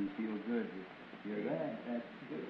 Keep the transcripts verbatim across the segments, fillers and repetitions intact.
me feel good to hear that. That's good.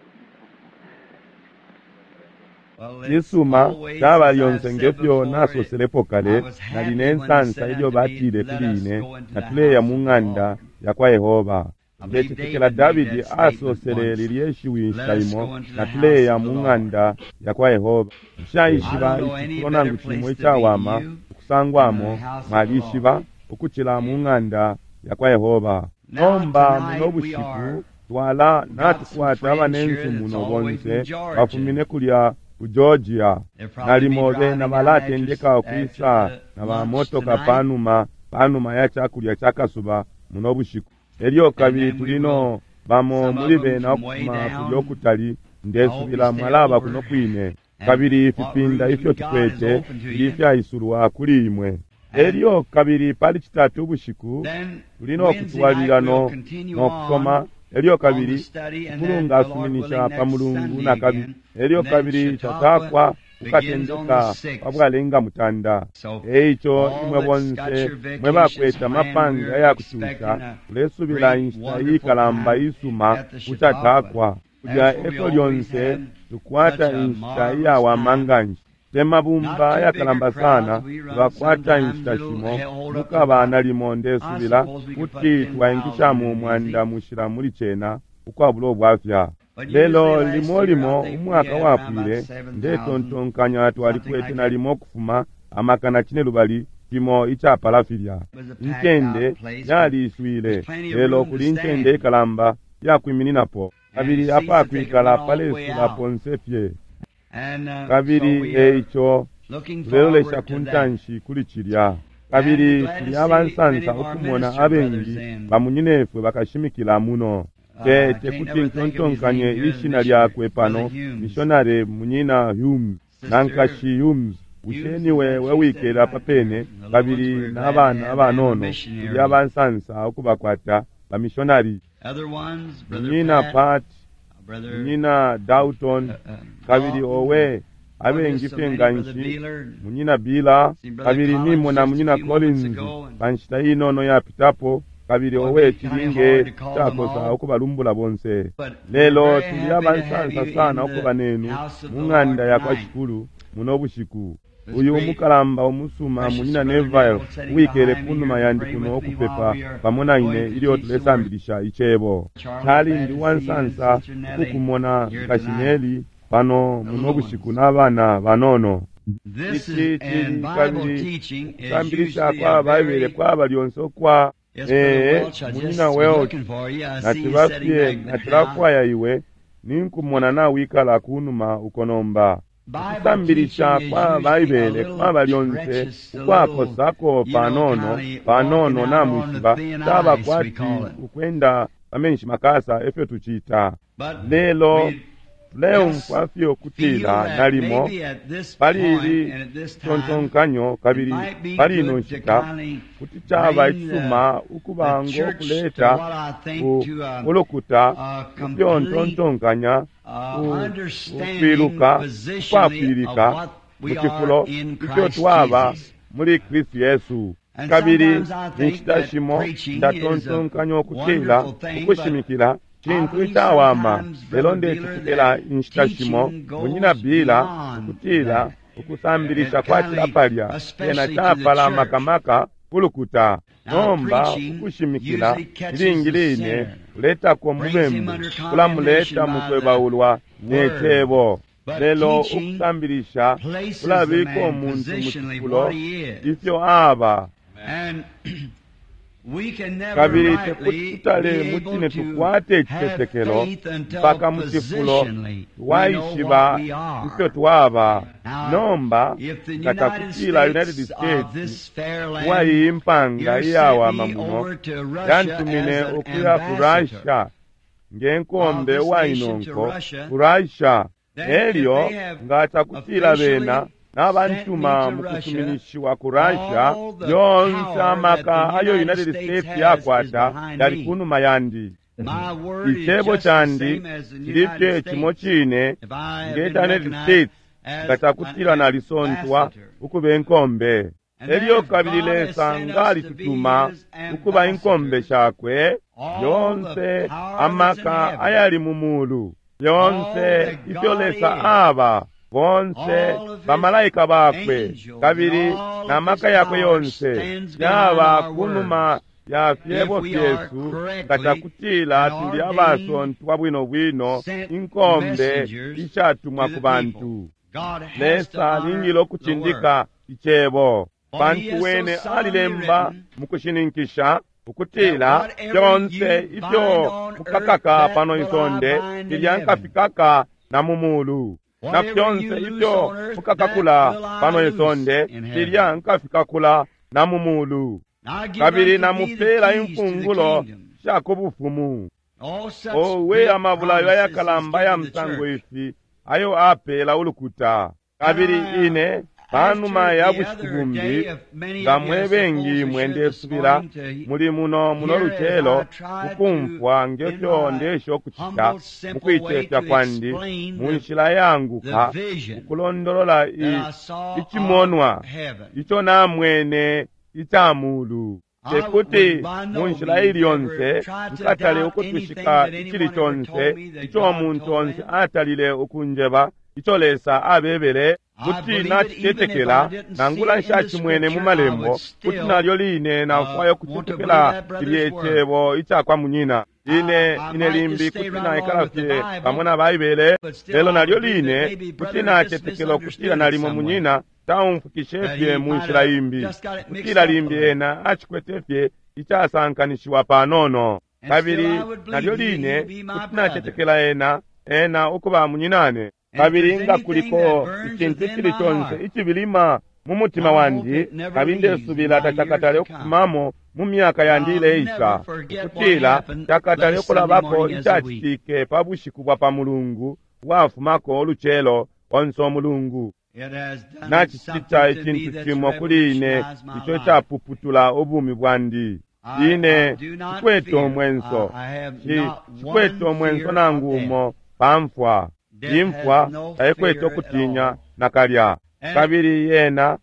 Cisuma caba lyonse ngefyo nasoselepo kale, nali ne nsansa ilyo batile kuli ine natuleya mu ng'anda yakwa Yehova. Ndecetekela Davidi asosele lilye shiwi inshita imo, natuleya mu ng'anda yakwa Yehova. Nshaishiba icifulo nangu cimo icawama ukusangwamo, mwalishiba, ukucila mu ng'anda yakwa Yehova. Nomba muno bushiku twala natukwata abanensu muno bonse bafumine kulya ku Georgia. Nalimo bena balatendeka ukwisa na bamotoka panuma panuma ya chakulya cha kasuba muno bushiku. Elyo kabili tulino bamo muli bena ukufuma kulya ukutali, ndesubila mwalaba kuno kwine. Kabili ifipinda ifyo tukwete fili ifyaisulwa kuli imwe. Elyo kabili pali citatu ubushiku tuli no kutwalilila no kusoma. Elyo kabili Shikulu asuminisha pa Mulungu na kabili. Elyo kabili Chautauqua ukatendeka pa bwalenga mutanda. Eico imwe bonse mwe bakwete amapange ayakucusha, tulesubila inshita iikalamba isuma ku Chautauqua. Kulya eko lyonse tukwata inshita iyawama nganshi. Te mabumba ayakalamba sana tukakwata inshita shimo mukaba nalimo ndesubila kuti twaingishamo umwanda mushila muli cena ukwabula ubwafya. Lelo limo limo umwaka wapwile ndetontonkanya twalikwete nalimo ukufuma amakana cine lubali cimo icapala filya. Incende yaliiswile, lelo kuli incende ikalamba yakwimininapo, kabili apakwikala palesula ponse fye. Kabili eico tulelolesha ku ntanshi kuli cilya. Kabili tuli abansansa ukumona abengi bamunyinefwe bakashimikila muno. Te tekuti ntontonkanye ishina lyakwe pano, mishonari munyina Humes na nkashi Humes. Bushe niwe wewikela papene kabili n'abana abanono? Tuli abansansa ukubakwata bamishonari. Munyina Pat, munyina Dalton, kabili owe abengi fye nganshi, munyina Bila, kabili nimona munyina Collins pa nshita inono yapitapo, kabili owe cilinge cakosa ukubalumbula bonse. Lelo tuli abansansa sana ukuba nenu mu ng'anda yakwa Shikulu muno bushiku. Uyu umukalamba umusuma munyina Neville uwikele kunuma yandi kuno ukupepa pamo na ine ilyo tulesambilisha icebo. Cali ndi uwansansa ukukumona nkashi Nelly pano muno bushiku n'abana banono. Ici cili kabili ukusambilisha kwa Baibele kwaba lyonse ukwa ee munyina Welch, naciba fye nacilafwaya iwe ninkumona nawikala kunuma uko nomba. Ukusambilisha kwa Baibele kwaba lyonse ukwakosako panono panono namwishiba, caba kwati ukwenda pamenshi makasa efyo tucita. Lelo tuleumfwa fye ukutila nalimo pali ili tontonkanyo kabili pali ino nshita kuti caba icisuma ukuba ngo kuleta ulukuta ifyo ntontonkanya ukwiluka ukwafwilika mu cifulo ifyo twaba muli Kristu Yesu. Kabili inshita shimo ndatontonkanya ukutila ukushimikila cintu icawama, lelo ndecetekela inshita shimo munyina Bila ukutila ukusambilisha kwacila palya cena capala makamaka kulukuta. Nomba ukushimikila ilingi line kuletako mubembu, kulamuleta mukwebaulwa ne cebo. Lelo ukusambilisha kulabika umuntu mu cifulo ifyo aba. Kabili tekuti tutale mucine tukwate icitetekelo mpaka mu cifulo twaishiba ifyo twaba. Nomba nga cakutila United States uwaiyi impanga iyawama muno yantumine ukuya ku Russia nge nkombe uwainonko ku Russia, elyo nga cakutila bena n'abantuma mu kusuminishiwa ku Russia, yonse amaka ayo United States yakwata yali kunuma yandi. Icebo candi cili fye cimo cine nge ca United States nga cakutila nalisontwa ukuba inkombe. Elyo kabili Lesa nga alitutuma ukuba inkombe shakwe, yonse amaka ayali mu mulu, yonse ifyo Lesa aba, bonse bamalaika bakwe kabili na maka yakwe yonse yaba kunuma ya fyebo fyesu nga cakutila tuli abasontwa bwino bwino inkombe ishatumwa ku bantu. Lesa alingile ukucindika icebo, pantu wene alilemba mu kushininkisha ukutila fyonse ifyo mukakaka pano isonde filya nkafikaka na mu mulu, na fyonse ifyo mukakakula pano isonde filya nkafikakula na mu mulu. Kabili namupela imfungulo sha ku bufumu. Owe, amabulayo ayakalamba ya musango ifi ayo apela ulukuta. Kabili ine panuma ya bushiku bumbi, nga mwe bengi mwe ndesubila muli muno muno lucelo kukumfwa ngefyo ndesha ukucita mukuicefya kwandi mu nshila yanguka ukulondolola icimonwa ico namwene ica mulu. Tekuti mu nshila ili yonse nkatale ukutwishika icili conse ico umuntu onse atalile ukunjeba ico Lesa abebele, kuti nacitetekela nangula nshacimwene mu malembo, kuti nalyo line nafwaya ukucetekela cilye cebo ica kwa munyina. Ine ine limbi kuti naikala fye pamo na Baibele, lelo nalyo line kuti nacetekela ukutila nalimo munyina taumfukishe fye mu nshila imbi, kutila limbi ena acikwete fye icasankanishiwa panono. Kabili nalyo line kuti nacetekela ena ena ukuba munyinane. Kabili nga kuliko icintu icili conse icibilima mu mutima wandi, kabili ndesubila tacakatale ukufumamo mu myaka yandi ileisa, ukutila cakatale ukulabako icacitike pa bushiku bwa pa mulungu bwafumako ulucelo onse umulungu. Nacicita icintu cimo kuli ine ico capuputula ubumi bwandi. Ine cikwete umwenso, cikwete umwenso nangu umo pamfwa. Imfwa taikwete ukutinya nakalya. Kabili yena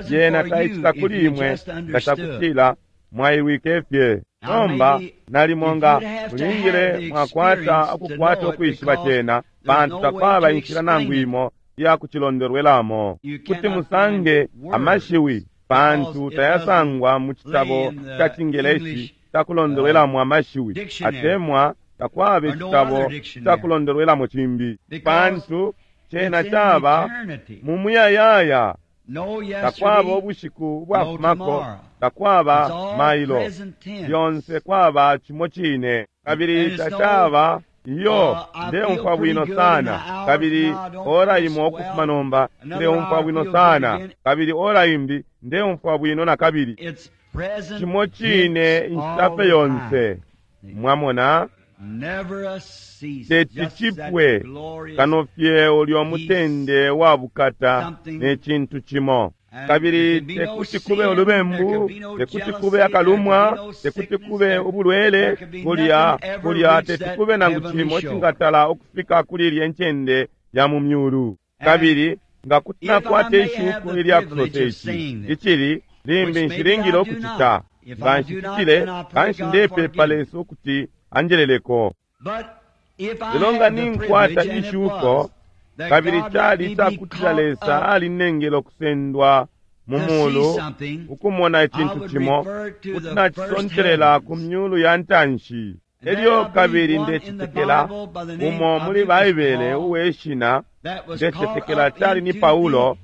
yena taicita kuli imwe nga cakutila mwailwike fye. Nomba nalimo nga mulingile mwakwata ukukwata ukwishiba cena, pantu takwaba inshila nangu imo iya kucilondolwelamo. Kuti musange amashiwi, pantu tayasangwa mu citabo ca Cingeleshi cakulondolwelamo amashiwi, atemwa takwaba icitabo cakulondolwelamo cimbi, pantu cena caba mu muyayaya. Takwaba ubushiku ubwafumako, takwaba mailo, lyonse kwaba cimo cine. Kabili tacaba iyo ndeumfwa bwino sana, kabili ora imo ukufuma nomba ndeumfwa bwino sana, kabili ora imbi ndeumfwa bwino na kabili. Cimo cine inshita fye yonse. Mwamona, teti cipwe kano fye ulyo mutende wa bukata ne cintu cimo. Kabili tekuti kube ulubembu, tekuti kube akalumwa, tekuti kube ubulwele, kulya kulya teti kube nangu cimo cingatala ukufika kuli ilye ncende ya mu myulu. Kabili nga kuti nakwata ishuko ilya kusosa ici icili limbi nshilingile ukucita, nga nshicitile kanshi ndepepa Lesa ukuti anjeleleko. Lelo nga ninkwata ishuko, kabili cali icakutila Lesa alinengele ukusendwa mu mulu ukumona icintu cimo, kuti nacisontelela ku myulu ya ntanshi. Elyo kabili ndecetekela umo muli Baibele uwe shina, ndecetekela cali ni Paulo,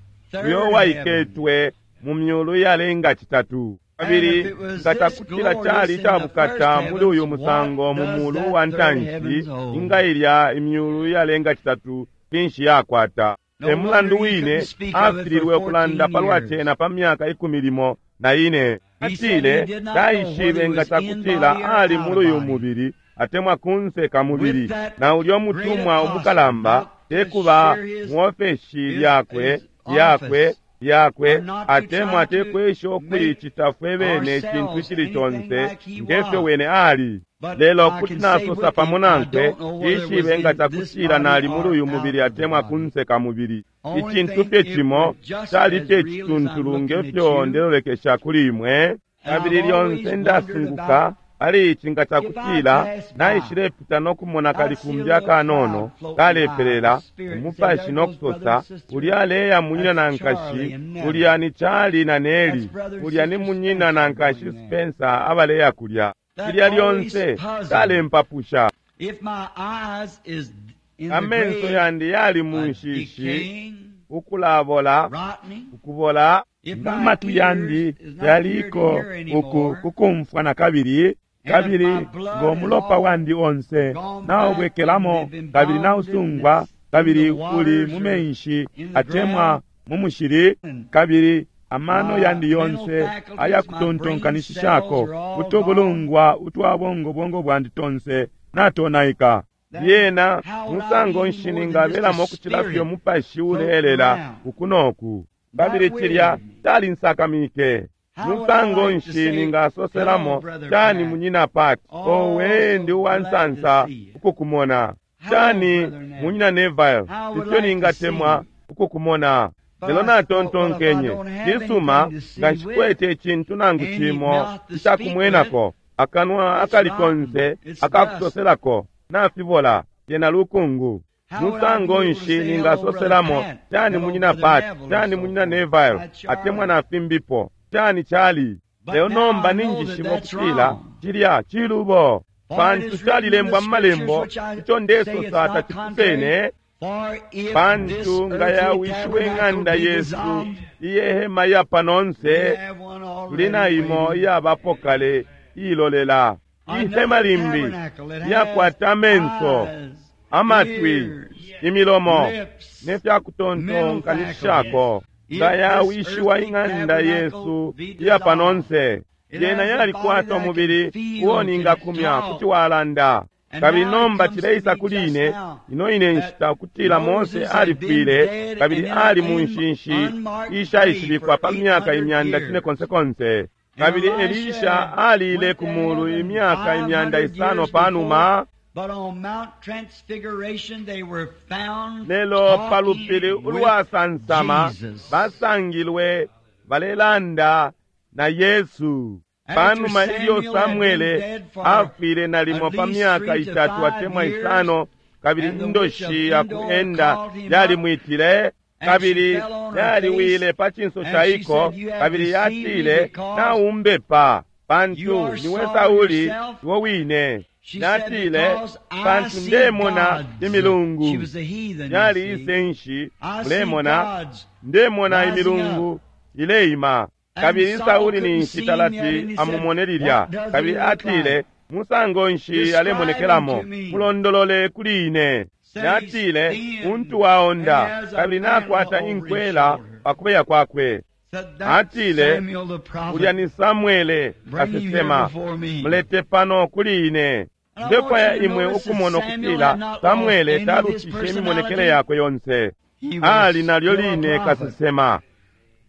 uyo waiketwe mu myulu yalenga citatu. Kabili nga cakutila cali icabukata muli uyu musango mu mulu wa ntanshi, inga ilya imyulu yalenga citatu finshi yakwata. E mulandu wine afililwe ukulanda palwa cena pa myaka ikumi limo na ine. Atile taishibe nga cakutila ali muli uyu mubili atemwa kunse ka mubili, na ulyo mutumwa umukalamba tekuba muofeshi lyakwe lyakwe yakwe or not to atemwa try to tekwesha ukuicita fwe bene icintu ourselves icili anything conse like he ngefyo was. wene ali But lelo I kuti can say nasosa with pamo him, I nankwe don't know whether it was ishibe nga in this cakutila body nali muli or uyu out mubili of the atemwa body. kunse ka mubili Only icintu thing, fye it cimo was just cali as fye real as I'm cituntulu looking at ngefyo you. ndelolekesha kuli imwe And kabili I've always lyonse wondered ndasunguka about pali ici nga if I cakutila pass by, naishilepita no kumona I'd see a kalikumbi little akanono cloud floating by, kalepelela the Spirit said, umupashi There no goes brother kusosa and sister. ulya aleya munyina na That's Charlie nkashi and Nellie. ulya ni Charlie na Nelly That's brother and ulya ni sister munyina na Spencer nkashi going there. Spencer abaleya kulya That filya always lyonse puzzled. kalempapusha If my eyes is in the amenso grave, yandi yali mu uh, nshishi decaying, ukulabola rotting, ukubola if nga my amatwi yandi ears is not here to yaliko hear uku anymore, kukumfwa na kabili and if kabili my blood is ng'omulopa all wandi onse gone back and naubwekelamo they've been kabili bounded and nausungwa it's in kabili the uli waters mu or menshi in the atemwa ground, mu mushili and kabili amano my yandi mental yonse faculties, my brain ayakutontonkanishishako cells are all gone, utubulungwa utwa bongo bwandi tonse natonaika then lyena how would I musango be nshi any more than just a ningabelamo ukucila fye spirit umupashi floating uleelela around? uku noku That kabili cilya wearied me. calinsakamike How would I musango like to nshi say, hello, ningasoselamo Brother cani Pat? munyina Pat Oh, owe so ndi uwa glad to nsansa see you. ukukumona Hello, cani Brother Neville. munyina Neville How would ifyo like to see ningatemwa you. ukukumona But lelo I thought, well, if I natontonkenye don't have cisuma anything to see nga with, nshikwete icintu nangu any cimo mouth to speak with, icakumwenako akanwa it's akali rotten, konse it's dust. akakusoselako nafibola lyena lukungu How would I be musango able to nshi say hello, Brother ningasoselamo Pat? cani Hello, munyina Brother Pat Neville, or cani so munyina forth. Neville That's atemwa Charlie. na fimbipo cani chali But lelo now nomba I know that ninjishiba that's ukutila wrong. cilya cilubo For it pantu is written in the calilembwa mu scriptures, malembo which I ico say it's ndesosa not tacipusene contrary. For if this pantu nga earthly yawishiwe tabernacle ing'anda be yesu dissolved, iyehema iya panonse we have one tuli na already imo waiting. iyabapo kale iilolela ihema Another limbi tabernacle that has iyakwata amenso eyes, amatwi ears, imilomo lips, ne mental fyakutontonkanishishako faculties. If nga this yawishiwa earthly ing'anda tabernacle yesu be iya dissolved, panonse it lyena has a body yalikwata that can umubili feel, uo can ningakumya kuti talk. walanda And kabili now it nomba comes to cileisa me kuli just ine now ino ine that nshita ukutila Mose Moses had been alifwile dead and kabili in an ali mu un- nshinshi unmarked grave ishaishibikwa for pa eight myaka hundred imyanda years. cine konsekonse And kabili Elisha Elisha had aliile went ku to mulu heaven imyaka five imyanda hundred isano years pa before, numa but on Mount Transfiguration they were found lelo pa lupili talking with ulwasansama Jesus. basangilwe balelanda na Yesu After panuma ilyo Samuel had been Samwele dead for afwile nalimo at pa least myaka three to itatu five atemwa years, isano kabili and the witch of indoshi ya Endor kuenda called him up, yalimwitile and she kabili fell on her yaliwile face, pa cinso and ca she iko said, You have kabili deceived me yatile because naumbepa you pantu are niwe Saul Sauli yourself. iwe wine She said, natile Because I pantu see ndemona gods. imilungu She was a heathen, you yali see. isenshi I see mulemona gods ndemona rising imilungu up. ileima And kabili Saul Sauli couldn't ninshi see him yet, talati and he said, amumone lilya What does he kabili look atile like? musango nshi Describe him alemonekelamo to me. mulondolole kuli ine Said he's natile thin untu and waonda has a kabili mantle nakwata over his inkwela shoulder. pa kubeya kwakwe Said that's atile Samuel the ulya prophet. ni Samwele Bring him here kasesema before me. mulete pano kuli ine And I want ndefwaya you to imwe notice that ukumona Samuel ukutila had not lost Samwele any of his talufishe imimonekele personality. yakwe yonse He was ali nalyo still a line prophet. kasesema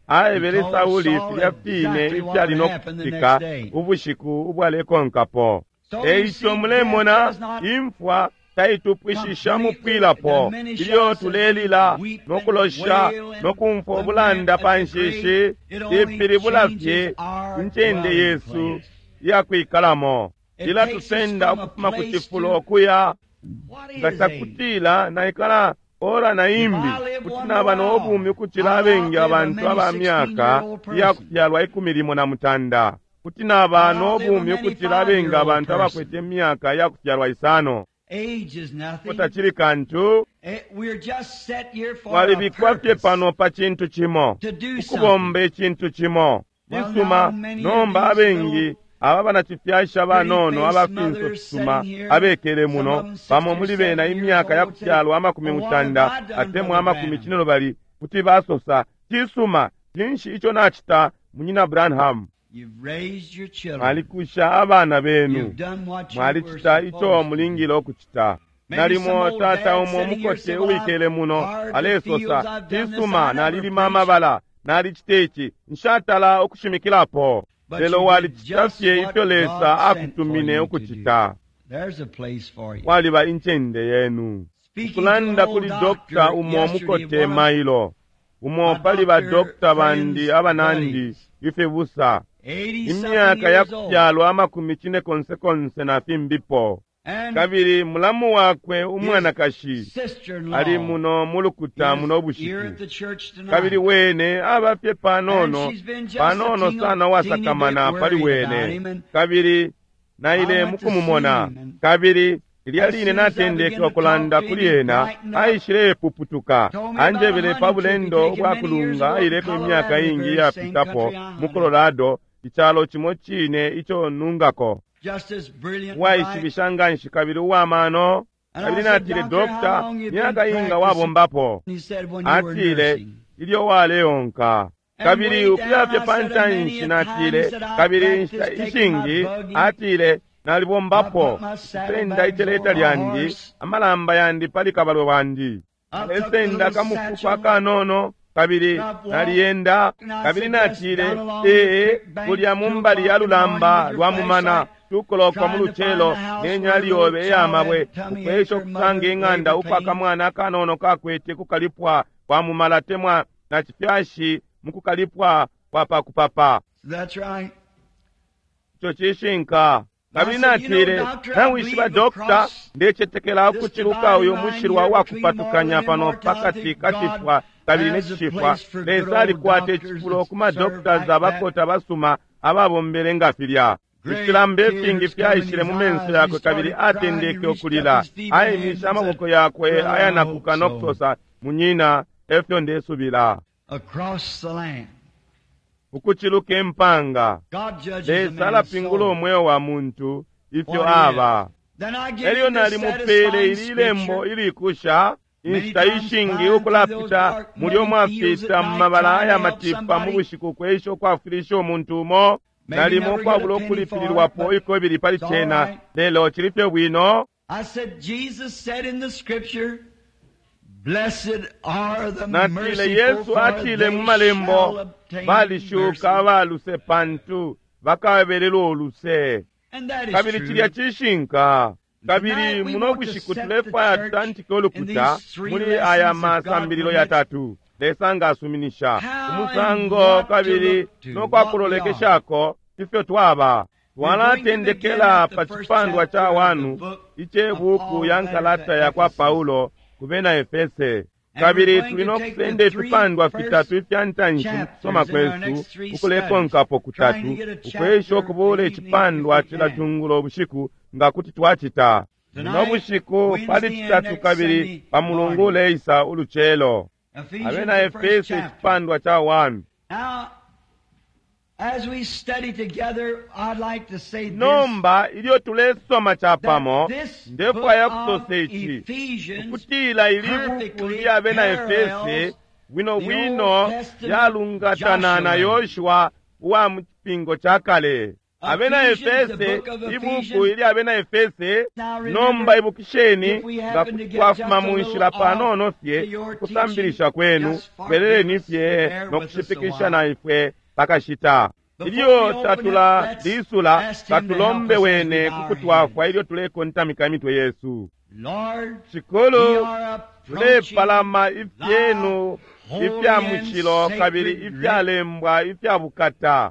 He aebele told Sauli Saul filya fine exactly what ifyali would no happen the kucitika next day. ubushiku ubwalekonkapo So you eico see, death mulemona does not imfwa taitupwishisha completely mupwilapo diminish ilyo us as we tulelila weep and nokulosha wail and nokumfwa lament ubulanda at pa the nshishi grave. It only ipilibula changes fye our incende dwelling yesu place. iyakwikalamo It takes us ilatusenda from a ukufuma ku place cifulo to okuya what nga is age? cakutila naikala ora na If imbi I live kuti one naba more n'obumi hour, ukucila I'll abengi outlive a abantu many aba myaka sixteen-year-old person. iyakufyalwa ikumi limo na mutanda kuti naba I'll outlive a n'obumi many ukucila abengi five-year-old abantu abakwete person. imyaka iyakufyalwa isano Age is nothing. tacili kantu Eh, We're just set here for a twalibikwa fye purpose pano pa cintu cimo to do something. ukubomba icintu cimo Well, now cisuma many of nomba these abengi little aba banacifyasha banono pretty-faced abafinso mothers fisuma sitting here, abekele some muno of them sixty bamo or muli bena seventy years imyaka old, would say, yakufyalwa amakumi Well, what have mutanda I done, atemwa Brother amakumi Branham? cine lubali kuti basosa cisuma cinshi ico nacita munyina Branham You've raised your children. mwalikusha abana benu You've done what you were mwalicita ico supposed to do. mulingile okucita Maybe some nalimo old tata dad umo sitting here mukote said, Well, I've uwikele muno hired the fields, alesosa I've done this, cisuma I never nalilima preached. amabala Nalicita ici, nshatala ukushimikilapo. But Lelo you did walicita just fye what ifyo Lesa God sent for akutumine you to ukucita. do. There's a place for you. Kwaliba incende yenu. Speaking to Kulanda an old kuli doctor dokta umo yesterday, mukote one of mailo. Umo my pali ba doctor dokta bandi friends' abanandi buddies, ifibusa. eighty-something Imyaka ya years old, kufyalwa amakumi cine konse konse na fimbipo. and Kabili mulamu wakwe umwanakashi sister-in-law ali muno mu lukuta is muno here bushiku. at the church tonight. Kabili wene aba fye panono And she's been just panono a teeny- sana wasakamana teeny bit pali worried about wene. him, and Kabili naile I went to mukumumona. see him, and Kabili lilya as line soon as I natendeke began to ukulanda talk to kuli him, he ena brightened up. aishilepuputuka. Told me about a Anjebele pa hunting trip he'd bulendo taken bwa many years kulunga ago in aileko imyaka Colorado, the ingi very same iyapitapo country I mu hunted. Colorado, icalo cimo cine ico nungako. Just as brilliant and bright. Uwaishibisha nganshi kabili uwamano. And I Kabili said, natile, Doctor, how Dokta, long you been myaka inga practicing? wabombapo? He said, when you were Atile, nursing. ilyo waleonka. And Kabili way down, ukuya fye I pa said, many ntanshi a natile, times that I kabili inshita practiced taking my ishingi, buggy, atile, nalibombapo, I put my kusenda saddlebags iceleta over my lyandi, horse. amalamba yandi pali kabalwe wandi. I took the Nalesenda little kamufuko satchel. akanono, kabili I've walked. naliyenda, And I kabili said, yes, natile, down along the ee, creek bank, kulya mu two mbali ya o'clock in the morning lulamba with your lwa mumana, flashlight, tukolokwa mu trying to find lucelo the house n'enyali where the yobe little child ey'amabwe had tummy ache, ukwesha her okusanga mother eng'anda labor uko pain. akamwana akanono kakwete kukalipwa kwa mumala temwa na chifyashi mu kukalipwa kwa pakupapa. That's right. Ico cishinka. Kabili I said, you know, natile, doctor, I nawishiba believe dokta, across ndecetekela this ukuciluka dividing uyu line mushilwa here wa between kupatukanya mortal and pano immortality, pakati ka God cifwa kabili ne has a cifwa. place for good Lesa old alikwata doctors icifulo that ku ma serve doctors like that. abakota basuma ababombele nga filya. Great Ifilamba ifingi tears come in fyaishile his mu menso eyes. He yakwe kabili started crying. He atendeke reached up okulila. his feeble hands Aimishe and said, amaboko yakwe Brother, I ayanakuka hope no so. kusosa, munyina, efyo ndesubila. Across the land. Ukuciluka empanga. God judges a Lesa man's alapingula soul. umweo wa muntu ifyo What he aba. Then I give Elyo him this nalimupeele satisfying ili lembo scripture. ilikusha Many inshita times ishingi flying through those ukulapita dark mulyo muddy fields mwafita at mu night mabala trying to aya help matipa mu somebody. bushiku kwesha ukwafwilisha umuntu umo Maybe nalimo never get ukwabula a penny for it, ukulipililwapo but ikobili pali it's all cena right. lelo cili fye bwino. I said, Jesus said in the scripture, Blessed are the Natile merciful, Yesu for atile they mu shall malembo obtain balishuka mercy. abaluse pantu bakabelelwa oluse. And that is Kabili true. cilya cishinka. Kabili Tonight we muno want to bushiku set the tulefwaya church tutantike in ulukuta these three muli lessons aya if God masambililo permits. yatatu. Lesa nga asuminisha How and umusango what to kabili look to, no what we are. kwakulolekeshako ifyo twaba. We're going to begin Twalatendekela at the pa first cipandwa ca chapter of the wanu book of icebuku Paul ya letter to nkalata ya kwa Ephesus. Paulo ku bena Efese. And we're Kabili going tuli to no take the kusenda three ifipandwa first fitatu ifya ntanshi mu kusoma chapters in our kwesu next three studies, ukulekonkapo trying to kutatu get a ukwesha chapter ukubuula the evening if icipandwa we cila can. cungulo bushiku nga kuti twacita. Muno Tonight, bushiku pali Wednesday and citatu next kabili Sunday pa mulungu morning. uleisa ulucelo. Ephesians, Abena the first Efeso chapter. icipandwa ca one. Now, as we study together, I'd like to say this, Nomba ilyo tulesoma capamo that this book ndefwaya of kusosa ici Ephesians ukutila ili buku perfectly lya bena Efese parallels bwino the bwino Old Testament yalungatana na Joshua. Yoshua uwa mu cipingo ca kale. Abena Ephesians, the Efese, book of ibuku Ephesians. ilya bena Efese, Now remember, nomba ibukisheni if we nga happen to kuti get twafuma just a mu little nshila off panono to fye your kusambilisha teaching, kwenu just forgive beleleni us, fye bear no with us a kushipikisha while. na ifwe pakashita. Before Ilyo we open tatula it, let's lisula ask him to help katulombe us as we wene bow our kukutwafwa heads. ilyo tulekontamika imitwe yesu. Lord, we Shikulu, are approaching tulepalama thy ifyenu holy ifya and mushilo kabili sacred writ, ifyalembwa ifya bukata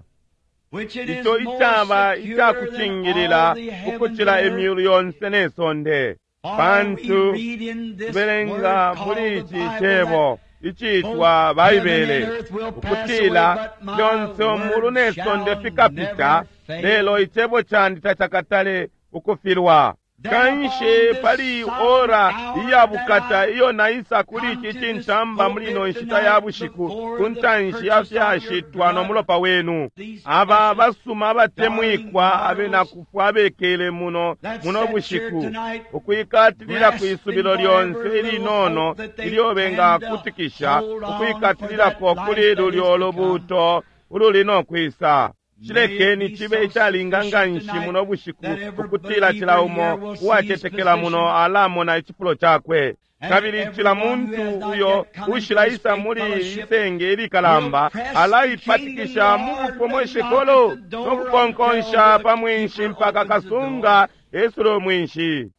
which it is ico more icaba secure than icakucingilila all the heavens ukucila and earth. imyulu yonse ne sonde. For we Pantu read in this tubelenga word called muli the ici Bible cebo that icitwa both heaven and Baibele earth will pass away, ukutila but my fyonse umulu word ne sonde shall fikapita never fail. lelo icebo candi tacakatale ukufilwa. Then Kanshi upon this pali solemn ora hour iya that bukata I iyo naisa kuli come ici to this cintamba muli ino pulpit nshita ya tonight bushiku before ku the ntanshi ya purchase of your fyashitwa no blood, mulopa wenu. these Aba precious basuma darling abatemwikwa abena mortals kufwa abekele muno that muno sat here bushiku tonight, ukwikatilila ku grasping isubilo whatever lyonse little ilinono hope that they ilyo can to bengakutikisha hold on for that ukwikatililako life kuli that is lulyo to come. lubuuto ululi no kwisa. Cilekeni cibe icalinga nganshi muno bushiku ukutila cila umo uwacetekela muno alamona icifulo cakwe, kabili cila muntu uyo ushilaisa muli isenge ilikalamba alaipatikisha mu bufomweshekolo no kukonkonsha pa mwinshi mpaka kasunga esule mwinshi.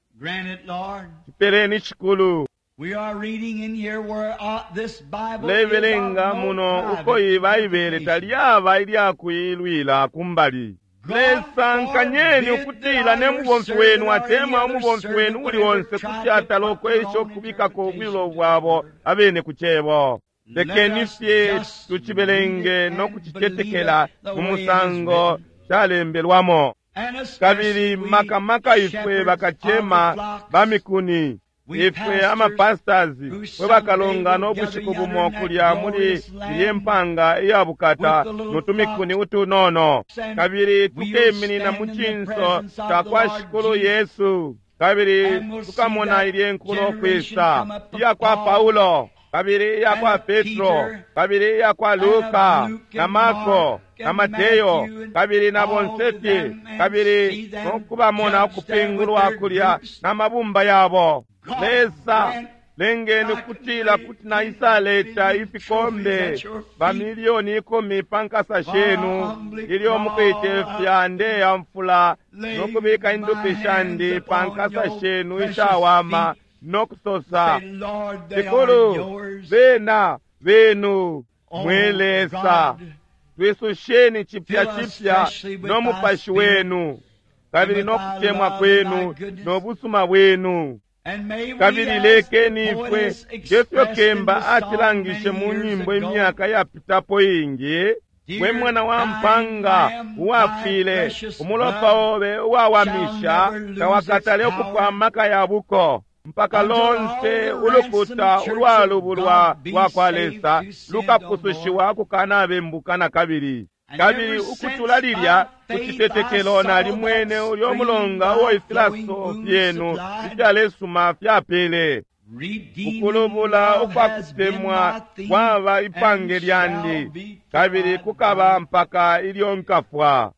Cipeleni Shikulu. Lebelenga muno uko iyi Baibele talyaba ilyakuilwila kumbali. Lesa nkanyeni ukutila ne mubomfi wenu atemwa umubomfi wenu uli onse kuti atala ukwesha ukubikako ubwilo bwabo abene ku cebo. Lekeni fye tucibelenge no kucicetekela mu musango calembelwamo. Kabili makamaka ifwe bakacema ba mikuni, ifwe amapastors fwe bakalongana ubushiku bumo kulya muli ilye mpanga iya bukata notumikuni utunono, kabili tukeminina mu cinso ca kwa Shikulu Yesu, kabili tukamona ilye nkulo kwisa iya kwa Paulo, kabili iya kwa Petro, kabili iya kwa Luka na Marko na Mateyo, kabili na bonse, kabili nokubamona ukupingulwa kulya na mabumba yabo. Lesa lengeni ukutila kuti naisaleta ifikombe bamilioni ikumi pa nkasa shenu ilyo mukuicefya ndeya mfula nokubika indupi shandi pa nkasa shenu ishawama nokusosa, Shikulu, bena benu. Mwe Lesa, twisusheni cipya cipya no mupashi wenu, kabili nokutemwa kwenu nobusuma bwenu. Kabili lekeni ifwe ngefyo kemba atilangishe mu nyimbo imyaka yapitapo ingi, we mwana wa mpanga uwafile, umulopa obe uwawamisha tawakatale ukupwa amaka ya buko mpaka lonse ulukuta ulwalubulwa lwa kwa Lesa lukapusushiwa kukanabembuka na kabili. Kabili ukutula lilya kucitetekelo nalimwene ulyo mulonga uo ifilaso fyenu ifyalesuma fyapele. Ukulubula ukwakutemwa kwaba ipange lyandi, kabili kukaba mpaka ilyo nkafwa.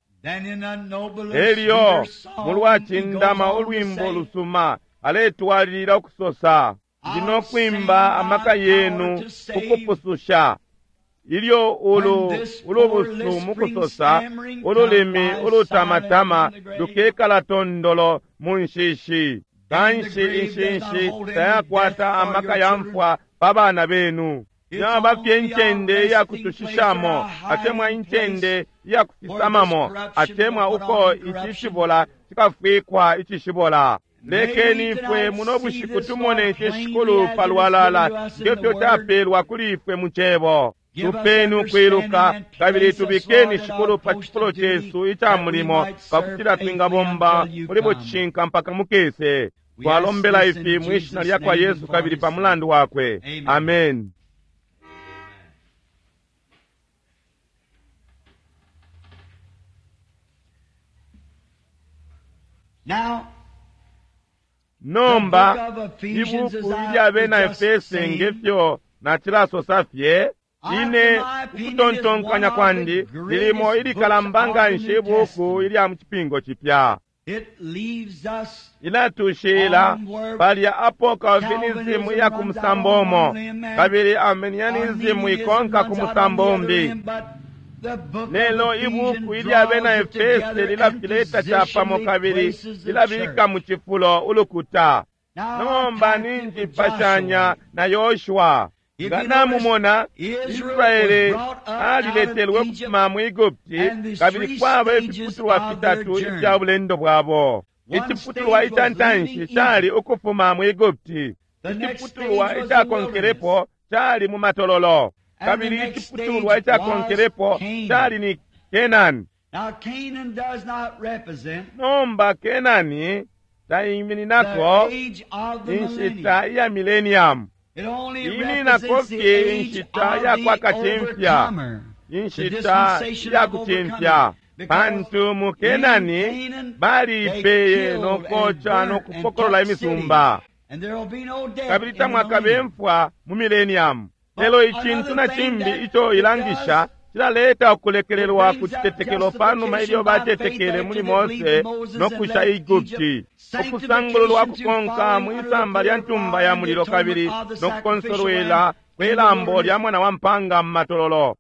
Elyo mulwacindama ulwimbo lusuma aletwalilila ukusosa, ndi nokwimba amaka yenu kukupususha. Ilyo ulu ulubusu mukusosa ululimi ulutamatama lukekala tondolo mu nshishi. Kanshi inshinshi tayakwata amaka ya mfwa pa bana benu. Yaba fye incende iyakutushishamo, atemwa incende iyakufisamamo, atemwa uko ici cibola cikafwikwa icishibola. Lekeni ifwe muno bushiku tumone ici Shikulu palwalala ngefyo capelwa kuli ifwe mu cebo. Tupeni ukwiluka, kabili tubikeni Shikulu pa cifulo cesu ica mulimo pakutila twingabomba muli bucishinka mpaka mukese. Twalombela ifi mwi shina lya kwa Yesu kabili pa mulandu wakwe. Amen. Now, Nomba ibuku ilya bena Efese ngefyo nacilasosa fye, ine ukutontonkanya kwandi lilimo ilikalamba nganshi ibuku ilya mu cipingo cipya. it leaves us Ilatushila palya apo Calvinism iya ku musambo umo, kabili Arminianism ikonka ku musambo umbi. Lelo ibuku ilya bena Efese lilafileta capamo kabili lilabika mu cifulo ulukuta. Nomba ninjipashanya na Yoshua. Nga namumona, Israele aliletelwe ukufuma mu Egupti, kabili kwaba ifiputulwa fitatu ifya bulendo bwabo. Iciputulwa ica ntanshi cali ukufuma mu Egupti, iciputulwa icakonkelepo cali mu matololo, kabili iciputulwa icakonkelepo cali ni Kenani. Now Canaan does not represent Nomba Kenani taimininako the age of the inshita millennium. iya millennium, It only Iminako represents the fye age inshita of ya kwa the kacimfya. overcomer. The inshita dispensation ya of kucimfya. overcoming. Because Pantu mu Kenani in Canaan, baliipeye they killed nokoca and burnt nokupokolola and took imisumba, cities. And there will be no death kabili in the tamwakabe millennium. mfwa mu millennium. Lelo icintu na cimbi ico ilangisha Cilaleta ukulekelelwa ku citetekelo panuma ilyo batetekele muli Mose no kusha Egupti, ukusangululwa kukonka mwisamba lya ntumba ya mulilo kabili no kukonsolwela kwe lambo lya mwana wa mpanga mu matololo.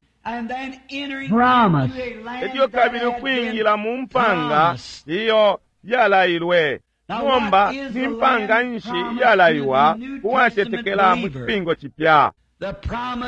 Promise. Elyo kabili ukwingila mu mpanga iyo yalailwe. Nomba ni mpanga nshi iyalaiwa uwatetekela mu cipingo cipya?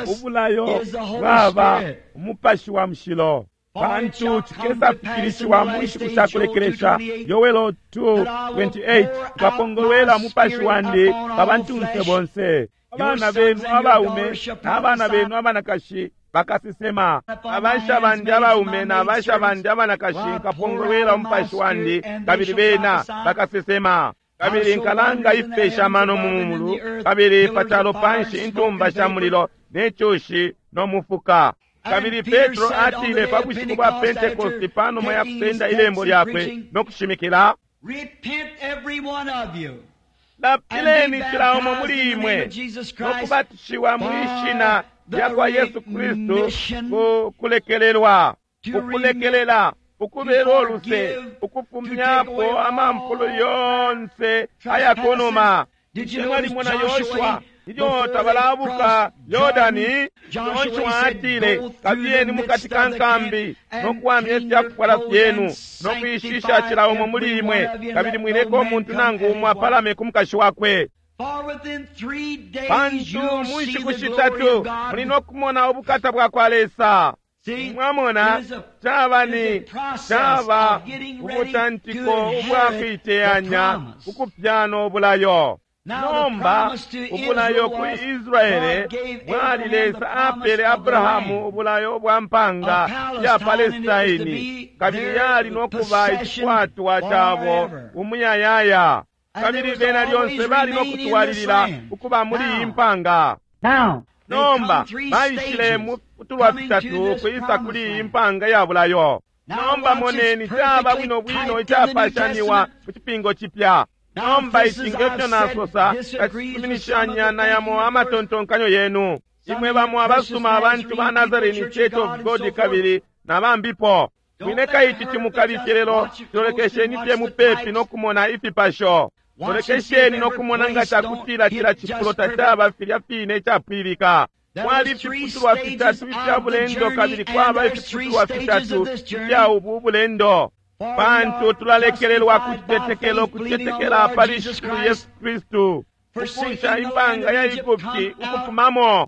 Ubulayo bwaba umupashi wa mushilo, pantu cikesafikilishiwa mu nshiku sha kulekelesha. Yoelo two twenty-eight, nkapongolwela umupashi wandi pa bantunse bonse. Abana benu abaume n'abana benu abanakashi bakasesema, abasha bandi abaume n'abasha bandi abanakashi nkapongolwela umupashi wandi, kabili bena bakasesema. Kabili nkalanga ifipesha amano mu mulu, kabili pa calo panshi intumba sha mulilo ne cushi no mufuka. Kabili Petro atile pa bushiku bwa Pentekosti, panuma ya kusenda ilembo lyakwe no kushimikila, lapileni cila umo muli imwe no kubatishiwa mwi shina lya kwa Yesu Kristu ku kulekelelwa, ukulekelela, ukubela uluse, ukufumyapo amampulo yonse ayakunuma. Mwalimona Yoshua ilyo tabalabuka Yordani, Yoshua atile, kabiyeni mukati ka nkambi no kuwamya ifyakufwala fyenu no kwishisha cila umo muli imwe, kabili mwileka umuntu nangu umo apalame ku mukashi wakwe. Pantu mu nshiku shitatu muli no kumona ubukata bwa kwa Lesa. Mwamona, caba ni caba ubutantiko ubwa kuiteyanya ukupyana ubulayo. Nomba ubulayo ku Israele bwali Lesa apele Abrahamu ubulayo bwa mpanga ya Palestaini, kabili yali no kuba icikwatwa cabo umuyayaya, kabili bena lyonse bali no kutwalilila ukuba muli iyi mpanga. Nomba baishile mu tulwa fitatu kwisa kuli iyi mpanga ya bulayo. Nomba moneni, caba bwino bwino icapashaniwa mu cipingo cipya. Nomba ici ngefyo nasosa, kacisuminishanya na yamo amatontonkanyo yenu imwe bamo abasuma abantu ba Nazarene Church of God kabili na bambipo. Mwileka ici cimukalifye, lelo tolekesheni fye mupepi no kumona ifipasho. Tolekesheni no kumona nga cakutila cila cifulo tacaba filya fine icapwilika. Kwali ifiputulwa fitatu ifya bulendo, kabili kwaba ifiputulwa fitatu ifya ubu bulendo. Pantu tulalekelelwa ku citetekelo, kucetekela pali Shikulu Yesu Kristu, ukusha impanga ya Egupti ukufumamo.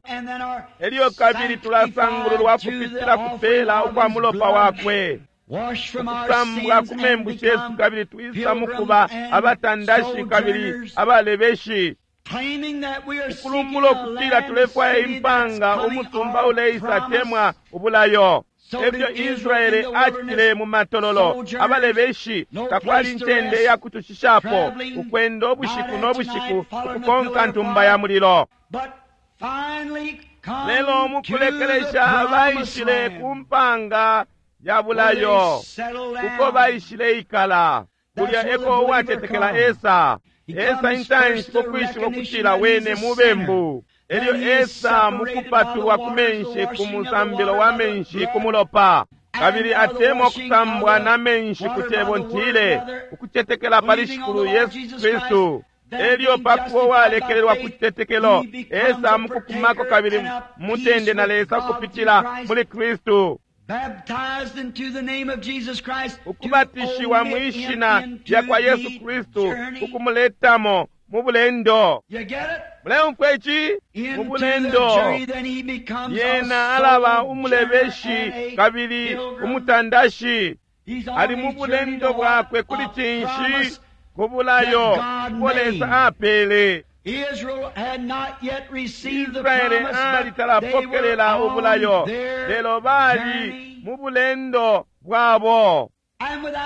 Elyo kabili tulasangululwa kupitila kupela ukwa mulopa wakwe, ukusambwa ku membu shesu, kabili twisa mukuba abatandashi kabili abalebeshi, ukulumbula ukutila tulefwaya impanga, umusumba uleisa temwa ubulayo. Efyo Israele acitile mu matololo, abalebeshi, takwali incende ya kutushishapo, ukwenda ubushiku no bushiku ukukonka ntumba ya mulilo. Lelo mukulekelesha baishile ku mpanga ya bulayo, uko baishile ikala. Kulya eko uwatetekela Esa. Esa intanshi kukwishiba ukutila wene mubembu. Elyo Esa mukupatulwa ku menshi ku musambilo wa menshi ku mulopa, kabili atemwa kusambwa na menshi ku cebo ntile, ukucetekela pali Shikulu Yesu Kristu. Elyo pakuba uwalekelelwa ku citetekelo, Esa mukukumako kabili mutende na Lesa kupitila muli Kristu, ukubatishiwa mwi shina lya kwa Yesu Kristu, ukumuletamo mu bulendo. Muleumfwa ici? Mu bulendo yena alaba umulebeshi kabili umutandashi. Ali mu bulendo bwakwe kuli cinshi? Ku bulayo ubo Lesa apele. Israele ali talapokelela ubulayo, lelo bali mu bulendo bwabo.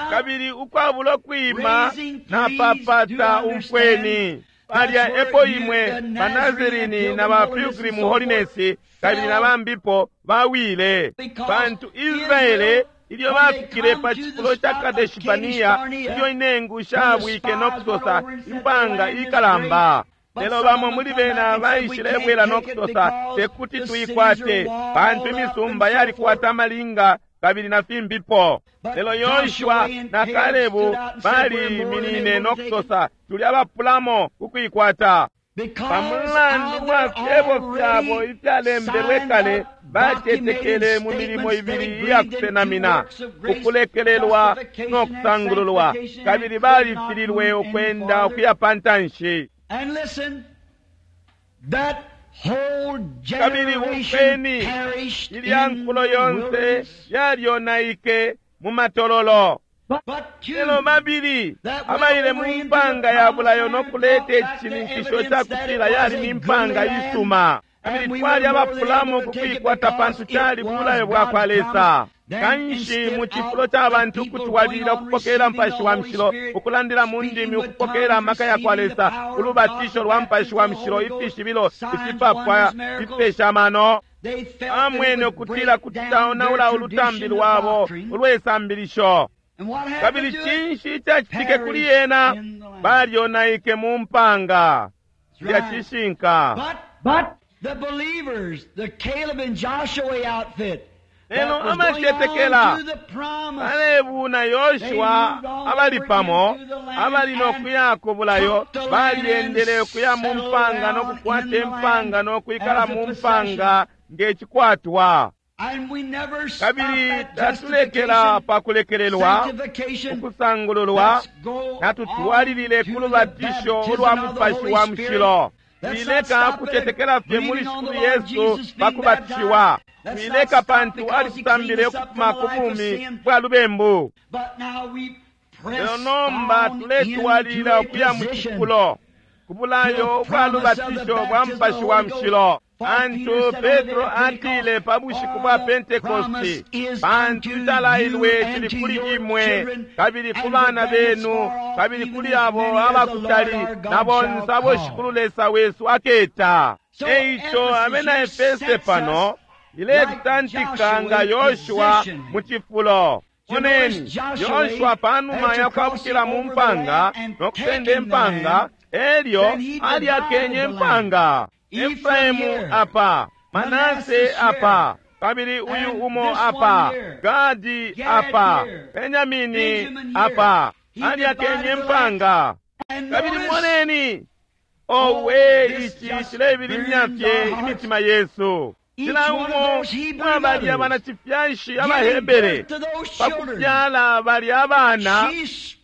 Kabili ukwabulo kwima napapata umfweni. Palya epo imwe baNazarini na ba Pilgrim Holiness kabili na bambipo bawile, pantu Israele ilyo bafikile pa cifulo ca Kadeshi Barnea, ilyo inengu shabwike no kusosa impanga ikalamba. Lelo bamo muli bena baishilebwela no kusosa, tekuti tuikwate, pantu imisumba yalikwata amalinga kabili na fimbipo. Lelo Yoshua na Kalebu baliminine no kusosa, tuli abapulamo kukuikwata. Pamulandu wa fyebo fyabo ifyalembelwe kale, bacetekele mu milimo ibili iyakusenamina, ukulekelelwa no kusangululwa, kabili balifililwe ukwenda ukuya pa ntanshi. Kabili umfweni, ilya nkulo yonse yalyonaike mu matololo. Lelo babili abaile mu mpanga ya bulayo no kuleta icishininkisho ca kutila yali ni mpanga isuma, kabili twali abapulamo kukuikwata pantu cali bulayo bwa kwa Lesa. Kanshi mu cifulo ca bantu ukutwalilila ukupokela Mupashi wa Mushilo, ukulandila mu ndimi, ukupokela amaka ya kwa Lesa, ulubatisho lwa Mupashi wa Mushilo, ifishibilo, ifipapwa, ifipesha amano, amwene ukutila kuti caonaula ulutambi lwabo ulwesambilisho. Kabili cinshi icacitike kuli yena? Balyonaike mu mpanga. Cilya cishinka. Lelo abacetekela Kalebu na Yoshua abali pamo, abali no kuya ku bulayo, balyendele ukuya mu mpanga no kukwata impanga no kwikala mu mpanga nge cikwatwa. Kabili tatulekela pa kulekelelwa, ukusangululwa, natutwalilile ku lubatisho ulwa Mupashi wa Mushilo. Twileka kucetekela fye muli Shikulu Yesu pa kubatishiwa. Twileka pantu alitusambile ukufuma ku bumi bwa lubembu. Lelo nomba tuletwalilila ukuya mu cifulo, ku bulayo bwa lubatisho bwa Mupashi wa Mushilo. Pantu Petro atile pa bushiku bwa Pentekosti, pantu icalailwe cili kuli imwe, kabili ku bana benu, kabili kuli abo abakutali, na bonse abo Shikulu Lesa wesu aketa. Eico abena Efese pano iletutantika nga Yoshua mu cifulo. Moneni, Yoshua panuma yakwabukila mu mpanga no kusenda impanga, elyo alyakenye impanga. Efraimu apa, Manase apa, kabili uyu umo apa, Gadi apa, Benyamini apa, alyakenye impanga. Kabili moneni, owe, ici cilebilimya fye imitima yesu. Cila umo mwabali abanacifyashi abaHebere pakufyala bali abana,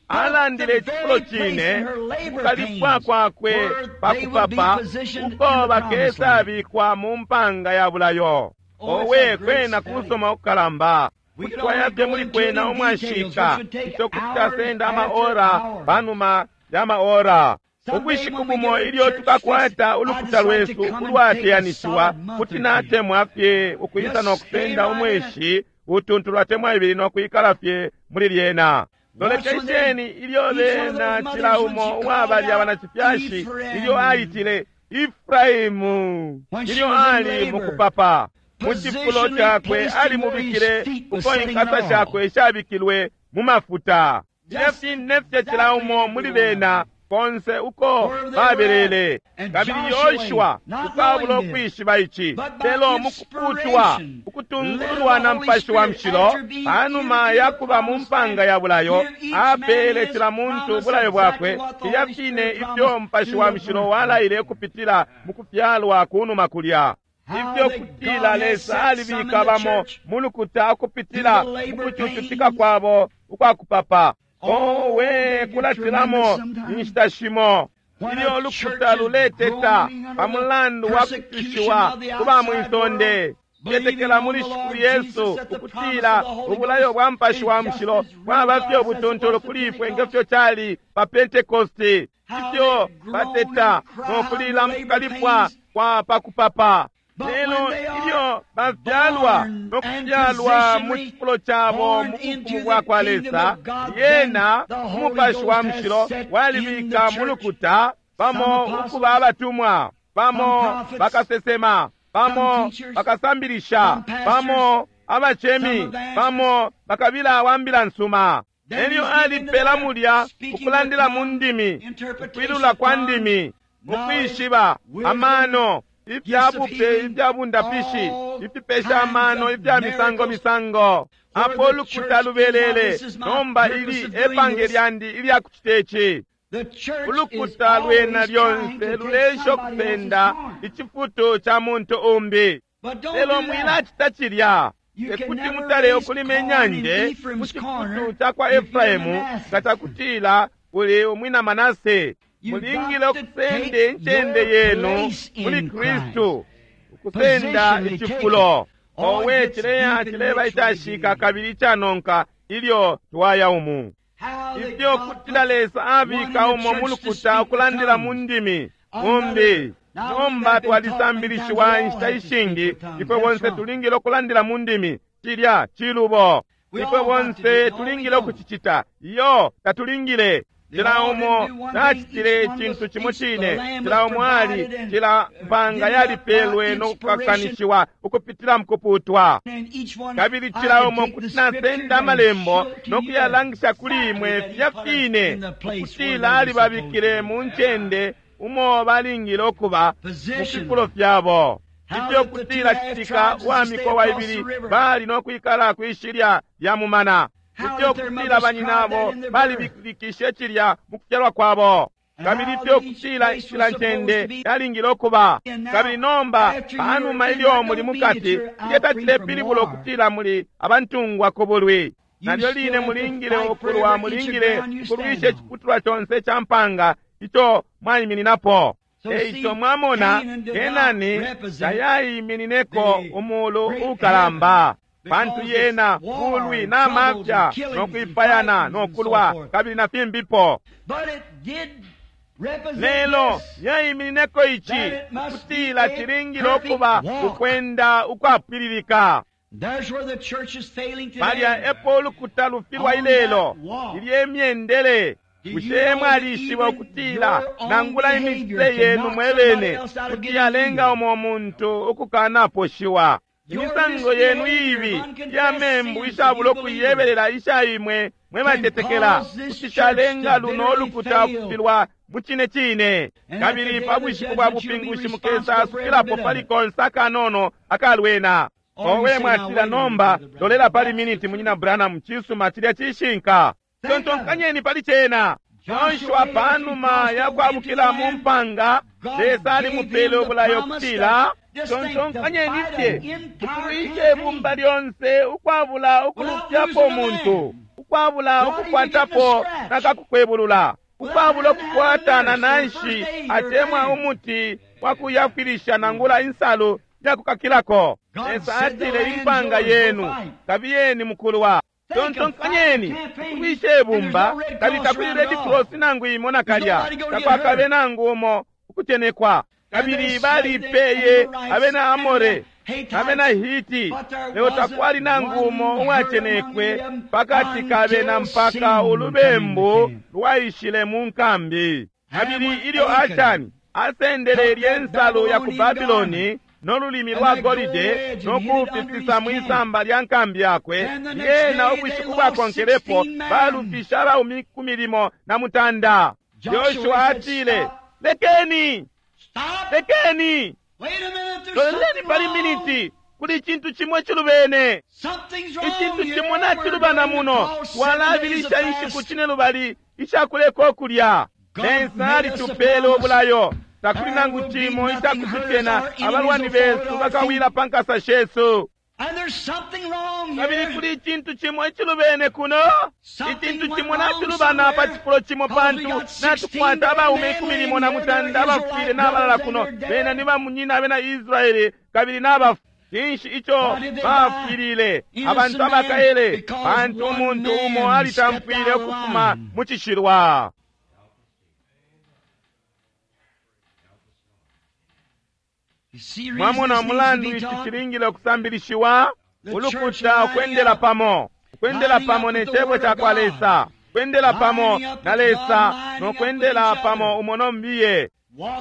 alandile icifulo cine kukalipwa kwakwe pakupapa uko bakesabikwa mu mpanga ya bulayo. Owe, kwena kusoma ukukalamba kuti twayafye muli kwena umwashika, ico kuti casenda amaora panuma ya maora. Ubushiku bumo ilyo tukakwata ulukuta lwesu ulwateyanishiwa, kuti natemwa fye ukwisa no kusenda umweshi utuntu lwatemwa ibili no kwikala fye muli lyena. Lolekesheni ilyo bena cila umo uwabali abanacifyashi ilyo aitile Efraimu, ilyo ali mukupapa mu cifulo cakwe alimubikile uko inkasa shakwe shabikilwe mu mafuta. Nefye cila umo muli bena konse uko babelele. Kabili Yoshua ukabula ukwishiba ici, lelo mukuputwa ukutungululwa na Mupashi wa Mushilo, panuma yakuba mu mpanga ya bulayo, apele cila muntu ubulayo bwakwe, filya fine ifyo Mupashi wa Mushilo walaile ukupitila mu kufyalwa kunuma kulya. Ifyo kutila Lesa alibika bamo mu lukuta ukupitila mu kucucutika kwabo ukwakupapa. Owe, kulatilamo inshita shimo ilyo ulukuta luleteta pa mulandu wa kucushiwa ku ba mwisonde. Cetekela muli Shikulu Yesu ukutila ubulayo bwa Mupashi wa Mushilo bwaba fye ubutuntulu kuli ifwe ngefyo cali pa Pentekosti, ifyo bateta no kulila mu kukalipwa kwa pakupapa. Lelo ilyo bafyalwa no kufyalwa mu cifulo cabo mu bufumu bwa kwa Lesa, yena Umupashi wa Mushilo walibika mu lukuta bamo ukuba abatumwa, bamo bakasesema, bamo bakasambilisha, bamo abacemi, bamo bakabila wa mbila nsuma. Elyo alipela mulya ukulandila mu ndimi, ukwilula kwa ndimi. Ukwishiba, amano, ifya bupe ifya bundapishi, ifipesha amano ifya misango misango. Apo ulukuta lubelele nomba, ili epange lyandi ilya kucita ici. Ulukuta lwena lyonse lulesha ukupenda icifutu ca muntu umbi, lelo mwilacita cilya. Tekuti mutale ukulima inyanje mu cifutu ca kwa Efraimu nga cakutila uli umwina Manase. Mulingile ukusenda incende yenu muli Kristu, ukusenda icifulo. Owe, cileya cileba icashika kabili icanonka ilyo twaya umu. Ifyo kutila Lesa abika umo mulukuta ukulandila mu ndimi umbi. Nomba twalisambilishiwa inshita ishingi, ifwe bonse tulingile ukulandila mu ndimi. Cilya cilubo. Ifwe bonse tulingile ukucicita. Iyo, tatulingile. Cila umo tacitile icintu cimo cine. Cila umo ali, cila mpanga yalipelwe no kukakanishiwa ukupitila mukuputwa. Kabili cila umo kuti nasenda amalembo no kuyalangisha kuli imwe filya fine ukutila alibabikile mu ncende umo balingile ukuba mu fifulo fyabo. Ifyo kutila citika wa mikowa ibili bali no kwikala kwishilya lya mumana. Ifyo kutila banyinabo balibilikishe cilya mu kufyalwa kwabo. Kabili ifyo kutila cila ncende yalingile ukuba. Kabili nomba panuma ilyo muli mukati, ilyo tacilepilibula ukutila muli abantungwa ku bulwi. Nalyo line mulingile ukulwa, mulingile ukulwisha iciputulwa conse ca mpanga ico mwaimininapo. Eico mwamona, Kenani tayaiminineko umulu ukalamba, pantu yena bulwi na mafya no kwipayana no kulwa kabili na fimbipo. Lelo yaiminineko ici kutila cilingile ukuba ukwenda ukwapwililika. Palya epo ulukuta lufilwa ilelo, ilye myendele. Bushe mwalishiba ukutila nangula imicitile yenu mwebene kuti yalenga umo muntu ukukanaposhiwa? Imisango yenu iibi ya membu ishabula ukuyebelela isha imwe mwe batetekela kuti calenga luno ulukuta ukufilwa mu cine cine. Kabili pa bushiku bwa bupingushi mukesa asukilapo pali konse akanono akalwena. Owe, mwatila nomba, lolela pali miniti, munyina Branham, cisuma, cilya cishinka. Tontonkanyeni pali cena. Joshua panuma yakwabukila mu mpanga, Lesa alimupele ubulayo kutila, tontonkanyeni fye ukulwisha ibumba lyonse ukwabula ukulufyapo umuntu, ukwabula ukukwatapo nakakukwebulula, ukwabula ukukwata na nanshi atemwa umuti wa kuyafwilisha nangula insalu yakukakilako. Lesa atile, impanga yenu kabiyeni mukulwa. Tontonkanyeni ukulwisha ibumba, kabili takuli Red Cross nangu imo nakalya, takwakabe nangu umo ukutenekwa. Kabili balipeye abena Amore abena Hiti, lelo takwali nangu umo uwacenekwe pakati kabena mpaka ulubembu lwaishile mu nkambi. Kabili ilyo Ashani asendele ilye nsalu ya ku Babiloni no lulimi lwa golide no kufifisa mwisamba lya nkambi yakwe, lyena ubushiku bwakonkelepo balufisha abaumi ku milimo na mutanda. Yoshua atile, lekeni, lekeni, loleleni pali miniti, kuli icintu cimo icilubene. Icintu cimo nacilubana muno. Twalabilisha inshiku cine lubali ishakuleka ukulya. Lesa alitupele ubulayo, takuli nangu cimo icakutucena, abalwani besu bakawila pa nkasa shesu. Kabili kuli icintu cimo icilubene kuno, icintu cimo nacilubana pa cifulo cimo, pantu natukwata abaume ikumi limo na mutanda abafwile n'abalala kuno. Bena ni bamunyina abena Israeli kabili n'abafu. Cinshi ico bafwilile abantu abakaele? Pantu umuntu umo alitamfwile ukufuma mu cishilwa. Mwamona umulandu ici cilingile ukusambilishiwa? Ulukuta ukwendela pamo, ukwendela pamo ne cebo ca kwa Lesa, kwendela pamo na Lesa no kwendela pamo umo no mbiye,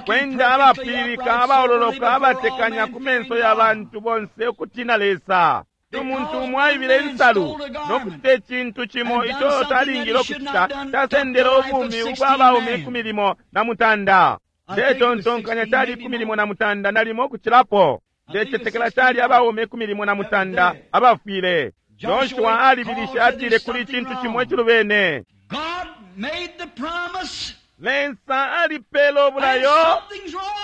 kwenda abapwililika, abaololoka, abatekanya ku menso ya bantu bonse ukutina Lesa. Umuntu umo aibile insalu no kucita icintu cimo ico talingile ukucita, casendele ubumi ubwa baume ikumi limo na mutanda. Ndetontonkanya cali ikumi limo na mutanda nalimo kucilapo. Ndecetekela cali abaume ikumi limo na mutanda abafwile. Joshua alibilishe, atile kuli icintu cimo icilubene. Lesa alipela ubulayo,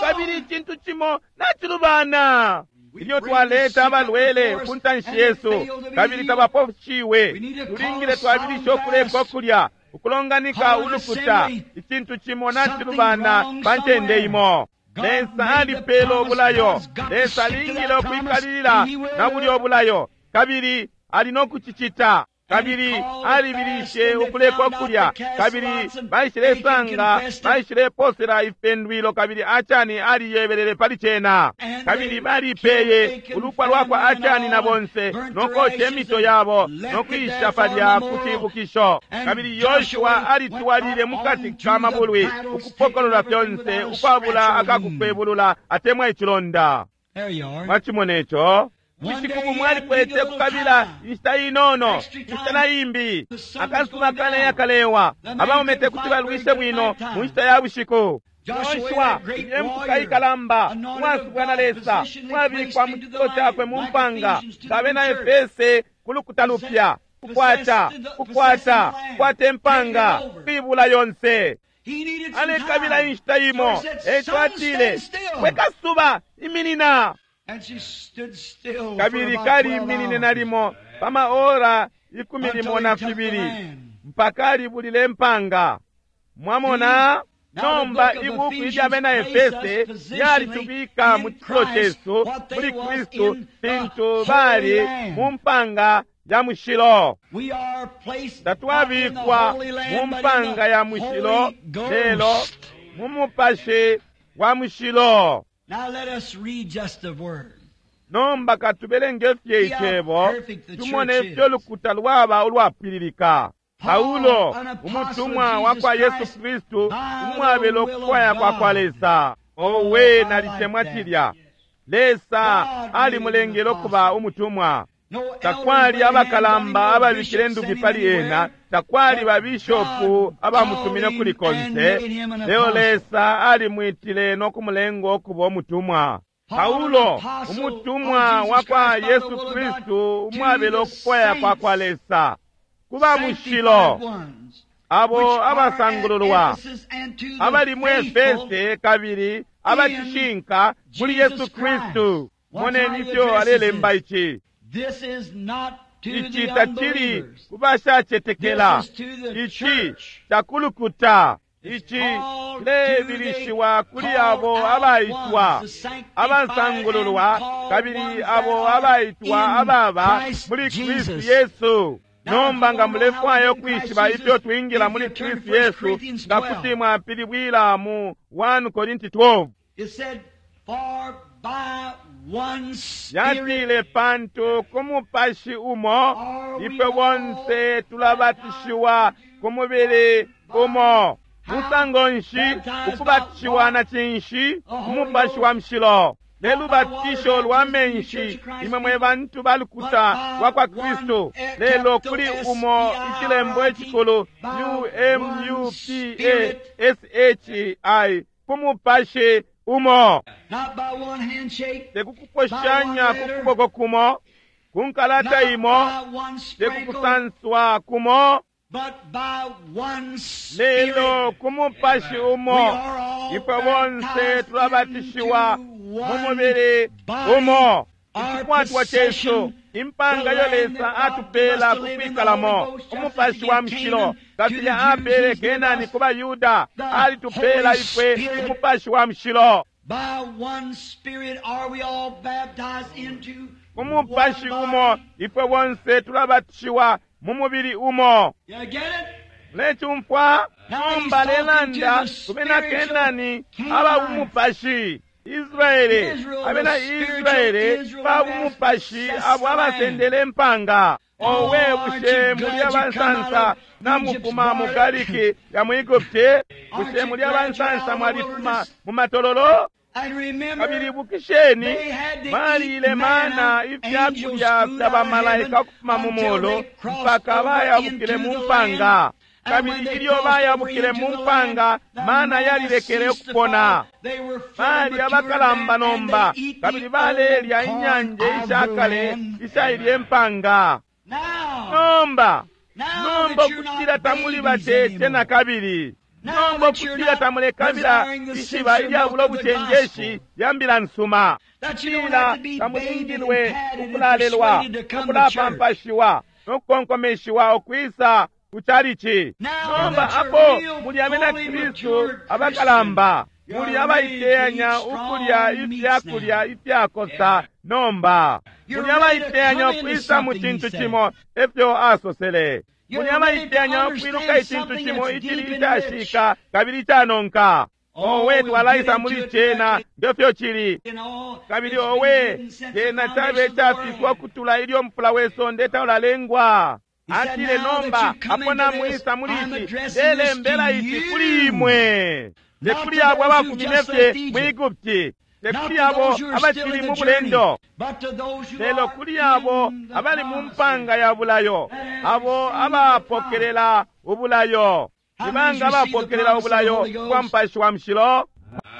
kabili icintu cimo nacilubana. Ilyo twaleta abalwele ku ntanshi yesu kabili tabaposhiwe, tulingile twabilisha ukuleka ukulya, ukulonganika ulukuta. Icintu cimo nacilubana pa ncende imo. Lesa alipela ubulayo. Lesa alingile ukwikalilila na bulyo ubulayo, kabili ali no kucicita. Kabili alibilishe ukuleka ukulya, kabili baishilesanga baishileposela ifipendwilo, kabili Achani aliyebelele pali cena, kabili balipeye ulupwa lwakwa Achani na bonse, nokoca emito yabo nokuisha palya ku cibukisho. Kabili Yoshua alitwalile mukati ka mabulwi ukupokolola fyonse ukwabula akakukwebulula atemwa icilonda. Mwacimona ico? Bushiku bumwe alikwete kukabila inshita inono, inshita na imbi. Akasuba kaleya kalewa, abaume tekuti balwishe bwino mu nshita ya bushiku. Yoshua empuka ikalamba, uwasubwa na Lesa, uwabikwa mu cifulo cakwe mu mpanga, nga Efese ku lukuta lupya, kukwata, kukwata, kukwata impanga, kwibula yonse. Alekabila inshita imo, eco atile, we kasuba, iminina. Kabili kaliiminine nalimo pa maora ikumi limo na fibili mpaka alibulile impanga. Mwamona? Nomba ibuku ilya bena Efese lyalitubika mu cifulo cesu muli Kristu fintu bali mu mpanga ya mushilo. Tatwabikwa mu mpanga ya mushilo, lelo mu mupashi wa mushilo. Now let us read just the word. Nomba katubelenge fye icebo, tumone ifyo lukuta lwaba ulwapwililika. Paulo, umutumwa wa kwa Yesu Kristu, umwabelo kukwaya kwa kwa Lesa. Owe, nalitemwa cilya. Lesa alimulengele ukuba umutumwa. Takwali abakalamba ababikile ndupi pali ena, takwali babishopu abamutumine kuli konse, lelo Lesa alimwitile no kumulenga ukuba umutumwa. Paulo, umutumwa wa kwa Yesu Kristu, umwabelo kukwaya kwa kwa Lesa, kuba mushilo, abo abasangululwa, abali mu Efese kabili abacishinka muli Yesu Kristu. Moneni ifyo alelemba ici. Ici tacili ku bashacetekela, ici cakulukuta, ici cilebilishiwa kuli abo abaitwa, abasangululwa, kabili abo abaitwa ababa muli Kristu Yesu. Nomba nga mulefwaya ukwishiba ifyo twingila muli Kristu Yesu, nga kuti mwapilibwila mu one Korinti twelve. Yatile, pantu ku mupashi umo ifwe bonse tulabatishiwa ku mubili umo. Musango nshi ukubatishiwa na cinshi? Umupashi wa mushilo. Lelo lubatisho lwa menshi, imwe mwe bantu balukuta lwa kwa Kristu. Lelo kuli umo icilembo icikulu U M U P A S H I, ku mupashi umo. Tekukuposhanya ku kuboko kumo, ku nkalata imo, tekukusanswa kumo, lelo ku mupashi umo ifwe bonse tulabatishiwa mu mubili umo. Icikwatwa cesu, impanga yo Lesa atupela kukwikalamo, umupashi wa mushilo, kafilya apele Kenani ku baYuda, alitupela ifwe umupashi wa mushilo. Umupashi umo ifwe bonse tulabatishiwa mu mubili umo. Mulecumfwa? Nomba lelanda ku bena Kenani aba umupashi. Israele, abena Israele ba umupashi abo abasendele impanga. Owe, bushe muli abansansa namufuma mu galiki ya mu Egupti? Bushe muli abansansa mwalifuma mu matololo? Kabili bukisheni, balile mana ifyakulya fya bamalaika ukufuma mu mulu mpaka bayabukile mu mpanga. Kabili ilyo bayabukile mu mpanga, mana yalilekele ukupona. Bali abakalamba nomba, kabili balelya inyanje ishakale ishailye mpanga. Nomba, nomba ukutila tamuli batete na kabili. Nomba ukutila tamulekabila ishiba ilyabula ubucenjeshi lya mbila nsuma. Kutila tamulingilwe ukulalelwa, ukulapampashiwa, no kukonkomeshiwa ukwisa kuchalichi. Nomba apo muli abena Kristu abakalamba, muli abaiteyanya ukulya ifyakulya ifyakosa. Nomba muli abaiteyanya ukwisa mu cintu cimo, efyo asosele. Muli abaiteyanya ukwiluka icintu cimo icili icashika kabili icanonka. Owe, twalaisa muli cena ngefyo cili. Kabili owe, cena cabe cafiswa ukutula ilyo mufula we sonde taulalengwa. Atile, nomba apo namwisa muli ici, ndelembela ici kuli imwe, te kuli abo abafumine fye mu Egupti, te kuli abo abacili mu bulendo, lelo kuli abo abali mu mpanga ya bulayo, abo abapokelela ubulayo. Ni banga abapokelela ubulayo bwa Mupashi wa Mushilo?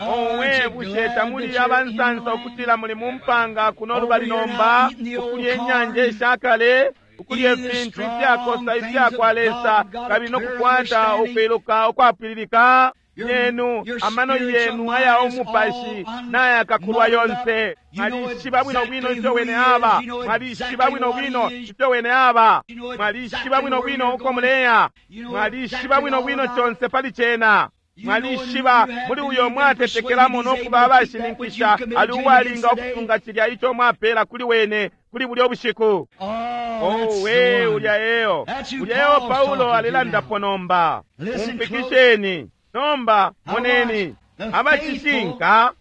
Owe, bushe tamuli abansansa ukutila muli mu mpanga kuno lubali nomba, ukulya inyanja ishakale, ukulya ifintu ifyakosa ifyakwa Lesa, kabili nokukwata ukwiluka ukwapwililika? Yenu amano yenu aya umupashi nayakakulwa yonse. Mwalishiba bwino bwino ifyo wene aba, mwalishiba bwino bwino ifyo wene aba, mwalishiba bwino bwino uko muleya, mwalishiba bwino bwino conse pali cena. Mwalishiba muli uyo mwatetekelamo nokuba abashininkisha ali uwalinga ukusunga cilya ico mwapela kuli wene kuli bulyo bushiku. Owe, ulya eyo, ulya eyo Paulo alelandapo nomba. Umpikisheni nomba, moneni abacishinka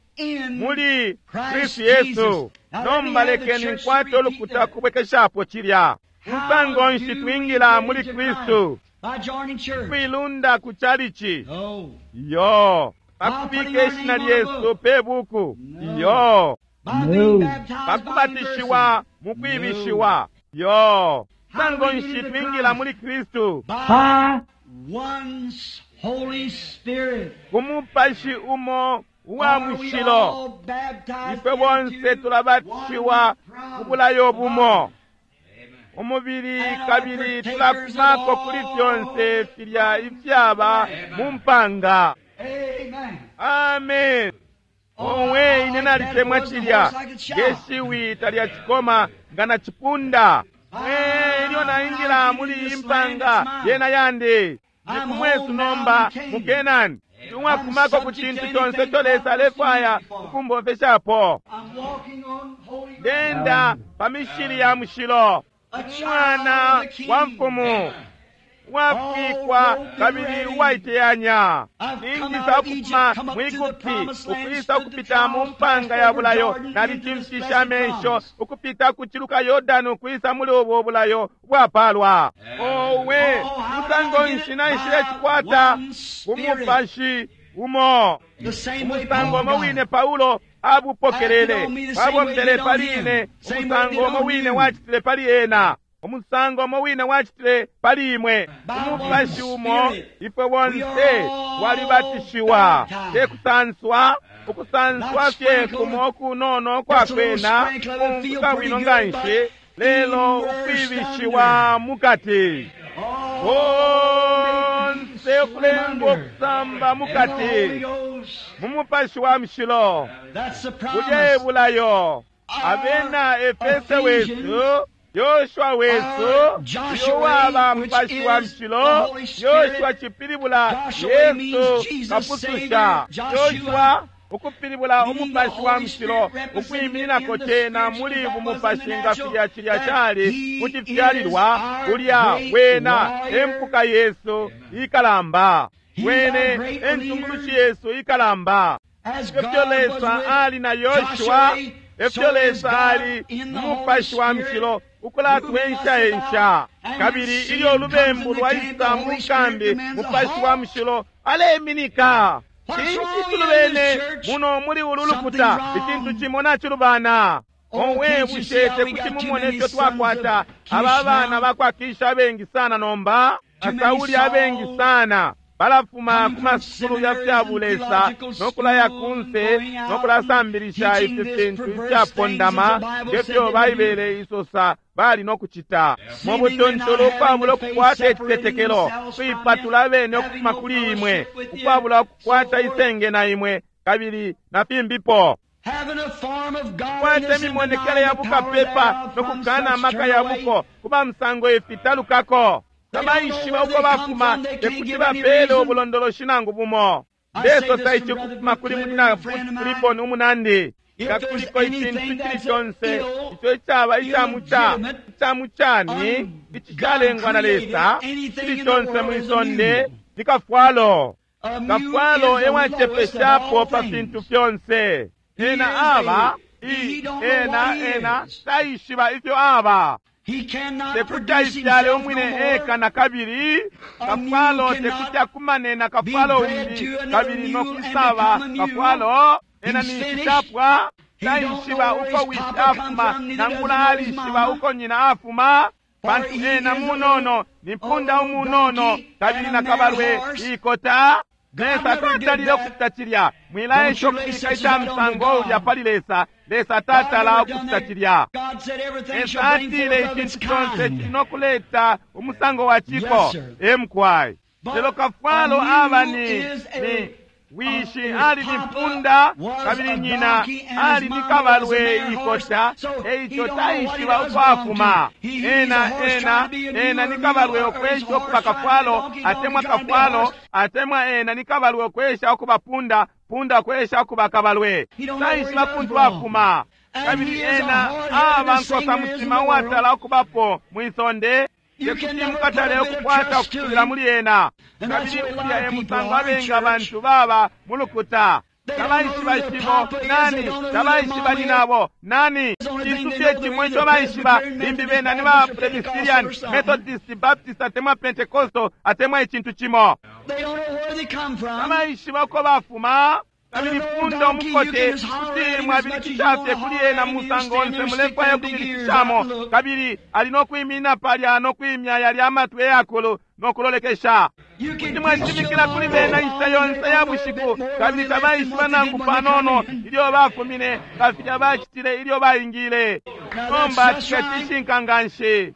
muli Kristu Yesu. Nomba lekeni nkwate ulukuta kubwekeshapo cilya. Musango nshi twingila muli Kristu? Kwilunda ku chalichi? Yo. Pakubika ishina lyesu pe buku? Yo. Pakubatishiwa mukwibishiwa? Yo. Musango nshi twingila muli Kristu? Ku mupashi umo uwa mushilo ifwe bonse tulabatishiwa ku bulayo bumo umubili, kabili tulakumako kuli fyonse filya ifyaba mu mpanga. Amen. Owe, ine nalitemwa cilya ngeshiwi talyacikoma nga nacipunda. Ilyo naingila muli iyi mpanga yena yandi, ndi kumwesu nomba mu Kenani, umwakumako ku cintu conse ico Lesa alefwaya ukumbomfeshapo. Ndenda pa mishili ya mushilo, umwana wa mfumu uwafikwa kabili uwaiteyanya. Ningisa ukufuma mu Egupti ukwisa ukupita mu mpanga ya bulayo, nalicimfisha amesho ukupita kuciluka Yordani ukwisa muli ubu bulayo bwapalwa. Owe, musango nshi naishile cikwata ku mupashi umo, umusango umo wine Paulo abupokelele, wabombele pali ine, umusango umo wine wacitile pali ena, umusango umo wine wacitile pali imwe. Umupashi umo ifwe bonse walibatishiwa, te kusanswa, ukusanswa fye kumo kunono kwakwena kumfuka bwino nganshi, lelo ukwibishiwa mukati konse ukulengwa ukusamba mukati mu mupashi wa mushilo. Bulya bulayo abena Efese wesu, Yoshua wesu, uyo waba mupashi wa mushilo. Yoshua cipilibula Yesu kapususha. Yoshua ukupilibula umupashi wa mushilo, ukwiminako cena muli bumupashi nga filya cilya cali kucifyalilwa. Ulya wena empuka Yesu ikalamba, wene entungulushi Yesu ikalamba. Efyo Lesa ali na Yoshua, efyo Lesa ali mumupashi wa mushilo ukulatwenshaensha. Kabili ilyo ulubembu lwaisa mu kambi, mupashi wa mushilo aleminika. Cinshi tulubene muno muli ulu lukuta? Icintu cimo nacilubana. Owe, bushe tekuti mumone ifyo twakwata aba bana bakwakisha abengi sana nomba? Asauli abengi sana balafuma ku masukulu ya fya bulesa nokulaya kunse nokulasambilisha ifi fintu ifyapondama ngefyo Baibele isosa bali nokucita mu butuntulu ukwabula ukukwata icitetekelo, kuipatula abene ukufuma kuli imwe, ukwabula ukukwata isenge na imwe kabili na fimbipo, kukwata imimonekele ya bukapepa nokukana amaka ya buko kuba musango ifi talukako. Tabaishiba uko bafuma, tekuti bapele ubulondoloshi nangu bumo. Ndesosa ici ukufuma kuli munyina Clifton umunandi. Nga kuliko icintu icili conse ico icaba icamuca icamucani icicalengwa na Lesa, cili conse mwi sonde ni kafwalo. Kafwalo ewacepeshapo pa fintu fyonse. Ena aba i ena ena taishiba ifyo aba. Tekuti aifyale umwine eka na kabili. Kafwalo tekuti akumane na kafwalo umbi kabili nokwisaba kafwalo. Ena ninshi capwa, taishiba uko wishi afuma, nangula alishiba uko nyina afuma, pantu ena munono ni mpunda umunono kabili na kabalwe ikota. Lesa tatalile okucita cilya. Mwilaesha ukubika ica musango ulya pali Lesa. Lesa tatala okucita cilya. Lesa atile icintu conse cili nokuleta umusango wa ciko. Emukwai. Lelo kafwalo aba ni, ni wishi ali ni mpunda kabili nyina ali ni kabalwe ikota, eico taishiba uko afuma. Ena ena ena ni kabalwe okwesha okuba kafwalo, atemwa kafwalo atemwa ena ni kabalwe okwesha okuba punda, punda okwesha okuba kabalwe. Taishiba kuntu afuma. Kabili ena aba nkosa mutima uwatala okubapo mwisonde. Tekuti mukatale okukwata okusulila muli ena. Kabili ulya e musango abengi abantu baba mu lukuta. Tabaishiba shibo nani, tabaishiba nyinabo nani. Cintu fye cimwe ico baishiba, limbi bena ni ba Presbyterian, Methodist, Baptist atemwa Pentecostal atemwa icintu cimo. Tabaishiba uko bafuma. Kabili punda umukote kuti mwabilikisha fye kuli ena musango onse mulefwaya kubilikishamo, kabili ali nokwimina palya nokwimya yalya amatwi eyakulu nokulolekesha. Kuti mwashimikila kuli bena inshita yonse ya bushiku, kabili tabaishiba nangu panono ilyo bafumine nga filya bacitile ilyo baingile. Nomba cilya cishinka nganshi.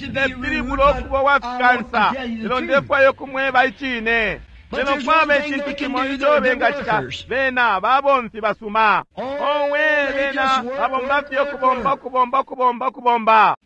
Ndepilibula ukuba uwafikansa, lelo ndefwaya ukumweba icine. Lelo kwaba icintu cimo ico bengacita, bena babomfi basuma. Owe, bena babomba fye ukubomba ukubomba ukubomba ukubomba.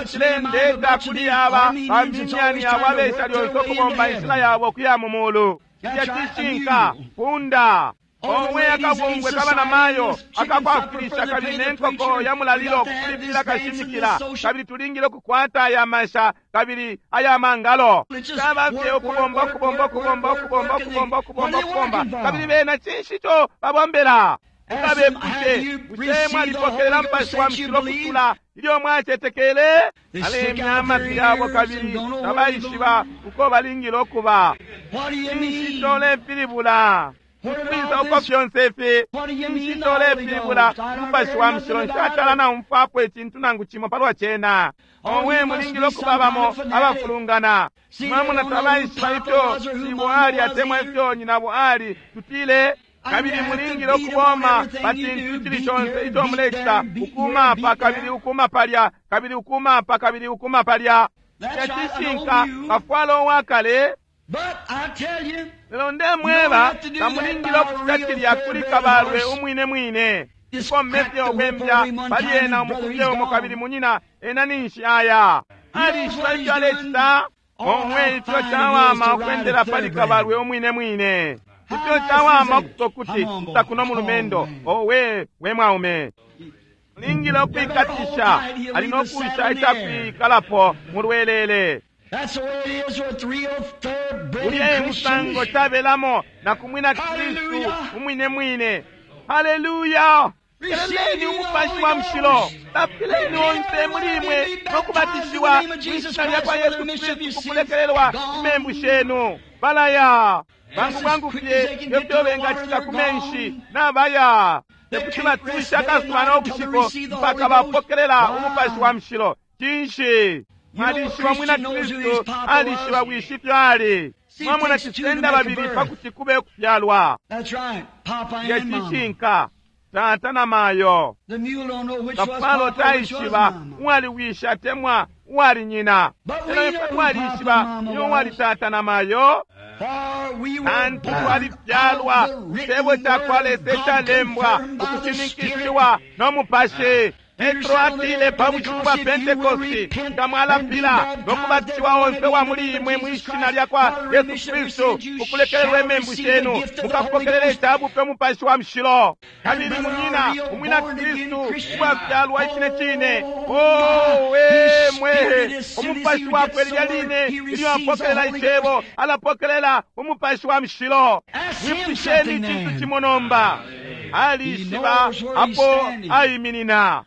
Cilendeta kuli aba baminyani abo abesha lyonse ukubomba inshila yabo ukuya mu mulu. Cilya cishinka, punda. Owe, akabungwe kaba na mayo akakwafwilisha kabili ne nkoko ya mulalilo kulipila kashimikila, kabili tulingile ukukwata aya masha kabili aya mangalo. Caba fye ukubomba ukubomba ukubomba ukubomba ukubomba ukubomba ukubomba, kabili bena cinshi ico babombela? Mukabepushe, bushe mwalipokelela Mupashi wa Mushilo kutula ilyo mwacetekele? Alemya amatwi yabo kabili tabaishiba uko balingile ukuba. Cinshi ico lepilibula? Kwisa uko fyonse ifi? Cinshi ico lepilibula? Umupashi wa Mushilo nshatala naumfwapo icintu nangu cimo palwa cena. Owe, mulingile ukuba bamo abafulungana. Mwamona tabaishiba ifyo shibo ali atemwa ifyo nyinabo ali, tutile. Kabili mulingile ukuboma pa cintu icili conse ico mulecita, ukuma apa kabili ukuma palya, kabili ukuma apa kabili ukuma palya. Cilya cishinka, kafwalo uwakale. Lelo ndemweba, tamulingile okucita cilya kuli kabalwe umwine mwine. Ukomme fye ukwembya pali ena umukufye umo kabili munyina ena ninshi aya. Alishiba ifyo alecita. Omwe, ifyo cawama ukwendela pali kabalwe umwine mwine. Ifyo cawama okusosa kuti takuno mulumendo. Owe, we mwaume. Mulingile ukwikatisha, ali nokusha icakwikalapo mulwelele. Ulya e musango cabelamo na kumwina Kristu umwine mwine. Haleluya! Peleni Umupashi wa Mushilo, tapileni onse muli imwe nokubatishiwa mwishina lya kwa Yesu Kristu kukulekelelwa imembu shenu. Balaya bwangu bwangu fye ngefyo bengacita ku menshi nabaya. Tekuti batusha akasuba no bushiku mpaka bapokelela Umupashi wa Mushilo. Cinshi? Mwalishiba mwina Kristu alishiba wishi ifyo ali. Mwamona, cisenda babili pakuti kube ukufyalwa. Ye cishinka, tata na mayo. Kafwalo taishiba uwali wishi atemwa uwali nyina, lelo ifwe twalishiba niyo uwali tata na mayo. Pantu twalifyalwa cebo cakwa Lesa icalembwa ukushininkishiwa no Mupashi. Petro atile pa bushiku bwa Pentekosti, nga mwalapila no kubatishiwa onse wa muli imwe mwishina lya kwa Yesu Kristu ukulekelelwa imembu shenu, mukapokelela icabupe Umupashi wa Mushilo. Kabili munyina umwina Kristu uwafyalwa icine cine, owe mwehe, Umupashi wakwe lilya line ilyo apokelela icebo, alapokelela Umupashi wa Mushilo. Mwipusheni icintu cimo nomba. Alishiba apo aiminina.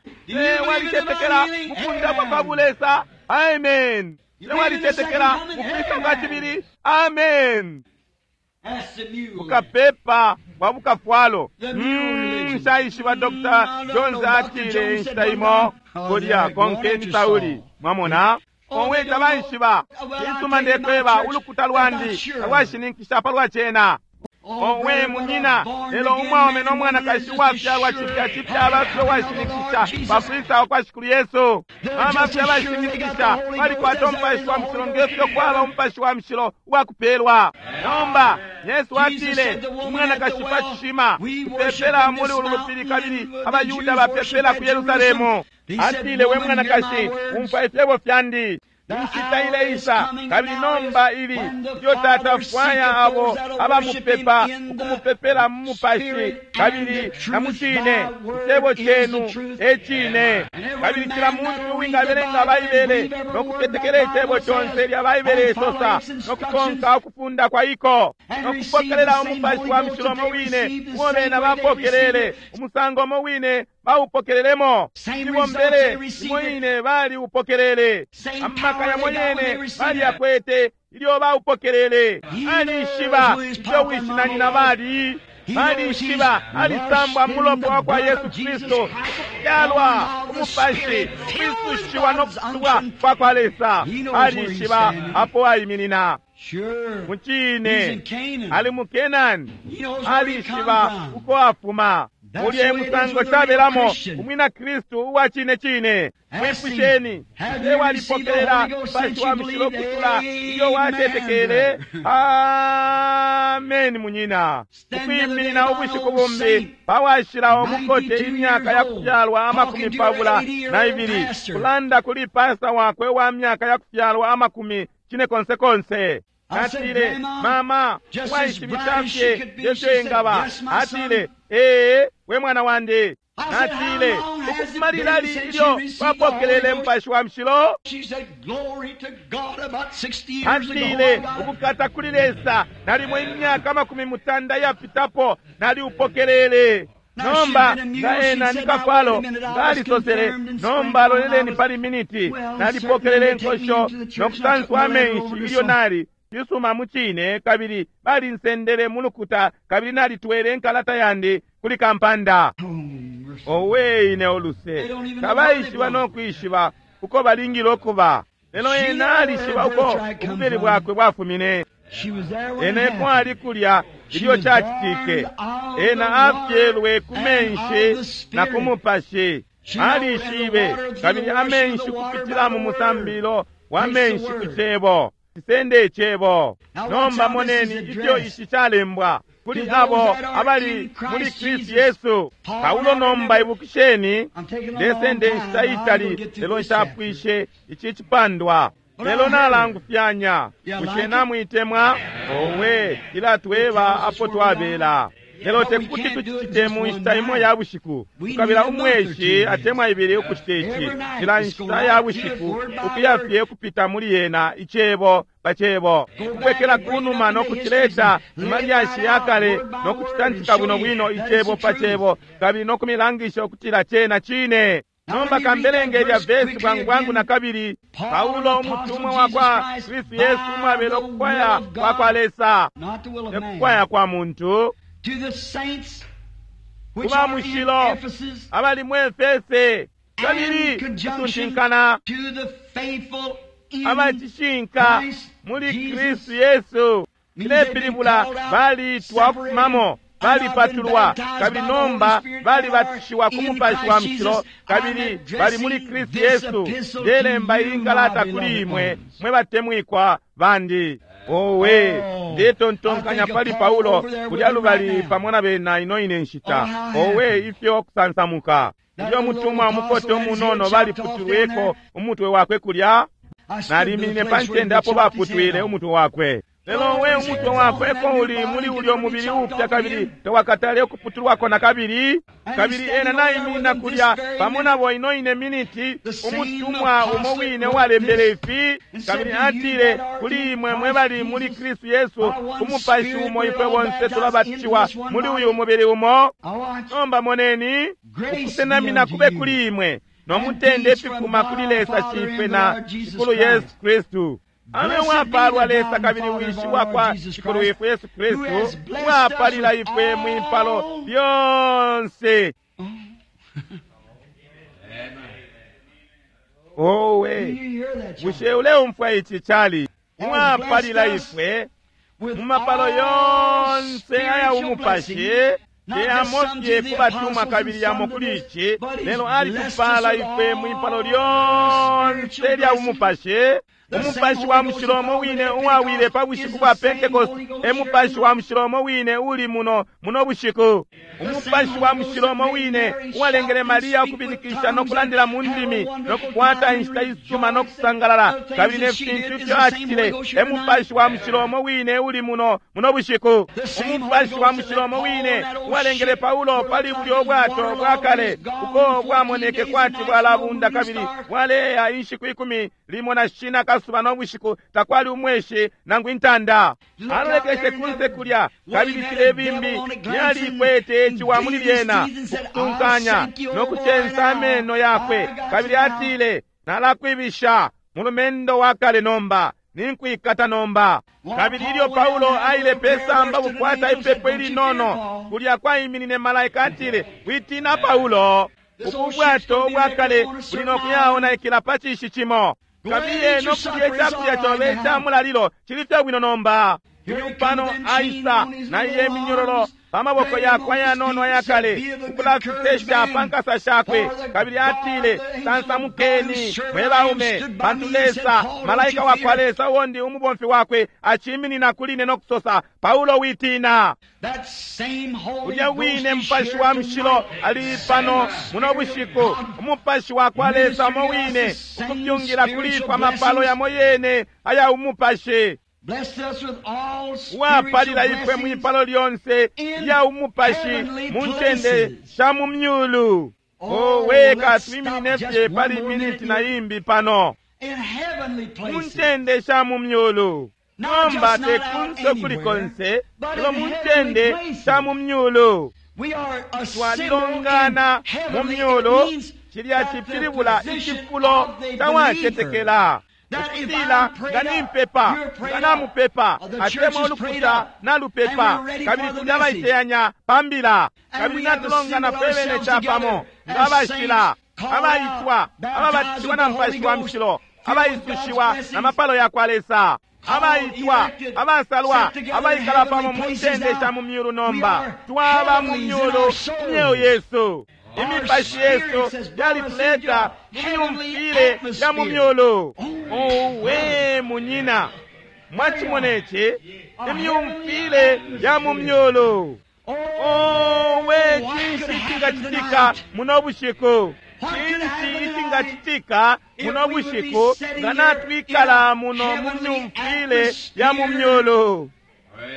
Walicetekela mukundapwa kwa bulesa? Amen. Walicetekela mukwisa kwa cibili? Amen. Bukapepa bwa bukafwalo. Nshaishiba Doctor Jones atile inshita imo kulya konkeni Sauli. Mwamona? Owe tabaishiba. Cisuma ndekweba ulukuta lwandi talwashininkisha palwa cena. Owe munyina, lelo umwaume no mwanakashi uwafyalwa cipya cipya abafye uwashininkisha pakwisa kwa Shikulu Yesu. Bamafye abashininkisha balikwata Umupashi wa Mushilo ngefyo kwaba Umupashi wa Mushilo uwakupelwa. Nomba Yesu atile umwanakashi pa cishima, tupepela muli ulu lupili kabili abayuda bapepela ku Yerusalemu. Atile, we mwanakashi, umfwa ifyebo fyandi. Inshita ileisa kabili nomba ili ilyo Tata afwaya abo abamupepa ukumupepela mu Mupashi kabili na mu cine. Icebo cenu e cine. Kabili cila muntu uwingabelenga Baibele no kutetekela icebo conse lya Baibele isosa no kukonka ukufunda kwa iko no kupokelela Umupashi wa Mushilo mo wine uo bena bapokelele, umusango mo wine baupokelelemo, ibombele imo ine bali upokelele, amaka yamo yene bali yakwete ilyo baupokelele. Alishiba ifyo wishi na nyina bali. Alishiba alisambwa mulopa wa kwa Yesu Kristu, ukufyalwa Umupashi, ukwisushiwa no kusubwa kwa kwa Lesa. Alishiba apo aiminina. Mucine ali mu Kenani, alishiba uko afuma. Mulye musango cabelamo umwina Kristu uwa cine cine. Mwipusheni, e walipokelela Mupashi wa Mushilo kutula ilyo watetekele? Amen munyina. Ukwiminina ubushiku bumbi pawashilawo mukote imyaka ya kufyalwa amakumi pabula na ibili, kulanda kuli pasta wakwe wa myaka ya kufyalwa amakumi cine konse konse. Atile, mama, waishibisha fye ifyo ingaba. Atile, ee, we mwana wandi. Atile, ukufuma lilali ilyo wapokelele Mupashi wa Mushilo? Atile, ukukata kuli Lesa, nalimo imyaka amakumi mutanda yapitapo naliupokelele. Nomba nga ena ni kafwalo ngalisosele, nomba loleleni pali miniti, nalipokelele inkosho no kusanswa amenshi ilyo nali cisuma mucine, kabili balinsendele mulukuta kabili nalitwele inkalata yandi kuli kampanda. Owe ine oluse, tabaishiba no kwishiba uko balingile ukuba, lelo ena alishiba uko ububeli bwakwe bwafumine. Ena ekwali kulya ilyo cacitike. Ena afyelwe ku menshi na ku Mupashi. Alishibe kabili amenshi kupitila mu musambilo wa menshi ku cebo. Cisende icebo. Nomba moneni ifyo ici calembwa kuli abo abali muli Kristu Yesu. Paulo nomba ibukisheni, ndesende inshita itali lelo nshapwishe ici cipandwa. Lelo nalangufyanya. Bushe namwitemwa? Owe, ilatweba apo twabela. Lelo tekuti tucite mu nshita imo ya bushiku. Tukabila umweshi atemwa ibili ukucita ici. Cila nshita ya bushiku ukuya fye kupita muli yena icebo pa cebo, kubwekela kunuma no kucileta mu malyashi ya kale no kucitantika bwino bwino icebo pa cebo, kabili no kumilangisha ukutila cena cine. Nomba kambelenge lya vesi bwangu bwangu na kabili. Paulo umutumwa wa kwa Kristu Yesu umwabela ukukwaya kwa kwa Lesa, tekukwaya kwa muntu, kuba mushilo abali mu Efese kabili kusuntinkana Abacishinka muli Kristu Yesu cilepilibula balitwa ukufumamo, balipatulwa, kabili nomba balibatishiwa ku Mupashi wa Mushilo, kabili bali muli Kristu Yesu. Ndelemba iyi nkalata kuli imwe mwe batemwikwa bandi. Owe, ndetontonkanya pali Paulo kulya lubali pamo na bena ino ine nshita. Owe, ifyo kusansamuka! Ilyo mutumwa umukote umunono baliputulweko umutwe wakwe kulya, naliminine pa ncende apo baputwile umutwe wakwe. Lelo we umutwe wakwe ko uli muli ulyo mubili upya, kabili tawakatale ukuputulwako na kabili. Kabili ena naiminina kulya pamo nabo ino ine miniti, umutumwa umo wine uwalembele ifi, kabili atile kuli imwe mwe bali muli Kristu Yesu, ku Mupashi umo ifwe bonse tulabatishiwa muli uyu mubili umo. Nomba moneni, ukusenamina kube kuli imwe no mutende ififuma kuli Lesa Shifwe na Shikulu Yesu Kristu. Abe wapalwa Lesa kabili Wishi wakwa Shikulu wifwe Yesu Kristu, wapalila ifwe mwipalo lyonse. Owe, bushe uleumfwa ici cali? Mwapalila ifwe mu mapalo yonse aya umupashi, teyamofye kubatumwa kabili yamo kuli ici, lelo alitupala ifwe mwipalo lyonse lya umupashi. Umupashi wa Mushilo umo wine uwawile pa bushiku bwa Pentecost e Mupashi wa Mushilo umo wine uli muno muno bushiku. Umupashi wa Mushilo umo wine uwalengele Maria ukubilikisha no kulandila mu ndimi no kukwata inshita isuma no kusangalala kabili ne fintu ifyo acitile e Mupashi wa Mushilo umo wine uli muno muno bushiku. Umupashi wa Mushilo umo wine uwalengele Paulo pali bulyo bwato bwa kale uko bwamoneke kwati bwalabunda kabili bwaleya inshiku ikumi limo na shina kasuba no bushiku, takwali umweshi nangu intanda. Alolekeshe kunse kulya, kabili filebimbi lyalikwete iciwa muli lyena, ukutunkanya no kucensa ameno yakwe, kabili atile, nalakwibisha mulumendo wa kale nomba, ninkwikata nomba. Kabili ilyo Paulo aile pesamba kukwata ipepo ilinono, kulya kwaiminine malaika, atile, witina Paulo, ubu bwato bwa kale buli no kuyaonaikila pa cishi cimo. Kabiye no kulya icakulya cobe ica mulalilo cili fye bwino nomba. Uyu pano aisa na iye minyororo pa maboko yakwe ayanono ayakale, ukulafisesha pa nkasa shakwe, kabili atile, sansamukeni mwe baume, pantu Lesa malaika wakwa Lesa uwondi umubomfi wakwe aciminina kuli ine no kusosa, Paulo witina. Ulya wine Mupashi wa Mushilo ali pano muno bushiku, Umupashi wakwa Lesa umo wine ukupyungila kuli ifwe amapalo yamo yene aya umupashi, wapalila ifwe mwipalo lyonse lya umupashi mu ncende sha mu myulu. Owe, katwiminine fye pali miniti na imbi pano mu ncende sha mu myulu. Nomba te kunse kuli konse, lelo mu ncende sha mu myulu. Twalilongana mu myulu, cilya cipilibula icifulo cawacetekela. Ukutila nga nimpepa, nga namupepa, atemwa ulukuta nalupepa, kabili tuli abaiteyanya pa mbila, kabili natulongana fwe bene capamo nga abashila, abaitwa, ababatishiwa na Mupashi wa Mushilo, abaisushiwa na mapalo yakwa Lesa, abaitwa, abasalwa, abaikala pamo mu ncende sha mu myulu. Nomba twaba mu myulu myeo yesu. Imipashi yesu yalituleta mu myumfile ya mu myulu. Owe munyina, mwacimona ici? Imyumfile ya mu myulu. Owe, cinshi icingacitika muno bushiku? Cinshi icingacitika muno bushiku nga natwikala muno mu myumfile ya mu myulu?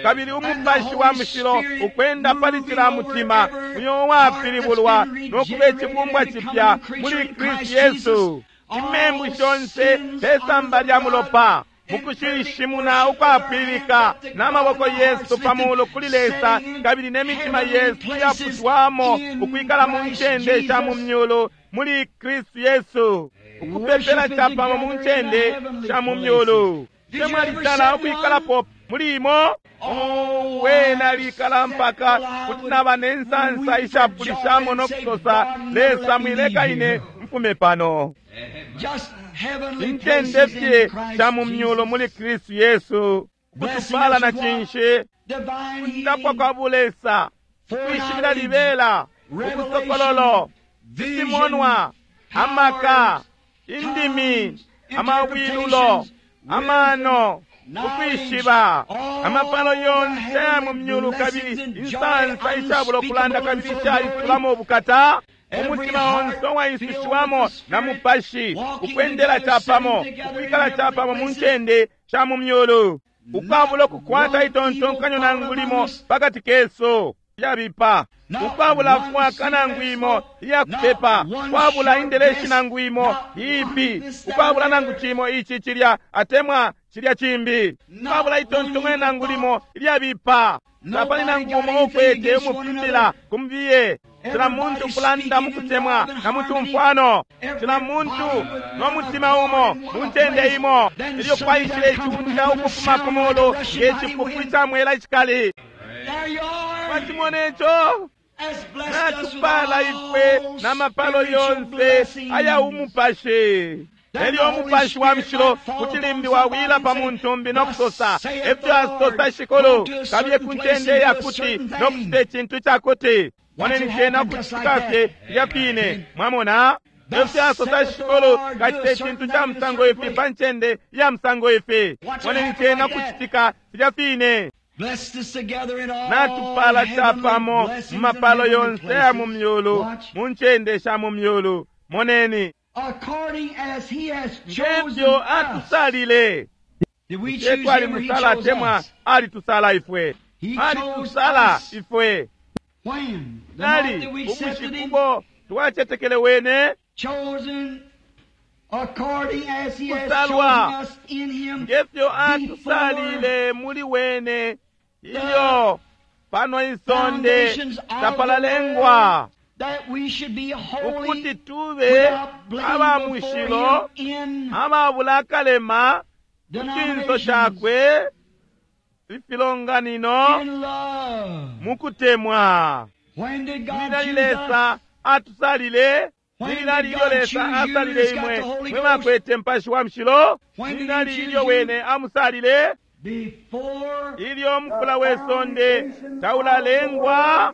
Kabili Umupashi wa Mushilo ukwenda pali cila mutima uyo wapilibulwa no kuba icibumbwa cipya muli Kristu Yesu. Imembu shonse pesamba lya mulopa, mukushishimuna ukwapilika n'amaboko yesu pamulu kuli Lesa, kabili n'emitima yesu yaputwamo ukwikala mu ncende sha mu myulu muli Kristu Yesu, ukupepela capamo mu ncende sha mu myulu. Temwalitala ukwikalapo muli imo? Owe, nalikala mpaka kuti naba ne nsansa ishapulishamo no kusosa, Lesa mwileka ine mfume pano. Just heavenly Incende places fye in Christ sha mu myulu Jesus. muli Kristu Yesu. Kutupala na cinshi, Divine kundapwa healing, kwa bulesa, kwishibila libela, ubusokololo, ifimonwa, amaka, indimi, amawilulo, amano, ukwishiba, amapalo yonse aya mu myulu kabili insansa ishabulo kulanda kabili ishaisulamo ubukata, umutima onse uwaisushiwamo na mupashi, ukwendela capamo, ukwikala capamo mu ncende sha mu myulu, ukwabula ukukwata itontonkanyo nangu limo pakati kesu lyabipa, ukwabula fwaka nangu imo iyakupepa, ukwabula indeleshi nangu imo iipi, ukwabula nangu cimo ici cilya atemwa cilya cimbi, ukwabula itontonkanyo nangu limo ilyabipa, tapali nangu umo ukwete umupitila kumbiye. Cila muntu kulanda mukutemwa na mutumfwano, cila muntu no mutima umo mu ncende imo, ilyo kwaishile iciunda ukufuma ku mulu nge cipupu ica mwela icikali. There you are. Mwacimona ico? Has blessed us with Natupala ifwe all n'amapalo spiritual yonse blessings. aya umupashi. Elyo umupashi wa mushilo kucilimbi wawila pa muntumbi no kusosa efyo asosa shikulu, kabiye ku ncende yakuti no kucita icintu cakuti. Moneni cena kucitika fye filya fine, mwamona? Efyo asosa shikulu, kacita icintu ca musango ifi pa ncende ya musango ifi. Moneni cena kucitika filya fine. Blessed us together in all Natupala heavenly capamo blessings mu mapalo and heavenly yonse ya mu places. myulu, Watch. mu ncende sha mu myulu. Moneni According as he has chosen ngefyo us. atusalile. Did we Ye choose twali him or he musala chose atemwa us? alitusala ifwe, He chose alitusala us. ifwe. When? The night Nali that we accepted ubushiku him, bo twacetekele wene, chosen according as he has Kusalwa. chosen us in him ngefyo before atusalile muli wene, ilyo pano isonde foundations of the tapalalengwa, world, that we should be holy ukuti tube without blame aba before mushilo, him in ababula akalema ku cinso denominations, cakwe, ifilonganino in love. mukutemwa. When did God Lilali choose us? Lesa atusalile, When did lilali ilyo God Lesa choose you asalile that's got imwe the Holy mwe Ghost? bakwete mpashi wa mushilo, When did he lilali choose ilyo you? wene amusalile, Before ilyo mufula we sonde taulalengwa.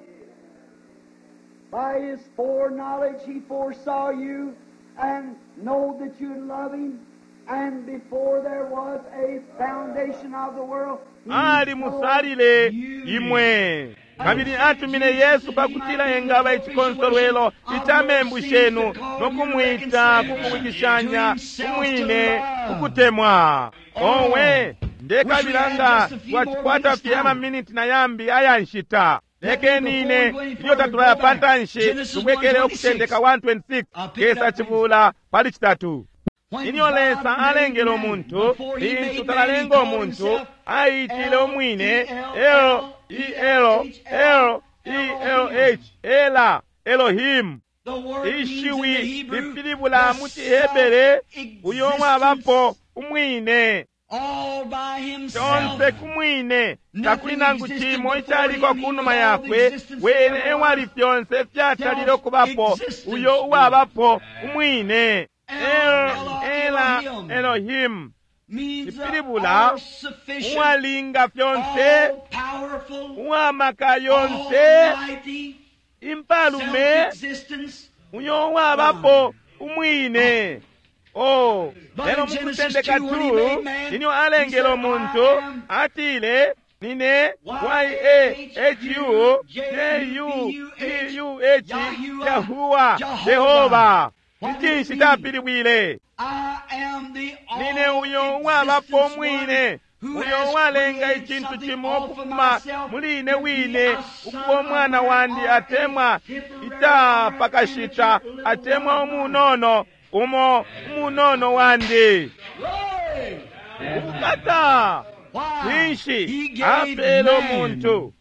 By his foreknowledge he foresaw you and know that you love him. And before there was a foundation of the world, he Ali musalile you. imwe kabili atumine Yesu pakutila engaba icikonsolwelo ica membu shenu no kumwita kukuwikishanya kumwine kukutemwa. Owe ndekabila nga twacikwata fye amaminiti na yambi aya nshita. Lekeni ine ilyo tatulaya pa ntanshi tubwekele Ukutendeka one twenty-six kesa cibula pali citatu. When Ilyo God Lesa made alengele man, umuntu, before he lintu made man, talalenga he called umuntu, himself aitile umwine L E L L E L H, Ela Elohim. The word means in the Ishiwi Hebrew, lipilibula the mu ciHebere uyo mwabapo self-existence umwine, all by himself. conse kumwine, takuli nangu cimo icaliko kunuma yakwe, wene ewali fyonse fyatalile ukubapo, uyo uwabapo umwine. El, Ela Elohim, Means the Ipilibula, all-sufficient, uwalinga fyonse, all-powerful, uwamaka yonse, almighty, impalume, self-existence. uyo uwabapo umwine. Oh, But lelo in Genesis mukutendeka two, when he two, made man, ilyo alengele he said, umuntu, I am atile, nine Y A H U J U T U H, Yahuwa, Jehova. Icinshi capilibwile? I am the Nine uyo uwabapo all-existence umwine, one who uyo has uwalenga created icintu something cimo off of ukufuma myself muli ine to be wine, a son ukuba of umwana man wandi or atemwa a temporary icapakashita amateur atemwa little umunono umo umunono wandi. Glory! Ubukata! Why? Cinshi He gave apele man. umuntu?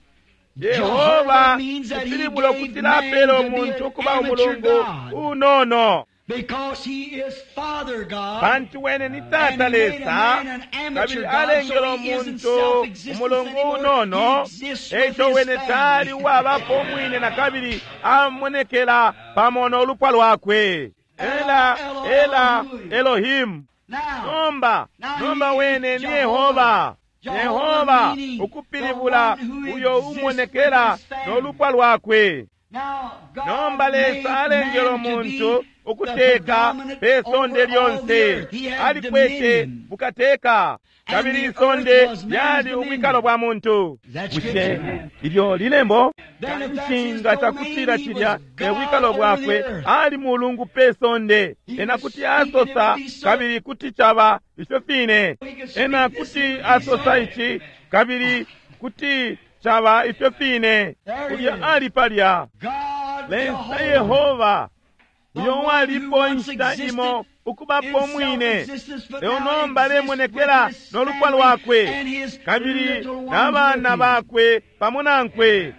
Jehovah Yehova means that he ipilibula gave ukutila man apele to be umuntu an ukuba amateur umulungu God. unono. Because he is Father God. Pantu wene ni Tata And he made a Lesa, man an amateur kabili God, alengele so he isn't umuntu self-existence umulungu anymore. unono, He exists with eico his wene family. tali uwabapo umwine na kabili amonekela pamo n'olupwa lwakwe. Ela Ela Elohim. Nomba nomba wene ni Yehova. Yehova ukupilibula uyo umonekela n'olupwa lwakwe. Nomba Lesa alengele omuntu ukuteka pe sonde lyonse, alikwete bukateka, kabili isonde lyali ubwikalo bwa muntu. Bushe ilyo lilembo nshinga cakutila cilya e bwikalo bwakwe? Ali mulungu pe sonde, ena kuti asosa kabili kuti caba ifyo fine. Ena kuti asosa ici kabili kuti caba ifyo fine. Kulya ali palya Lesa Yehova, uyo walipo inshita imo ukubapo mwine, leo nomba alemonekela n'olupwa lwakwe kabili n'abana bakwe pamo nankwe.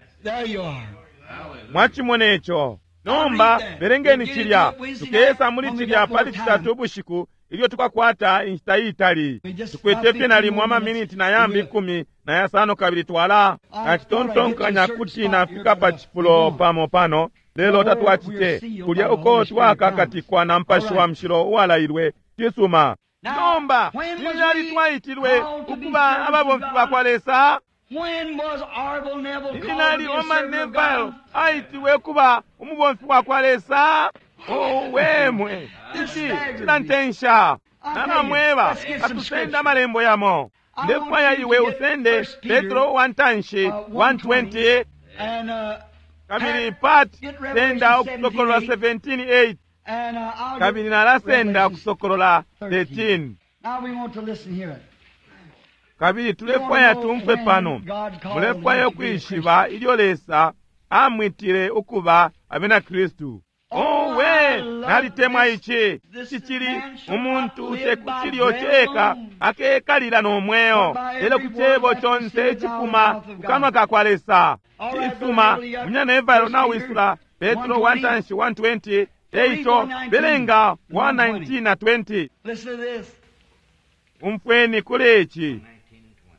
Mwachimona ico. Nomba belengeni cilya, tukesa muli cilya pali citatu ubushiku ilyo tukakwata inshita itali. Tukwete fye nalimo amaminiti na yambi ikumi na yasano kabili twala nacitontonkanya kuti nafika pa cifulo pamo pano, lelo tatwacite kulya uko twakakatikwa na Mupashi wa Mushilo uwalailwe. Cisuma. Nomba lilyali twaitilwe ukuba ababomfi bakwa Lesa. Ilinali Orman Neville aitilwe kuba umubomfi wakwa Lesa. Owemwe, ici cilantensha. Nalamweba atusende amalembo yamo. Ndefwaya iwe usende Petro wa ntanshi one twenty kabili pat senda Ukusokolola seventeen eight kabili nalasenda Ukusokolola thirteen. Kabili tulefwaya tumfwe pano, mulefwaya ukwishiba ilyo Lesa amwitile ukuba abena Kristu. Owe, nalitemwa ici. Cicili umuntu tekucilyo ceka akekalila n'omweo, lelo ku cebo conse icifuma ku kanwa ka kwa Lesa. Cisuma. Munyana Evalo nawisula Petro wa ntanshi one twenty, eico belenga one nineteen na twenty. Umfweni kuli ici.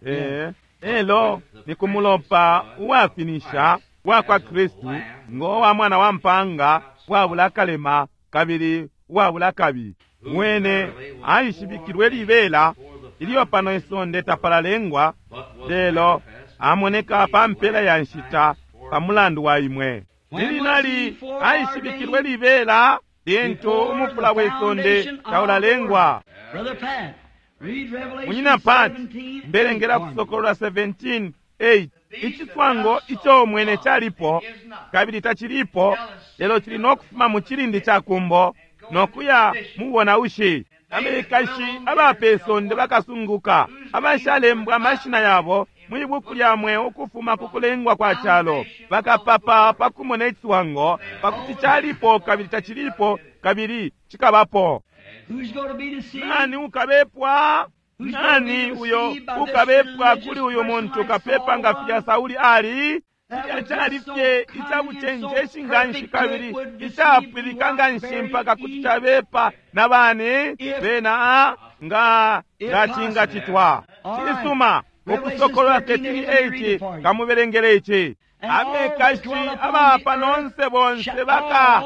Eh, elo ni kumulopa uwafinisha wa kwa Kristu ngo wa mwana wa mpanga wabula kalema kabili wabula kabi. Mwene aishibikilwe libela ilyo pano isonde tapalalengwa, lelo amoneka pa mpela ya nshita pa mulandu wa imwe. Lilinali aishibikilwe libela lintu umufula wesonde taulalengwa. Munyina Pat, mbelengela Kusokolola seventeen eight. Iciswango ico mwene calipo kabili tacilipo, lelo cili nokufuma mu cilindi ca kumbo nokuya mubona ushi. Abekashi abapesonde bakasunguka, abashalembwa amashina yabo mwibuku lya mweo ukufuma ku kulengwa kwa calo, bakapapa pakumona iciswango, pakuti calipo kabili tacilipo kabili cikabapo. Nani ukabepwa? Nani uyo ukabepwa kuli uyu muntu kapepa nga filya Sauli ali? Cilya cali fye icabucenjeshi nganshi kabili icapwilika nganshi mpaka kuti cabepa na bani bena nga nga cingacitwa. Cisuma. Ukusokolola thirteen eight kamubelengele ici. Abekashi abapa nonse bonse baka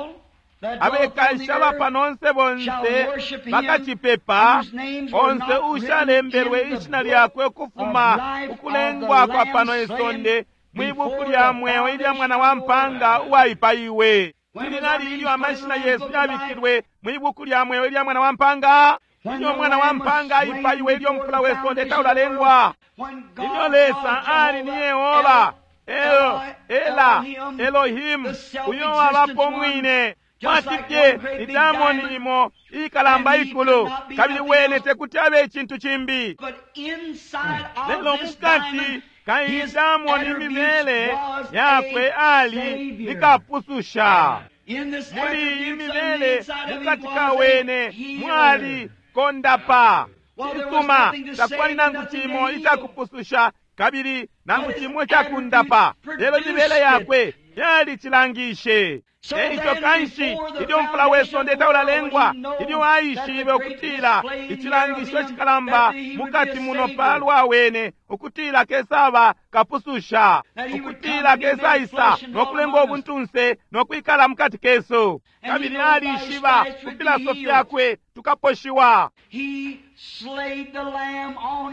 abekashi abapanonse bonse bakacipepa, onse ushalembelwe ishina lyakwe ukufuma ukulengwa kwa pano isonde mwibuku lya mweo ilya mwana wa mpanga uwaipaiwe. Lilinali ilyo amashina yesu yabikilwe mwibuku lya mweo ilya mwana wa mpanga. Ilyo mwana wa mpanga aipaiwe, ilyo mufula wesonde taulalengwa, ilyo Lesa ali ni Yehova El, Ela Elohim, uyo wabapo mwine. Mwatipye ni diamond imo ikalamba ikulu, kabili wene tekuti abe icintu cimbi. Lelo mukati ka diamond imibele yakwe ali nikapususha. Muli imibele mukati ka wene mwali kondapa. Cisuma, takwali nangu cimo icakupususha kabili nangu cimo icakundapa, lelo imibele yakwe Yalicilangishe. Eico kanshi ilyo mfula we sonde taulalengwa, ilyo aishibe ukutila icilangisho cikalamba mukati muno palwa wene, ukutila kesaba kapususha, ukutila kesaisa nokulenga ubuntunse nokwikala mukati kesu. Kabili alishiba ku filasofi yakwe tukaposhiwa.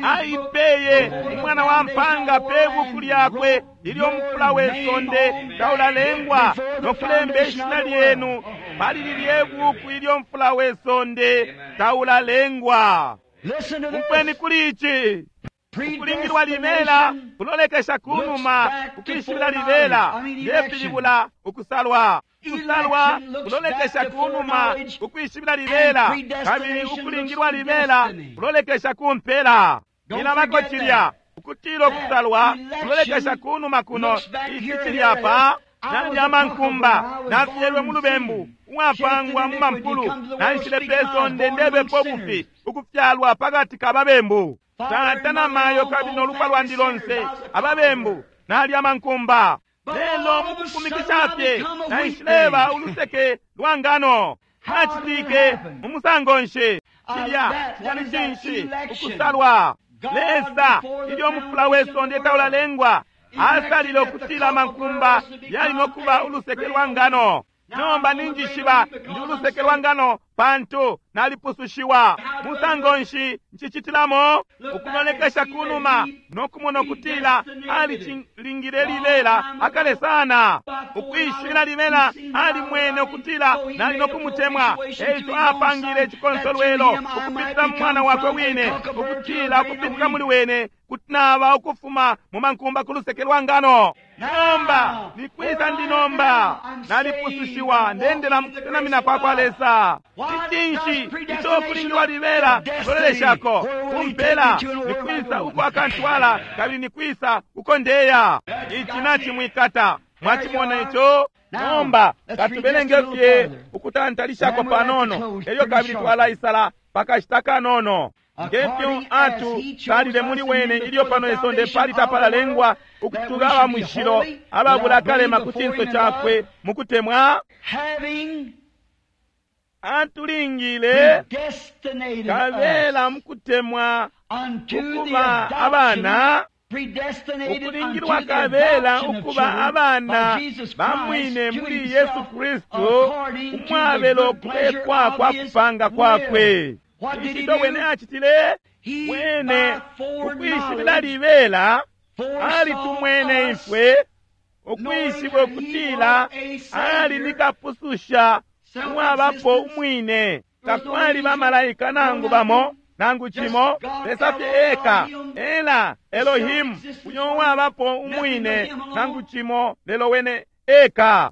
Aipeye umwana wa mpanga pe buku lyakwe ilyo mfula we sonde taulalengwa, nokulemba ishina lyenu pali lilye buku ilyo mfula we sonde taulalengwa. Umfweni kuli ici. Ukulingilwa libela kulolekesha kunuma, ukwishibila libela ndepilibula ukusalwa. Ukusalwa kulolekesha kunuma, ukwishibila libela, kabili ukulingilwa libela kulolekesha kumpela. Ilabako cilya ukutila ukusalwa kulolekesha kunuma kuno, ici cilya pa nalya mankumba nafyelwe mu lubembu uwapangwa mu mampulu, naishile pe sonde ndebepo bufi, ukufyalwa pakati ka babembu. Tata na mayo kabili nolupwa lwandi lonse ababembu, nalya mankumba. Lelo mukukumikisha fye naishileba uluseke lwa ngano. Nacitike mu musango nshi? Cilya cilya ni cinshi? Ukusalwa. Lesa ilyo mufula we sonde taulalengwa asalile ukutila mankumba yali nokuba uluseke lwa ngano. Nomba ninjishiba ndi uluseke lwa ngano pantu nalipusushiwa. Musango nshi ncicitilamo? Ukulolekesha kunuma nokumona ukutila alicilingile libela akale sana. Ukwishibila libela alimwene ukutila nali nokumutemwa, eico apangile icikonsolwelo ukupitila mu mwana wakwe wine, ukutila ukupitila muli wene kuti naba ukufuma mu mankumba ku luseke lwa ngano. Nomba nikwisa ndi nomba? Nalipusushiwa, ndendela mukusenamina kwa kwa Lesa. Icinshi ico kulingilwa libela kuloleleshako kumpela? Nikwisa uko akantwala, kabili nikwisa uko ndeya? Ici nacimwikata. Mwacimona ico? Nomba katubelenge fye ukutantalishako panono, elyo kabili twalaisala pakashita kanono. Ngefyo atu salile muli wene ilyo pano isonde pali tapalalengwa, ukutuba aba mushilo ababula akalema ku cinso cakwe mukutemwa, atulingile kabela mukutemwa ukuba abana, ukulingilwa kabela ukuba abana bamwine muli Yesu Kristu, umwabelo kulekwa kwa kupanga kwakwe. Icinto wene acitile? Wene ukwishibila libela alitumwene ifwe, ukwishiba ukutila ali nikapususha umwabapo umwine. Takwali bamalaika nangu bamo nangu cimo, Lesa fye eka, ela Elohimu uyo uwabapo umwine, nangu cimo lelo wene eka.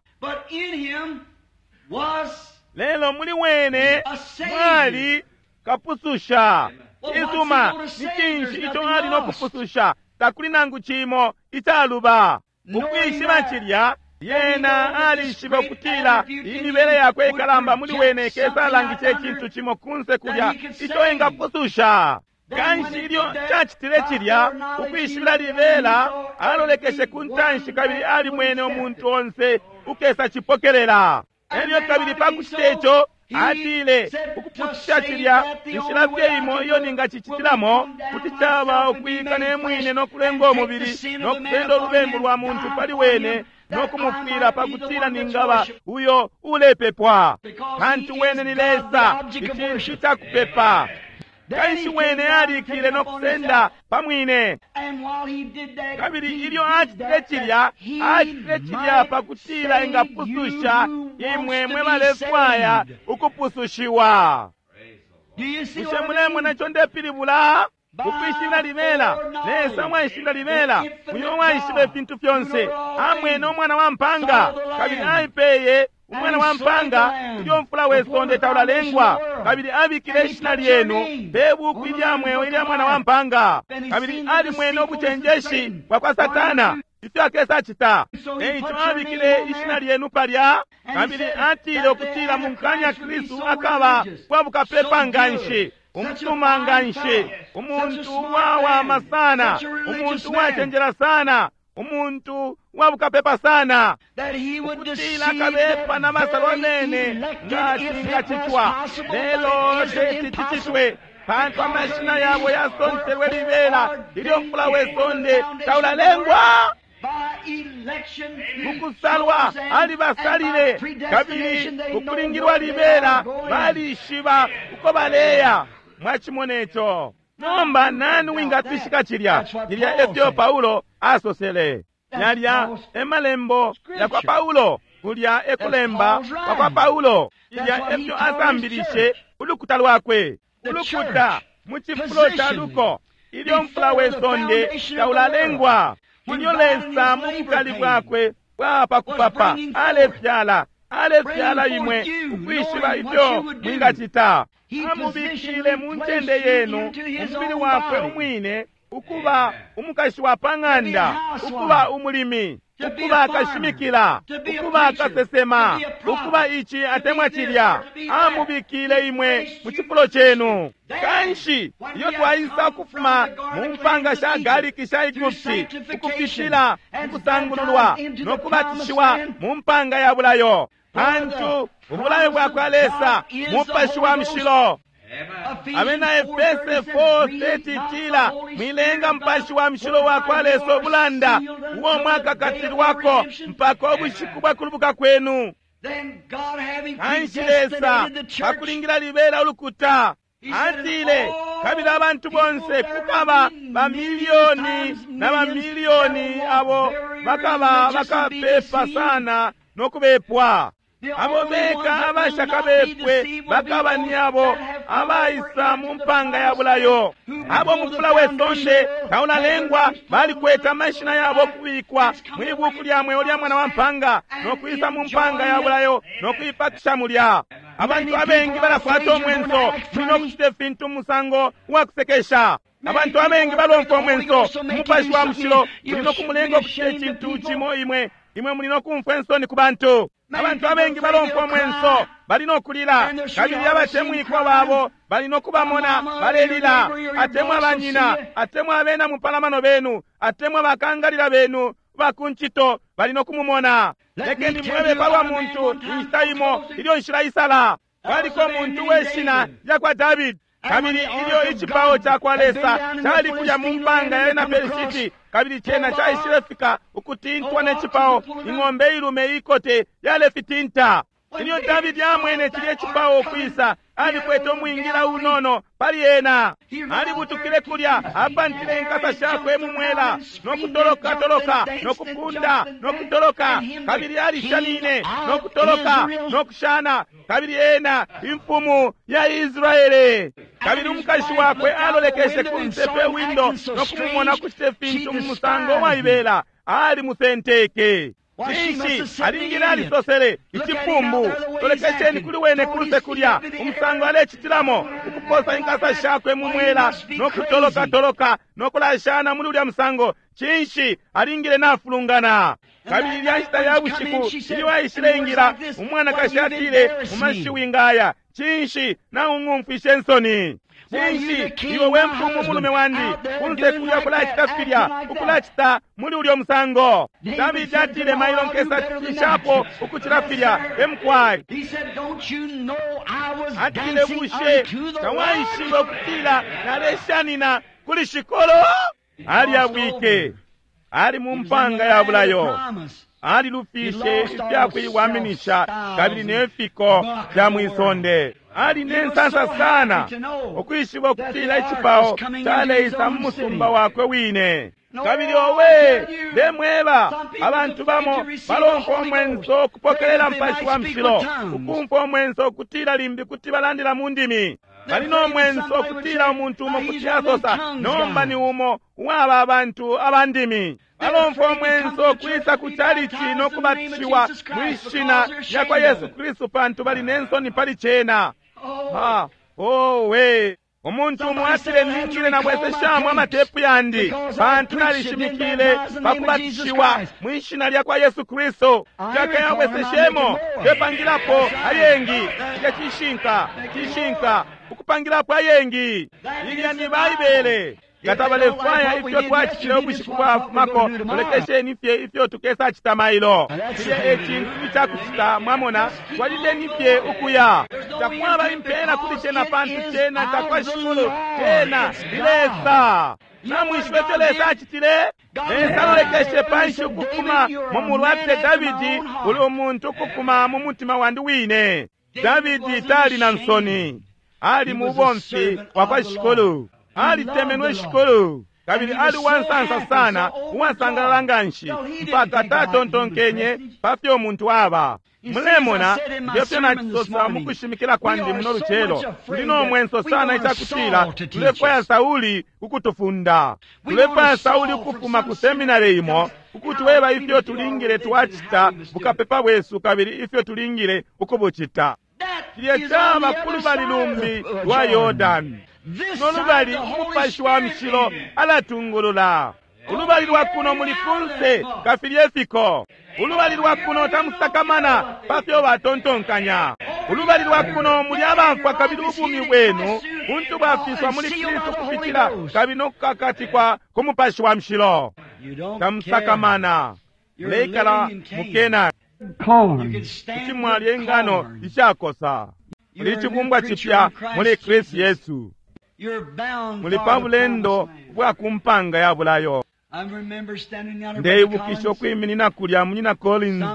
Lelo muli wene mwali kapususha. Cisuma, ni cinshi ico ali nokupususha? Takuli nangu cimo icaluba. Ukwishiba cilya, yena alishiba ukutila imibele yakwe ikalamba muli wene kesalangisha icintu cimo kunse kulya ico engapususha. Kanshi ilyo cacitile cilya, ukwishibila libela alolekeshe ku ntanshi kabili alimwene umuntu onse ukesa cipokelela. Elyo kabili pakucita ico, atile ukupususha cilya inshila fye imo iyo ningacicitilamo kuti caba ukwika ne mwine nokulenga umubili nokusenda ulubembu lwa muntu pali wene nokumufwila pakutila ningaba uyo ulepepwa, pantu wene ni Lesa, icintu cakupepa. Kanshi wene alikile nokusenda pamwine. Kabili ilyo acitile cilya, acitile cilya pakutila engapususha imwe mwe balefwaya ukupusushiwa. Bushe mulemona ico ndepilibula? Ukwishibila libela, Lesa mwaishibila libela, uyo waishiba ifintu fyonse, amwene umwana wa mpanga kabili aipeye umwana wa mpanga ilyo mfula we sonde taulalengwa, kabili abikile ishina lyenu pe buku ilya mweo ilya mwana wa mpanga. Kabili alimwene ubucenjeshi bwa kwa Satana ifyo akesa acita, eico abikile ishina lyenu palya. Kabili atile ukutila munkanya Kristu akaba kwa bukapepa nganshi, umusuma nganshi, umuntu uwawama sana, umuntu uwacenjela sana, umuntu uwabukapepa sana That he would ukutila deceive kabepa the na basalo very nene elected nga if it was cingacitwa possible, lelo but it teti isn't impossible. cicitwe pantu amashina yabo yasontelwe libela ilyo mfula we sonde taulalengwa By election, he mukusalwa chose and- alibasalile and by kabili predestination they know ukulingilwa where they libela are going. balishiba uko baleya mwachimona ico nomba nani wingatwishika cilya cilya efyo Paulo asosele yalya emalembo yakwa Paulo kulya ekulemba kwakwa Paulo ilya efyo asambilishe ulukuta lwakwe ulukuta mu cifulo ca luko ilyo mfula we sonde taulalengwa ilyo Lesa mu bukali bwakwe bwapa kupapa alefyala alefyala imwe ukwishiba ifyo mwingacita amubikile mu ncende yenu umubili wakwe umwine ukuba umukashi wa pa ng'anda ukuba umulimi ukuba kashimikila ukuba kasesema ukuba ici atemwa cilya amubikile imwe mu cifulo cenu kanshi iyo twaisa ukufuma mu mpanga sha galiki sha Egupti ukupitila mukusangululwa no kubatishiwa mu mpanga ya bulayo pantu ubulayo bwakwa Lesa mupashi wa mushilo Abena Efese four thirty tila mwilenga mupashi wa mushilo wakwa Lesa obulanda uwo mwaka katilwako mpaka ubushiku bwa kulubuka kwenu Then God having kanshi Lesa predestinated the church, pakulingila libela ulukuta atile kabili abantu bonse kukaba bamiliyoni na bamiliyoni abo bakaba bakapepa sana no kubepwa abo beka abashakabepwe bakaba ni abo abaisa mu mpanga ya bulayo abo mufula we sonde taulalengwa balikweta amashina yabo kubikwa mwibuku lya mweo lya mwana wa mpanga no kwisa mu mpanga ya bulayo no kuipakisha mulya abantu abengi balakwata omwenso mulina okucita ifintu mu musango uwakusekesha abantu abengi balomfwa omwenso umupashi wa mushilo mulina okumulenga okucita icintu cimo imwe imwe mulina okumfwa ensoni ku bantu abantu abengi balomfwa omwenso balina okulila kabili abatemwikwa babo balina okubamona balelila atemwa banyina atemwa abena mupalamano benu atemwa bakangalila benu bakuncito balina okumumona lekeni mwebe palwa muntu inshita imo ilyo nshila isala kwaliko muntu weshina lyakwa Davidi kabili ilyo icipao cakwa Lesa cali kulya mu mpanga ya bena Pelishiti kabili cena caishilefika ukutintwa ne cipao ing'ombe ilume ikote yalefitinta ilyo Davidi amwene cilya icipao ukwisa alikwete umwingila unono pali ena alibutukile kulya apantile inkasa shakwe mu mwela no kutoloka toloka no kupunda no kutoloka kabili alishanine no kutoloka no kushana kabili ena imfumu ya Israele kabili umukashi wakwe alolekeshe kunse pe windo no kumumona kucite fintu mu musango waibela ali musenteke cinshi alingile alisosele icipumbu tolekesheni kuli wene kuluse kulya umusango alecitilamo ukuposa inkasa shakwe mu mwela no kutolokatoloka no kulashana muli ulya musango cinshi alingile nafulungana kabili ilya nshita ya bushiku ilyo aishile ingila umwanakashi atile mu mashiwi ngaya cinshi naung'umfwishe nsoni cinshi iwe we mfumu mulume wandi kunse kulya kulacita filya ukulacita muli ulyo musango Davidi atile mailo nkesa cishapo ukucila filya emukwali He said, Don't you know I was atile dancing bushe unto the Lord? tawaishiba ukutila naleshanina kuli shikolo alyabwike ali mu mpanga ya bulayo alilufishe ifyakuiwaminisha kabili ne fiko fya mwisonde ali ne nsansa sana ukwishiba ukutila icipao caleisa mu musumba wakwe wine kabili owe ndemweba abantu bamo balomfwa omwenso okupokelela mpashi wa mushilo ukumfwa omwenso okutila limbi kuti balandila mu ndimi bali n'omwenso okutila omuntu umo kuti asosa nomba ni umo uwaba abantu abandimi balomfwa omwenso okwisa ku chalichi n'okubatishiwa mwishina lya kwa Yesu Kristu pantu bali n'ensoni pali cena ha owe omuntu umo atile ningile nabweseshamo amatepu yandi pantu nalishimikile pakubatishiwa mwishina lya kwa Yesu Kristu kyakayabweseshemo tepangilapo ayengi ilya cishinka cishinka ukupangilapo ayengi ilya ni Baibele Nga tabalefwaya ifyo twacitile ubushiku bwafumako, mulekesheni fye ifyo tukesacita mailo. Cilya e cintu icakucita, mwamona, twalileni fye ukuya. Takwaba impela kuli cena pantu cena cakwa Shikulu, cena ni Lesa. Namwishiba ifyo Lesa acitile? Lesa alolekeshe panshi ukufuma mu mulu, atile, Davidi, uli umuntu ukufuma mu mutima wandi wine. Davidi tali na nsoni, ali mubomfi wa kwa Shikulu, alitemenwe Shikulu, kabili ali uwansansa sana, uwasangalala nganshi, mpaka tatontonkenye pa fyo umuntu aba. Mulemona ngefyo nacisosa mukushimikila kwandi muno lucelo, tuli no mwenso sana icakutila tulefwaya Sauli ukutufunda, tulefwaya Sauli ukufuma ku seminari imo ukutweba ifyo tulingile twacita bukapepa bwesu kabili ifyo tulingile ukubucita. Cilya caba ku lubali lumbi lwa Yordani, no lubali Umupashi wa Mushilo alatungulula. Ulubali lwa kuno muli kunse kafilye fiko. Ulubali lwa kuno tamusakamana pa fyo batontonkanya. Ulubali lwa kuno muli abafwa kabili ubumi bwenu buntu bwafiswa muli Kristu kupitila kabili no kukakatikwa ku Mupashi wa Mushilo. Tamusakamana, muleikala mu Kenani. Kuti mwalya ingano ishakosa. Muli icibumbwa cipya muli Kristu Yesu. Muli pa bulendo bwa ku mpanga ya bulayo. Ndeibukisha ukwiminina kulya munyina Collins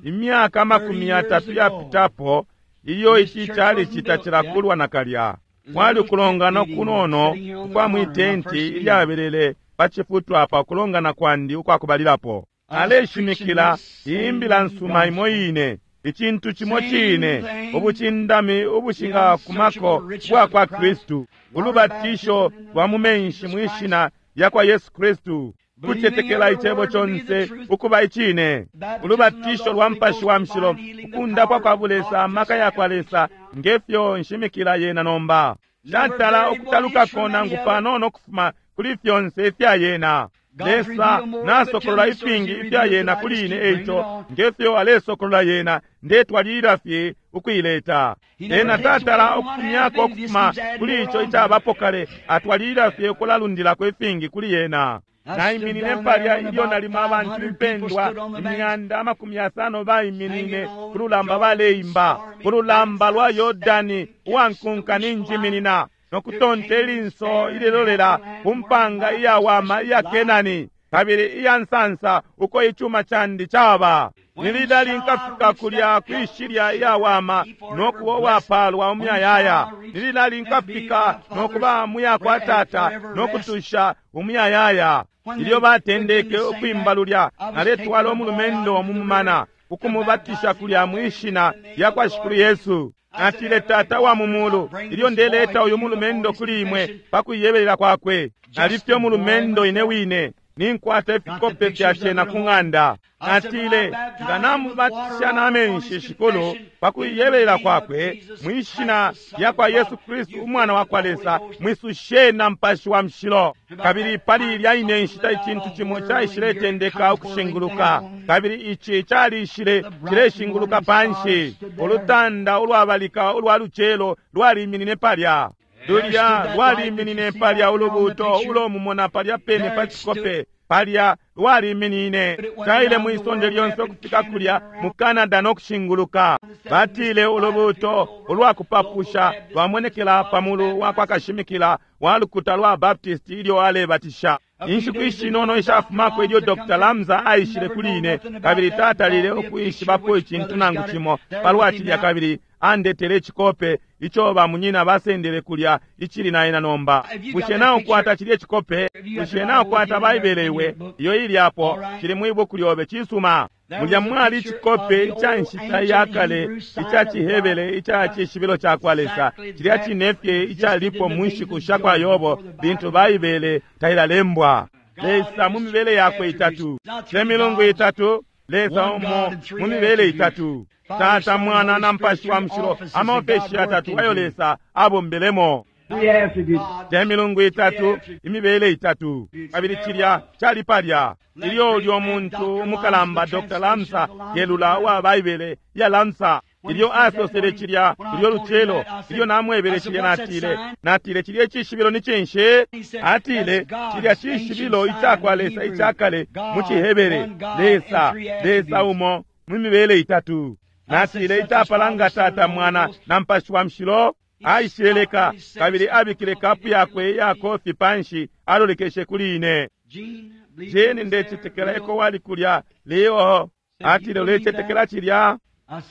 imyaka amakumi yatatu yapitapo, ilyo ici cali citacilakulwa nakalya. Kwali ukulongana kunono ukwa mwitenti ilyabelele pa cifutwa pa kulongana kwandi ukwakubalilapo. Aleshimikila imbila nsuma imo ine, icintu cimo cine, ubucindami ubushingakumako bwa kwa Kristu, ulubatisho lwa mu menshi mwishina lya kwa Yesu Kristu, kucetekela icebo conse ukuba icine, ulubatisho lwa Mupashi wa Mushilo, ukundapwa kwa Bulesa, amaka ya kwa Lesa, ngefyo nshimikila yena nomba. Shatala ukutalukako nangu panono ukufuma kuli fyonse ifya yena. Lesa nasokolola ifingi ifya yena kuli ine, eico ngefyo alesokolola yena, ndetwalilila fye ukuileta. Ena tatala ukufumyako ukufuma kuli ico icabapo kale, atwalilila fye ukulalundilako ifingi kuli yena. Naiminine palya ilyo nalimo abantu impendwa imyanda amakumi yasano baiminine ku lulamba baleimba, ku lulamba lwa Yordani uwankunka ninjiminina, nokutonta ilinso ililolela ku mpanga iyawama iya Kenani kabili iya nsansa uko icuma candi caba. Nililali nkafika kulya kwishilya iyawama nokuba uwapalwa umuyayaya. Nililali nkafika nokuba muya kwa tata nokutusha umuyayaya. Ilyo batendeke ukwimba lulya, naletwala umulumendo mu mumana ukumubatisha kulya mwishina lya kwa Shikulu Yesu. Natile, Tata wa mu mulu, ilyo ndeleta uyu mulumendo kuli imwe pa kuiyebelela kwakwe, nalifye umulumendo ine wine, ninkwata ifikope fya cena ku ng'anda. Natile, nga namubatisha na menshi Shikulu pa kuiyebelela kwakwe mwishina lya kwa Yesu Kristu umwana wa kwa Lesa, mwisushe na Mupashi wa Mushilo. Kabili pali ilya ine nshita icintu cimo caishiletendeka ukushinguluka, kabili ici calishile cileshinguluka panshi. Ulutanda ulwabalika ulwa lucelo lwaliminine palya. Lulya lwaliminine palya, ulubuuto ulo mumona palya pene pa cikope palya lwaliminine. Caile mwisonde lyonse ukufika kulya mu Canada no kushinguluka. Batile ulubuuto ulwakupapusha lwamonekela pamulu wa kwa kashimikila wa lukuta lwa Baptist ilyo alebatisha. Inshiku ishinono ishafumako ilyo Doctor Lamza aishile kuli ine, kabili tatalile ukwishibapo icintu nangu cimo palwa cilya, kabili andetele icikope ico bamunyina basendele kulya icili naena nomba. Bushe naukwata cilye cikope? Bushe naukwata Baibele iwe iyo ili apo? Cili mwibuku lyobe. Cisuma. Mulya mwali icikope ica nshita ya kale ica cihebele ica cishibilo ca kwa Lesa, cilya cine fye icalipo mu nshiku sha kwa Yobo lintu Baibele tailalembwa. Lesa mu mibele yakwe itatu, te milungu itatu, Lesa umo mu mibele itatu, Tata, Mwana na Mupashi wa Mushilo, amaofeshi yatatu ayo Lesa abombelemo. Te milungu itatu, imibele itatu. Kabili cilya cali palya ilyo ulyo muntu umukalamba Doctor Lamsa kelula uwa Baibele ya Lamsa Ilyo asosele cilya ilyo lucelo, ilyo namwebele cilya, natile, natile cilya icishibilo ni cinshi? Atile cilya cishibilo icakwa Lesa icakale mu ciHebere, Lesa, Lesa umo mu mibele itatu. Natile icapalanga Tata, Mwana na Mupashi wa Mushilo. Aishileleka kabili abikile kapu yakwe iya kofi panshi, alolekeshe kuli ine. Jane, ndecetekela eko wali kulya leo. Atile, ulecetekela cilya?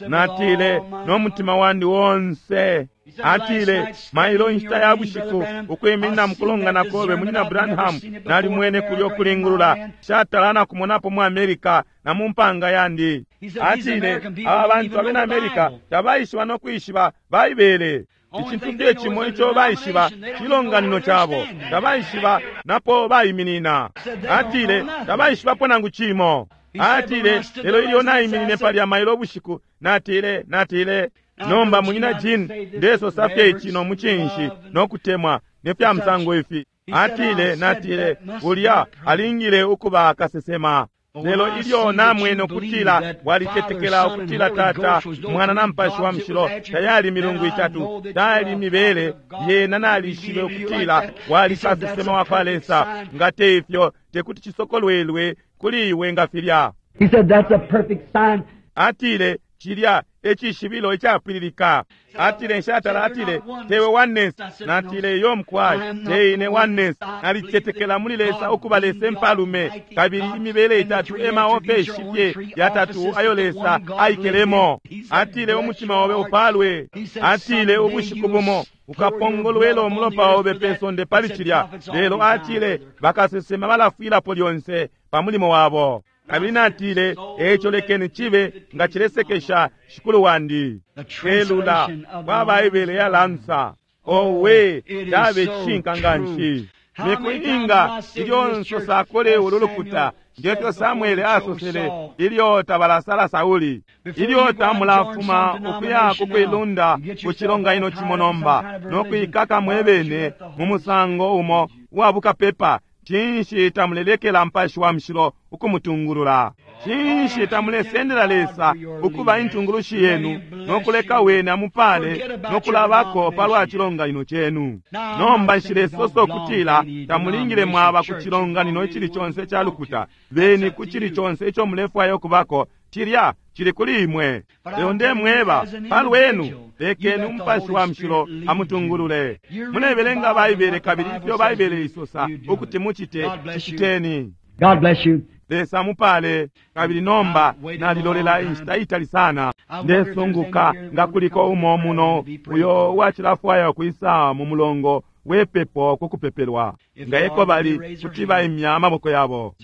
Natile, no mutima wandi wonse. Atile, mailo inshita ya bushiku ukwiminina mukulongana kobe, Munyina Branham, nalimwene kulya ukulingulula shatala na kumonapo mu America na mu mpanga yandi. Atile, aba bantu abena America tabaishiba no kwishiba Baibele. Icintu fye cimo ico baishiba cilonganino cabo, tabaishiba napo baiminina. Atile, tabaishibapo nangu cimo. Atile, lelo ilyo naiminine palya mailo bushiku, natile, natile nomba Munyina Jean, ndesosa fye ici no mucinshi no kutemwa ne fya musango ifi. Atile, natile ulya alingile ukuba kasesema. Lelo ilyo namwene ukutila walicetekela ukutila Tata, Mwana na Mupashi wa Mushilo tayali milungu itatu, tayali mibele yena, nalishibe ukutila wali kasesema wa kwa Lesa. Nga te ifyo tekuti cisokolwelwe kuli iwe nga filya. He said that's a perfect sign. Atile cilya ecishibilo icapwililika. Atile nshatala, atile tewe oneness. Natile iyo mkwai, teine oneness. Nalicetekela muli Lesa ukuba Lesa mpalume, kabili imibele itatu emaofeshi fye yatatu ayo Lesa aikelemo. Atile umutima obe upalwe. Atile ubushiku bumo ukapongolwela umulopa obe pe sonde pali cilya. Lelo atile bakasesema balafwilapo lyonse pa mulimo wabo. Kabili natile, eco lekeni cibe nga cilesekesha shikulu wandi. Elula kwa Baibele ya lansa. Owe, cabe cishinka nganshi. Miku inga ilyo nsosa kuli ulu lukuta, ngefyo Samuele asosele ilyo tabalasala Sauli, ilyo tamulafuma ukuya kukwilunda ku cilonganino cimo nomba no kuikaka mwebene mu musango umo uwa bukapepa, cinshi tamulelekela Mupashi wa Mushilo ukumutungulula? Cinshi tamulesendela Lesa ukuba intungulushi yenu no kuleka wene amupale no kulabako palwa cilonganino cenu? Nomba nshilesosa ukutila tamulingile mwaba ku cilonganino icili conse ca lukuta. Beni ku cili conse ico mulefwaya ukubako, cilya cili kuli imwe. Lelo ndemweba palwenu, lekeni Umupashi wa Mushilo amutungulule. Mulebelenga Baibele kabili ifyo Baibele isosa ukuti mucite, ciciteni. God bless you. Lesa mupale. Kabili nomba nalilolela inshita itali sana. Ndesunguka nga kuliko umo muno uyo uwacilafwaya ukwisa mu mulongo wepepo kukupepelwa. Nga eko bali, kuti baimya amaboko yabo.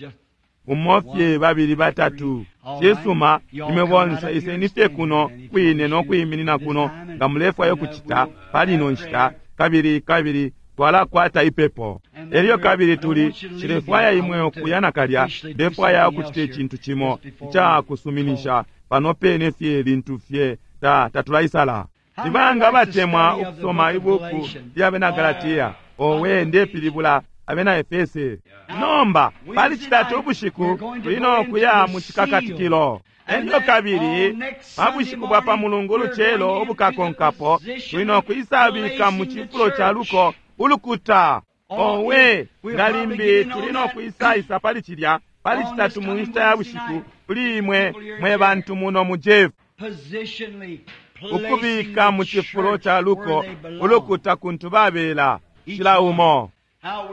Umo fye, babili, batatu. Cisuma, imwe bonse iseni fye kuno kwine no kwiminina kuno nga mulefwaya ukucita pali ino nshita, kabili kabili twalakwata ipepo. Elyo kabili tuli cilefwaya imwe ukuya nakalya. Ndefwaya ukucita icintu cimo ica kusuminisha pano pene fye lintu fye ta tatulaisala. Nibanga batemwa ukusoma ibuku lya bena Galatia? Owe, ndepilibula abena Efese. Nomba pali citatu ubushiku tuli no kuya mu cikakatikilo. Elyo kabili pa bushiku bwa pa mulungu lucelo ubukakonkapo tuli no kuisabika mu cifulo ca luko ulukuta. Owe, nga limbi tuli no kuisaisa pali cilya pali citatu mu nshita ya bushiku kuli imwe mwe bantu muno mu Jeff, ukubika mu cifulo ca luko ulukuta kuntu babela cila umo.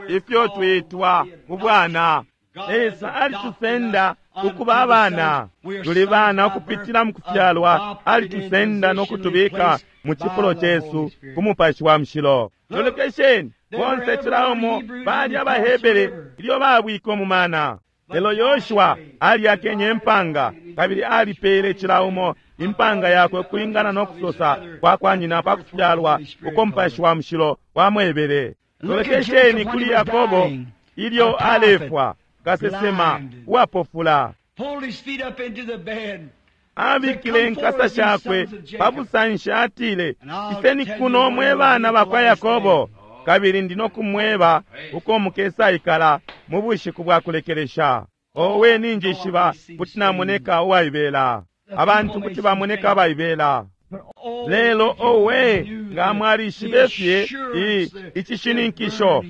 Ifyo twitwa ubwana, Lesa alitusenda ukuba abana. Tuli bana ukupitila mu kufyalwa. Alitusenda no kutubika mu cifulo cesu ku Mupashi wa Mushilo. Lolekesheni bonse cila umo bali abaHebere ilyo babwike umumana. Lelo Yoshua aliyakenye impanga kabili alipele cila umo impanga yakwe kulingana no kusosa kwa kwa nyina pa kufyalwa uko Mupashi wa Mushilo wamwebele. Lolekesheni kuli Yakobo ilyo alefwa, kasesema uwapofula. Abikile inkasa shakwe pa busanshi, atile, iseni kuno mwe bana bakwa Yakobo, kabili ndi no kumweba uko mukesaikala mu bushiku bwa kulekelesha. Owe, ninjishiba kuti namoneka uwaibela, abantu kuti bamoneka abaibela. Lelo owe, nga mwalishibe fye icishininkisho,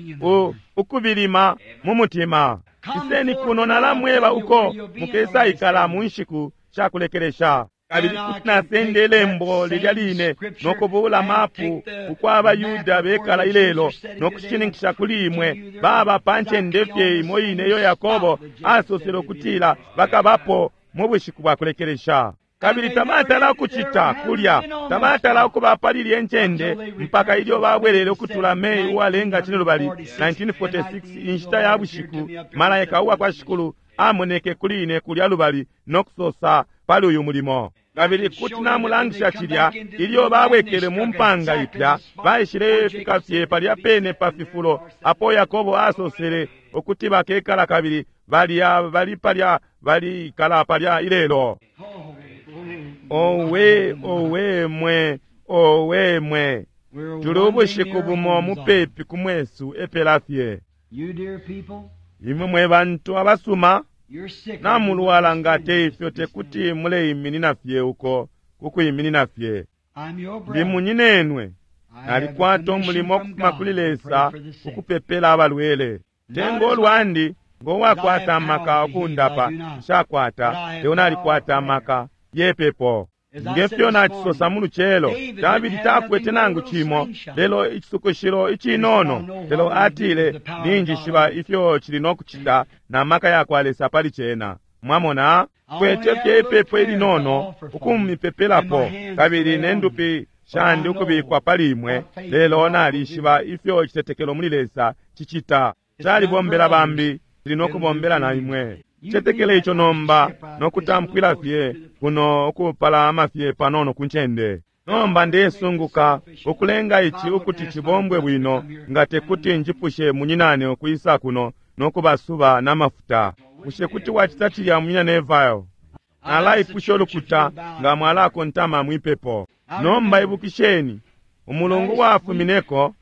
ukubilima mu mutima. Iseni kuno nalamweba uko mukesaikala mu nshiku shakulekelesha. Kabili kuti nasenda ilembo lilya line nokubula mapu ukwaba Yuda bekala ilelo nokushininkisha kuli imwe baba pa ncende fye imo ine iyo Yakobo asosele ukutila bakabapo mu bushiku bwa kulekelesha. Kabili tabatala ukucita kulya, tabatala ukuba pali lye ncende mpaka ilyo babwelele ukutula May uwalenga cinelubali nineteen forty-six, inshita ya bushiku, malaika uwa kwa Shikulu amoneke kuli ine kulya lubali nokusosa pali uyu mulimo. Kabili kuti namulangisha cilya ilyo babwekele mu mpanga ipya, baishile fika fye palya pene pa fifulo apo Yakobo asosele ukuti bakekala, kabili balya bali palya balikala palya ilelo. Owe, owe mwe, owe mwe, tuli ubushiku bumo mupepi ku mwesu epela fye. Imwe mwe bantu abasuma, namulwala nga te ifyo tekuti muleiminina fye uko kukwiminina fye. Ndi munyinenwe, nalikwata umulimo ukufuma kuli Lesa ukupepela abalwele. Tengo lwandi ngowakwata amaka okundapa, nshakwata, leo nalikwata amaka yepepo. Ngefyo nacisosa mu lucelo, Davidi takwete nangu cimo, lelo icisukushilo icinono, lelo atile ninjishiba ifyo cili nokucita na maka yakwa Lesa pali cena. Mwamona, kwete fye ipepo ilinono ukumipepelapo, kabili ne ndupi shandi ukubikwa pali imwe, lelo nalishiba ifyo icitetekelo muli Lesa cicita. Calibombela bambi, cili nokubombela na imwe. Cetekele ico nomba nokutamkwila fye kuno ukupalama fye panono ku ncende. Nomba ndesunguka ukulenga ici ukuti cibombwe bwino, nga tekuti njipushe munyinane ukwisa kuno nokubasuba n'amafuta. Bushe kuti wacita cilya, munyina Neville? Nalaipusha ulukuta nga mwalakontama mwipepo. Nomba ibukisheni, umulungu wafumineko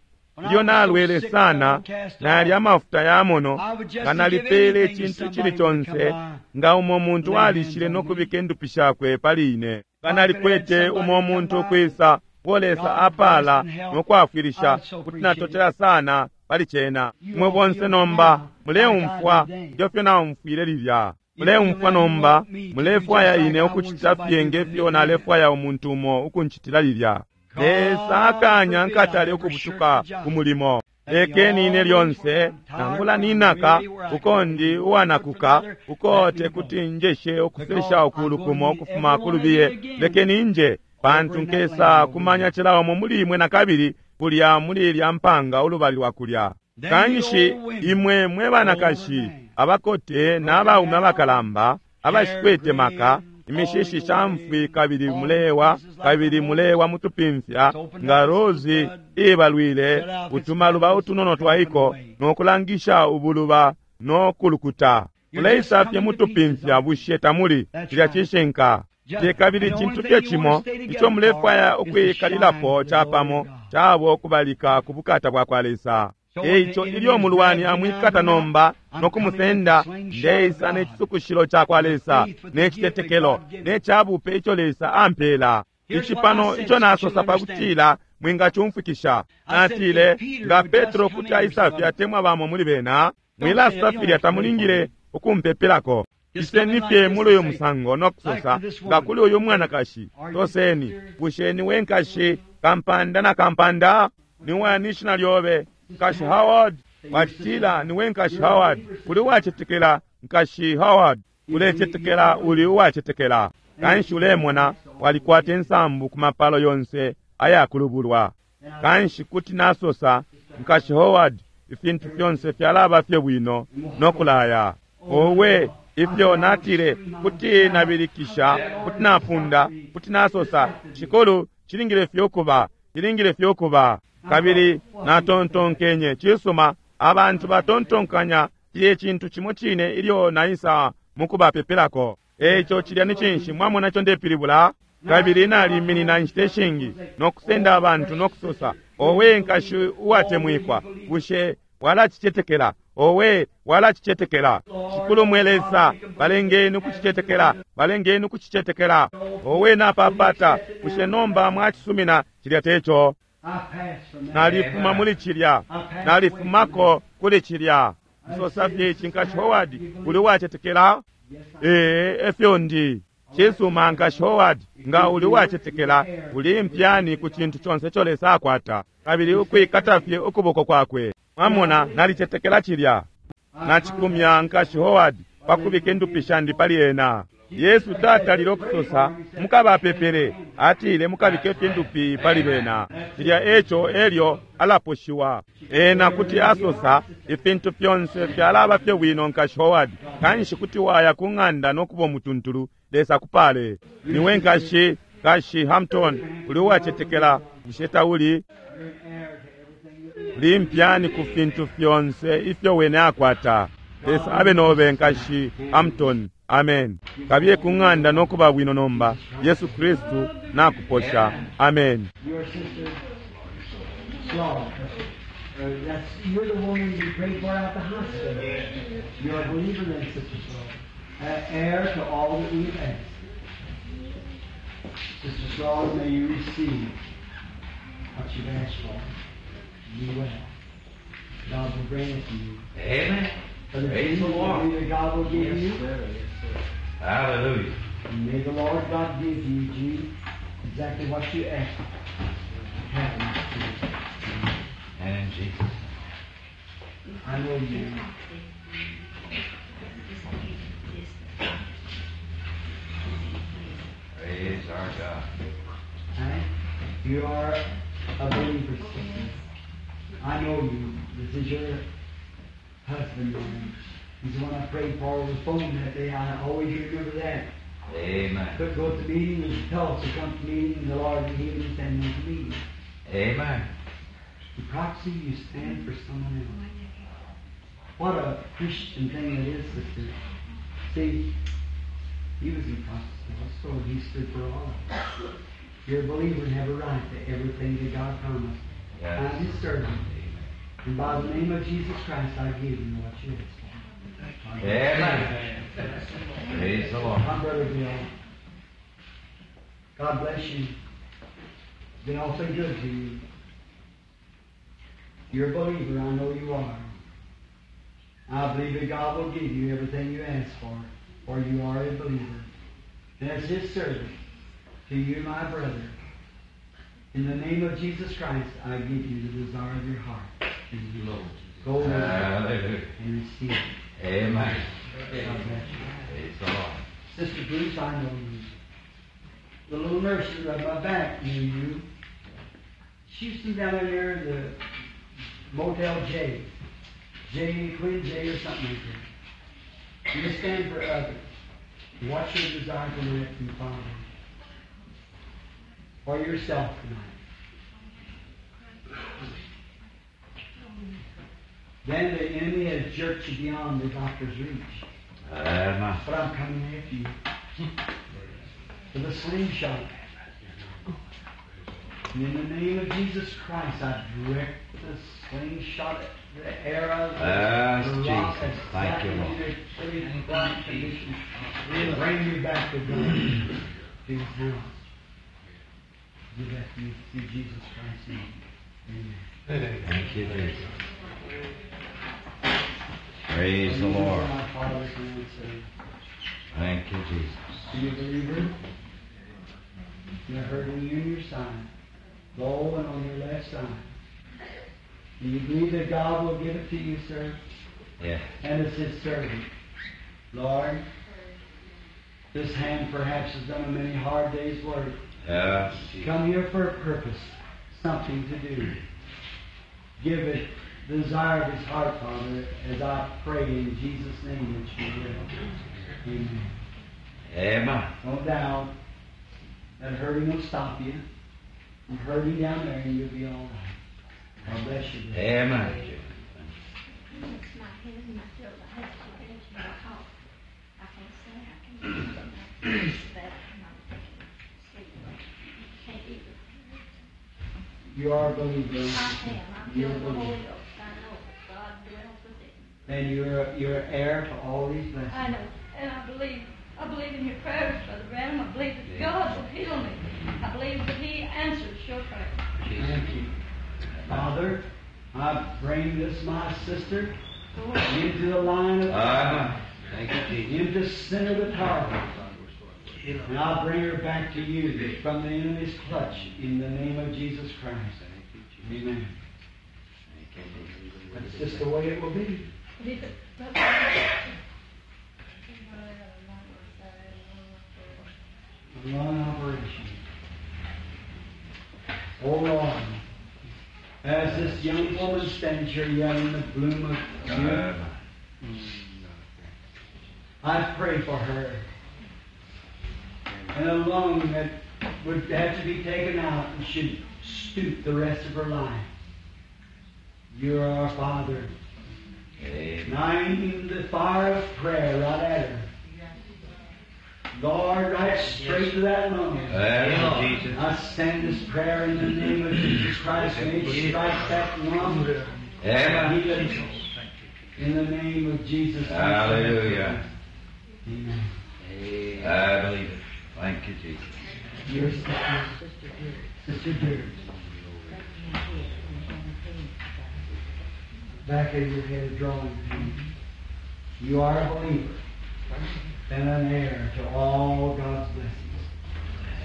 ilyo nalwele sana, nali amafuta yamono, nga nalipele icintu cili conse, nga umo muntu alishile nokubika indupi shakwe pali ine. Nga nalikwete umo muntu ukwisa uo Lesa apala nokwafwilisha, kuti natotela sana pali cena. Mwe bonse nomba muleumfwa ngefyo naumfwile lilya. Muleumfwa nomba, mulefwaya ine ukucita fye ngefyo nalefwaya umuntu umo ukunchitila lilya. Lesa akanya nkatale ukubutuka ku mulimo. Lekeni ine lyonse nangula ninaka uko ndi uwanakuka, uko tekuti njeshe ukusesha ukulukumo ukufuma kulubiye. Lekeni nje, pantu nkesa kumanya cilaumo muli imwe nakabili kulya muli ilya mpanga ulubali lwa kulya. Kanshi imwe mwe banakashi abakote n'abaume abakalamba abashikwete maka, imishishi shamfwi, kabili mulewa, kabili mulewa mutupimfya nga rozi ibalwile utumaluba utunono twaiko nokulangisha ubuluba nokulukuta. Muleisa fye mutupimfya, bushe tamuli? Cilya cishinka. Te kabili cintu fye cimo ico mulefwaya ukwikalilapo capamo cabo kubalika ku bukata bwa kwa Lesa. Eico ilyo mulwani amwikata nomba nokumusenda, ndeisa n'ecisukushilo ca kwa Lesa, n'ecitetekelo, n'ecabupe ico Lesa ampela. Ici pano ico nasosa pakutila mwingacumfwikisha. Natile nga Petro kuti aisafye atemwa bamo muli bena, mwilasafilya tamulingile ukumpepelako. Iseni fye muli uyu musango nokusosa nga kuli uyu mwanakashi, toseni, bushe niwe nkashi kampanda na kampanda? Niwani ishina lyobe? Nkashi Howard. Watila niwe nkashi Howard. Uli uwacetekela, nkashi Howard. Ulecetekela, uli uwacetekela. Kanshi ulemona walikwata insambu ku mapalo yonse ayakulubulwa. Kanshi kuti nasosa, nkashi Howard, ifintu fyonse fyalaba fye bwino nokulaya. Owe, ifyo natile kuti nabilikisha, kuti napunda, kuti nasosa, Shikulu, cilingile fye ukuba, cilingile fye ukuba. Kabili natontonkenye, cisuma, abantu batontonkanya cilye cintu cimo cine ilyo naisa mukubapepelako. Eico cilya ni cinshi? Mwamona ico ndepilibula? Kabili naliminina inshita ishingi nokusenda abantu nokusosa, owe nkashi uwatemwikwa, bushe walacicetekela? Owe, walacicetekela. Shikulu mwe Lesa, balengeni ukucicetekela, balengeni ukucicetekela. Owe, napapata, bushe nomba mwacisumina cilya teco? Nalifuma muli cilya, nalifumako kuli cilya. Nsosa fye ici, Nkashi Howard, uli uwacetekela? Ee, efyo ndi. Cisuma, Nkashi Howard, nga uli uwacetekela, uli impyani ku cintu conse ico Lesa akwata, kabili ukwikata fye ukuboko kwakwe. Mwamona, nalicetekela cilya. Nacikumya Nkashi Howard pakubika indupi shandi pali ena. Yesu tatalile ukusosa mukabapepele, atile mukabike fye indupi pali bena. Cilya eco elyo alaposhiwa. Ena kuti asosa ifintu fyonse fyalaba fye bwino, Nkashi Howard, kanshi kuti waya ku ng'anda nokuba umutuntulu. Lesa kupale. Niwe Nkashi, Nkashi Hampton, uli uwacetekela, bushe tauli? Uli impyani ku fintu fyonse ifyo wene akwata. Lesa abe nobe, Nkashi Hampton. Amen. Kabiye ku ng'anda nokuba bwino nomba. Yesu Kristu nakuposha. Amen. Your sister Slaw. Uh, that's, you're the woman we prayed for out the hospital. You're a believer then, Sister Slaw. Uh, heir to all that we've asked. Sister Slaw, may you receive what you've asked for. Be well. God will grant it to you. Amen. For the Praise the dream Lord. that God will give you. Hallelujah. And may the Lord God give you, Gene, exactly what you asked. Have it. And in Jesus' I know you. Praise our God. Right? You are a believer, sister. I know you. This is your husband. Man. He's the one I prayed for over the phone that day. I always remember that. Amen. Could go to the meeting, was Tulsa, come to the meeting, and the Lord healed him, send him to the meeting. Amen. The proxy, you stand for someone else. What a Christian thing it is, sister. See, he was in proxy also, and he stood for all of us. You're a believer and have a right to everything that God promised. Yes. I'm his servant. And by the name of Jesus Christ, I give you what you ask for. Amen. Praise the Lord. My brother Bill, God bless you. It's been awfully good to you. You're a believer, I know you are. I believe that God will give you everything you ask for, for you are a believer. And as his servant, to you, my brother, in the name of Jesus Christ, I give you the desire of your heart. And you go with it Hallelujah. and receive it. Amen. God bless you. Praise the Lord. Sister Bruce, I know you. The little nurse who rubbed my back knew you. She used to be down there near the Motel J. J, Queen J or something like that. You stand for others. What's your desire tonight from the Father? For yourself tonight. Then the enemy has jerked you beyond the doctor's reach. Amen. But I'm coming after you with a slingshot. And in the name of Jesus Christ, I direct the slingshot, the arrow, the, Yes, the rock, Jesus. Thank you, Lord. exactly to your right condition. Bring you back to God, to His house. Give that to you through Jesus Christ's name. Amen. Thank you, Jesus. Praise the Lord. My Father can say. Thank you, Jesus. Are you a believer? You're hurting you in your side, low and on your left side. Do you believe that God will give it to you, sir? Yeah. And it's His servant. Lord, this hand perhaps has done a many hard day's work. Yes. Come here for a purpose, something to do. Give it the desire of his heart, Father, as I pray in Jesus' name that you will. Amen. Amen. No doubt that hurting will stop you. I'm hurting down there and you'll be all right. God bless you. brother. Amen. It's my head and my throat. I have to finish my talk. I can't say I can. It's bad. I'm sleep. Can't eat. You are a believer. I am. I'm You're a filled with the believer. Holy Ghost. I know God dwells within. Then you're you're heir to all these blessings. I know, and I believe. I believe in your prayers, Brother Branham. I believe that God will heal me. I believe that He answers your prayers. Thank you. Father, I bring this, my sister, into the line of Amen. Thank you, Jesus. into center of the power. And I bring her back to you from the enemy's clutch in the name of Jesus Christ. Amen. That's just the way it will be. Believe it, Brother Branham. A lung operation. Oh Lord, as this young woman stands here yet in the bloom of youth, I pray for her. And a lung that would have to be taken out and should stoop the rest of her life. You are our Father. Amen. And I aim the fire of prayer right at her. Lord, right straight to that lung. Amen, Jesus. I send this prayer in the name of Jesus Christ. May it strike that lung. Amen. Heal it. In the name of Jesus Christ. Hallelujah. Amen. I believe it. Thank you, Jesus. Your sister, Sister Dear. Back of your head, drawing pain. You are a believer and an heir to all God's blessings.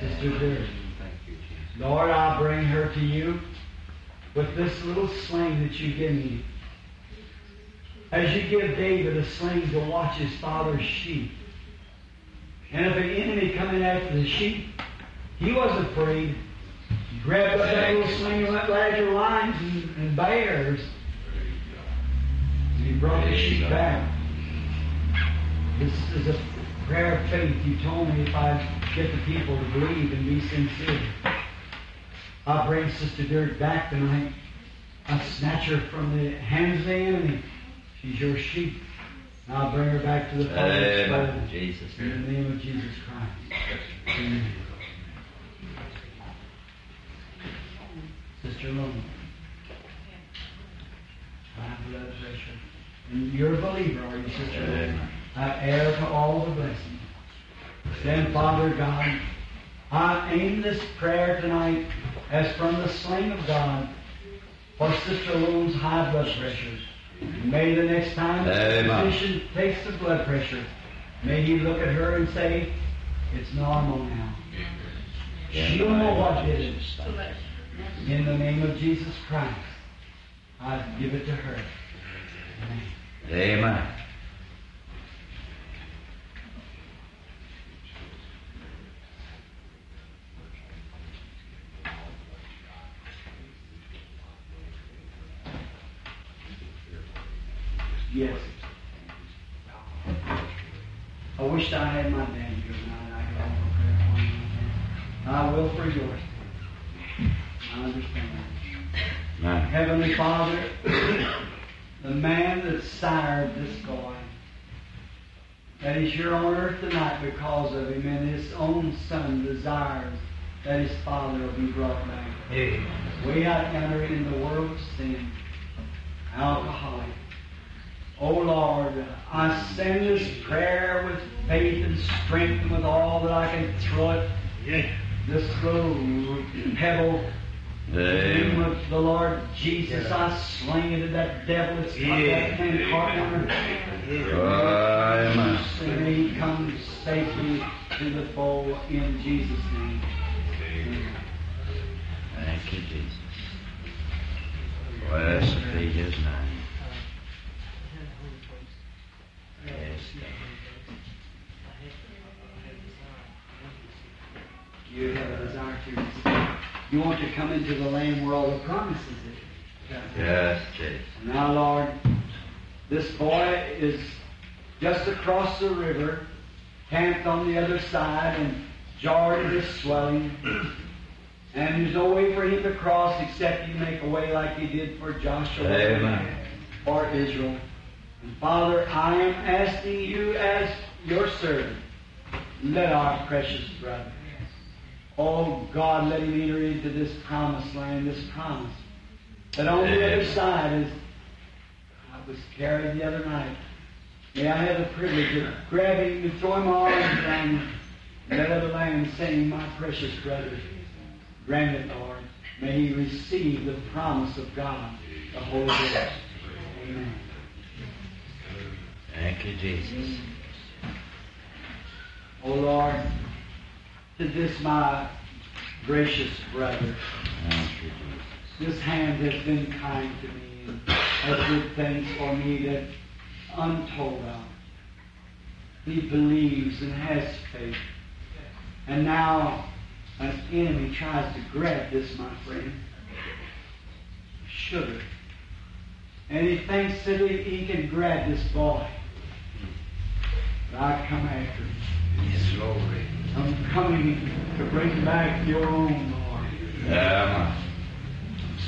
Sister Dear. Thank you, Jesus. Lord, I bring her to you with this little sling that you give me. As you give David a sling to watch his father's sheep. And if an enemy come in after the sheep, he wasn't afraid. He grabbed up that little sling and went right after lions and, and bears. And he brought the sheep back. This is a prayer of faith. You told me if I get the people to believe and be sincere. I bring Sister Dirt back tonight. I snatch her from the hands of the enemy. She's your sheep. And I'll bring her back to the Father's Amen. fold. Jesus. In the name of Jesus Christ. Amen. Sister Loma. High blood pressure. And you're a believer, are you, Sister Loma? Amen. I heir to all the blessings. Then, Father God, I aim this prayer tonight as from the sling of God for Sister Lone's high blood pressure. May the next time the Amen. physician takes the blood pressure, may he look at her and say, it's normal now. She'll know what it is. In the name of Jesus Christ, I give it to her. Amen. Amen. Yes. I wished I had my dad here tonight. I could offer prayer for him. I will for yours. I understand. Amen. Heavenly Father, the man that sired this boy, that is here on earth tonight because of him, and his own son desires that his father will be brought back. Way out yonder in the world of sin, alcoholic. Oh Lord, I send this prayer with faith and strength and with all that I can throw it. This little pebble, in the name Amen. of the Lord Jesus, I sling it at that devil. It's got that man caught on her. Amen. And may he come safely to the fold in Jesus' name. Amen. Thank you, Jesus. Blessed be his name. Yes. You have a desire to You want to come into the land where all the promises is. Yes, Jesus. Now, Lord, this boy is just across the river, camped on the other side, and Jordan is swelling. And there's no way for him to cross except you make a way like you did for Joshua Amen. or Israel. And Father, I am asking you as your servant, let our precious brother, oh God, let him enter into this promised land, this promise. That on the other side is high was carried the other night. May I have the privilege of grabbing him and throwing my arms around him and that other lamb saying, my precious brother, grant it, Lord. May he receive the promise of God, the Holy Ghost. Amen. Thank you, Jesus. O Lord, to this my gracious brother, Thank you, Jesus. this hand has been kind to me and has did things for me that untold of. He believes and has faith. And now an enemy tries to grab this, my friend, sugar. And he thinks that he, he can grab this boy. But I come after him. Yes, glory. I'm coming to bring back your own, Lord. Yeah,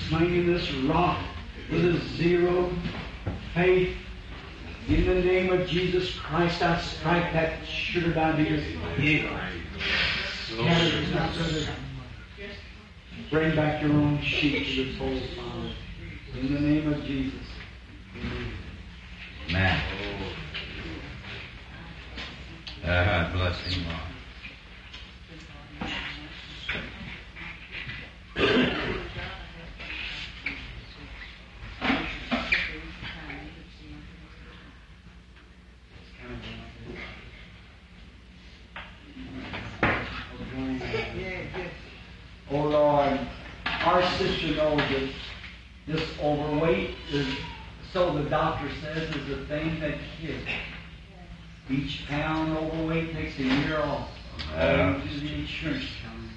Slinging this rock with a zero faith. In the name of Jesus Christ, I strike that sugar diabetes. Scatter it, my brother. Bring back your own sheep to the fold, Father. In the name of Jesus. Amen. man. Uh, bless him, Lord. Oh Lord, our sister knows that this overweight is, so the doctor says, is the thing that kills. Each pound overweight takes a year off Yeah. to the insurance company.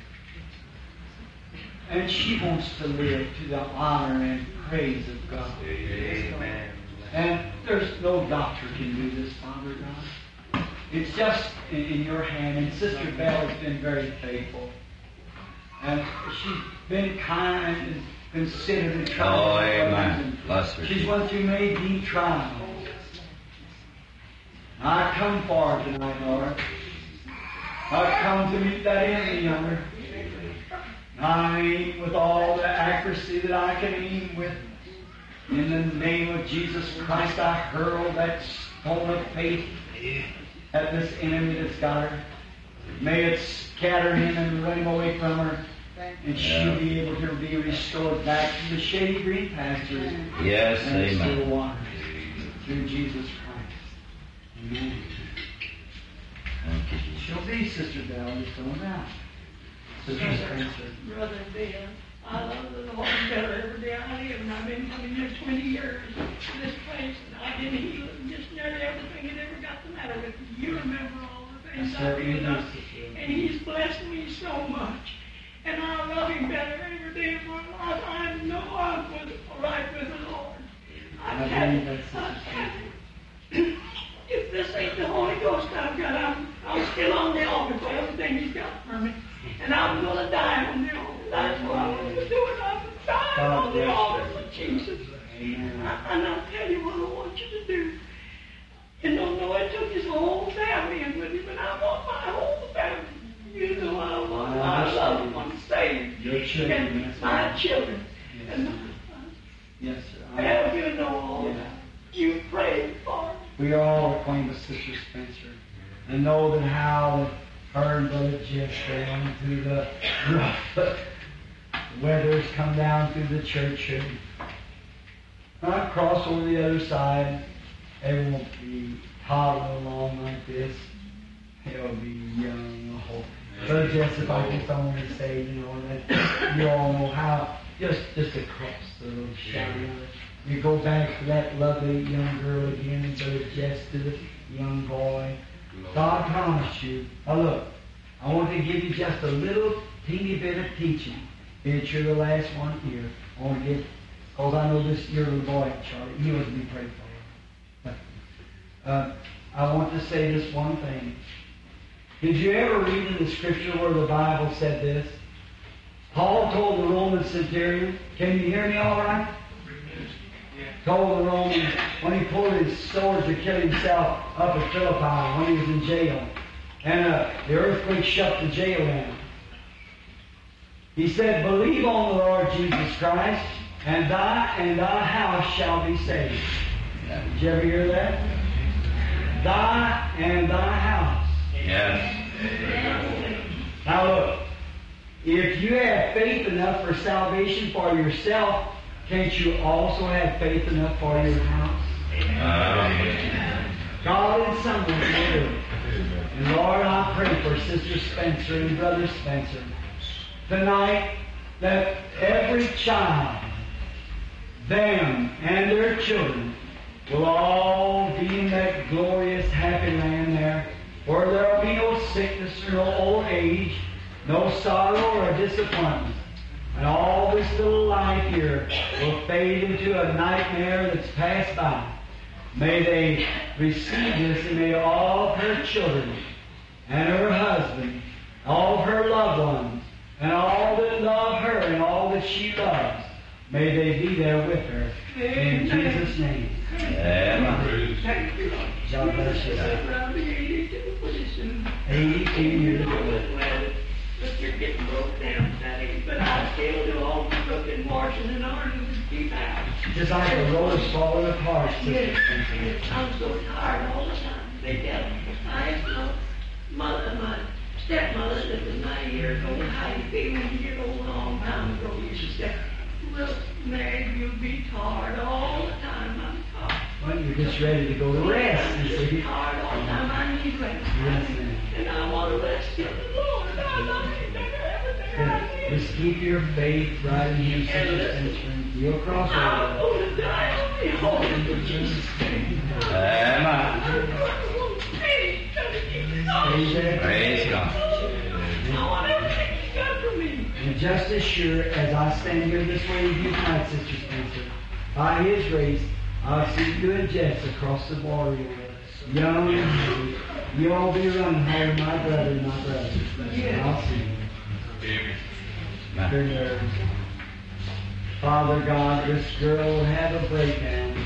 And she wants to live to the honor and praise of God. Amen. And there's no doctor can do this, Father God. It's just in, in your hand. And Sister Bell has been very faithful. And she's been kind and considerate and tried. Oh, amen. Bless her. She's went through many deep trials. I come for her tonight, Lord. I come to meet that enemy yonder. I aim with all the accuracy that I can aim with. In the name of Jesus Christ, I hurl that stone of faith at this enemy that's got her. May it scatter him and run him away from her. And she'll be able to be restored back to the shady green pastures Yes, and the still amen. waters through Jesus Christ. Amen. Thank you, Jesus. She'll be Sister Bell, just don't doubt. Sister Spencer. Brother Bill, I love the Lord better every day I live, and I've been coming here twenty years to this place, and I've been healed and just nearly everything that ever got the matter with me. You remember all the things I I've certainly been do, done. Sister. And He's blessed me so much. And I love Him better every day of my life. I know I'm with, right with the Lord. I I tell believe you, that, Sister I tell you, if this ain't the Holy Ghost I've got, I'm, I'm still on the altar for everything He's got for me. And I'm going to die on the altar. That's what I'm going to do. And I'm dying God on the bless altar you. for Jesus. Amen. I, and I'll tell you what I want you to do. You don't know it took his whole family in with him, and I want my whole family. You know I want I my loved understand. ones saved. Your children, And yes, my ma'am. children. Yes, And sir. Yes, sir. I- well, you know all Yeah. that. You prayed for me. We are all acquainted with Sister Spencer and know that how that her and Brother Jeff down through the rough weather's come down through the church and I cross over the other side. They won't be toddling along like this. They'll be young. Oh, Brother Jess, if I just only say, you know, that you all know how, just just across the little shadow. You go back to that lovely young girl again, and Brother Jess to the young boy. God promised you. Now look, I want to give you just a little teeny bit of teaching. It's you're the last one here. I want to give, because I know this your little boy, Charlie, he was to be prayed for. But, uh, I want to say this one thing. Did you ever read in the scripture where the Bible said this? Paul told the Roman centurion, can you hear me all right? Told the Romans when he pulled his sword to kill himself up at Philippi when he was in jail. And uh, the earthquake shut the jail down. He said, believe on the Lord Jesus Christ, and thy and thy house shall be saved. Did you ever hear that? Thy and thy house. Yes. Now look, if you have faith enough for salvation for yourself, can't you also have faith enough for your house? Amen. God in someone will do it. And Lord, I pray for Sister Spencer and Brother Spencer tonight that every child, them and their children, will all be in that glorious happy land there where there will be no sickness or no old age, no sorrow or disappointment. And all this little life here will fade into a nightmare that's passed by. May they receive this, and may all of her children and her husband, all of her loved ones, and all that love her and all that she loves, may they be there with her. In Jesus' name. Amen. Thank you, Lord. God bless you. I'll be eighty-two pretty soon. eighty-two years old. Well, but you're getting broke down at that age, but I still do all the cooking, washing, and ironing and keep out. Just like the road is falling apart, Sister Yes, Spencer. yes, I'm so tired all the time. They tell me, I asked my mother, my stepmother that was ninety years old, how you feel when you get old a long time ago. She said, well, Mary, you'll be tired all the time. I'm tired. Well, you're just ready to go to rest, you I'm see. tired all the time. I need rest. Yes, ma'am. And I want to rest in the Lord. I need everything I need. Just keep your faith right in Him, Sister Spencer. and You'll cross I'm over. going to die on the altar for Jesus' name. Amen. Stay there. Praise God. I want everything you got for me. And just as sure as I stand here this way with you tonight, Sister Spencer, by His grace, I'll see you and Jess across the border here. Young and happy. You'll be running home, my brother, my brother. I'll see you. Her nerves. Father God, this girl will have a breakdown,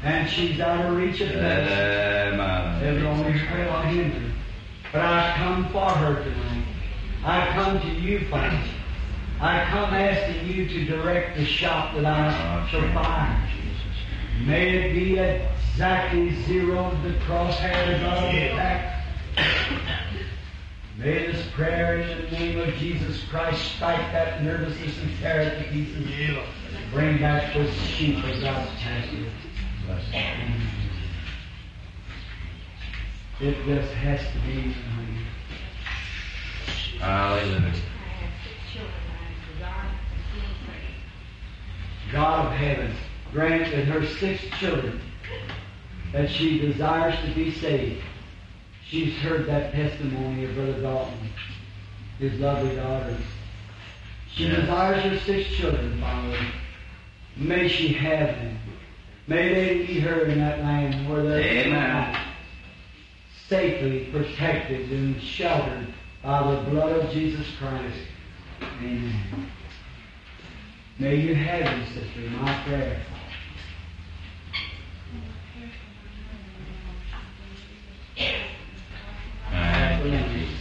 and she's out of reach of medicine. Amen. It only hurt hinder. But I come for her tonight. I come to you, Father. I come asking you to direct the shot that I shall fire. May it be exactly zero the crosshairs of the attack. May this prayer in the name of Jesus Christ strike that nervousness and tear it to pieces. Bring back those sheep of God's pasture. It just has to be. Honey. Hallelujah. I have six children I desire to be saved. God of heaven, grant that her six children, that she desires to be saved. She's heard that testimony of Brother Dalton, his lovely daughters. She Yes. desires her six children, Father. May she have them. May they meet her in that land where they're Amen. safely protected and sheltered by the blood of Jesus Christ. Amen. May you have them, sister, my prayer. Thank you, Jesus.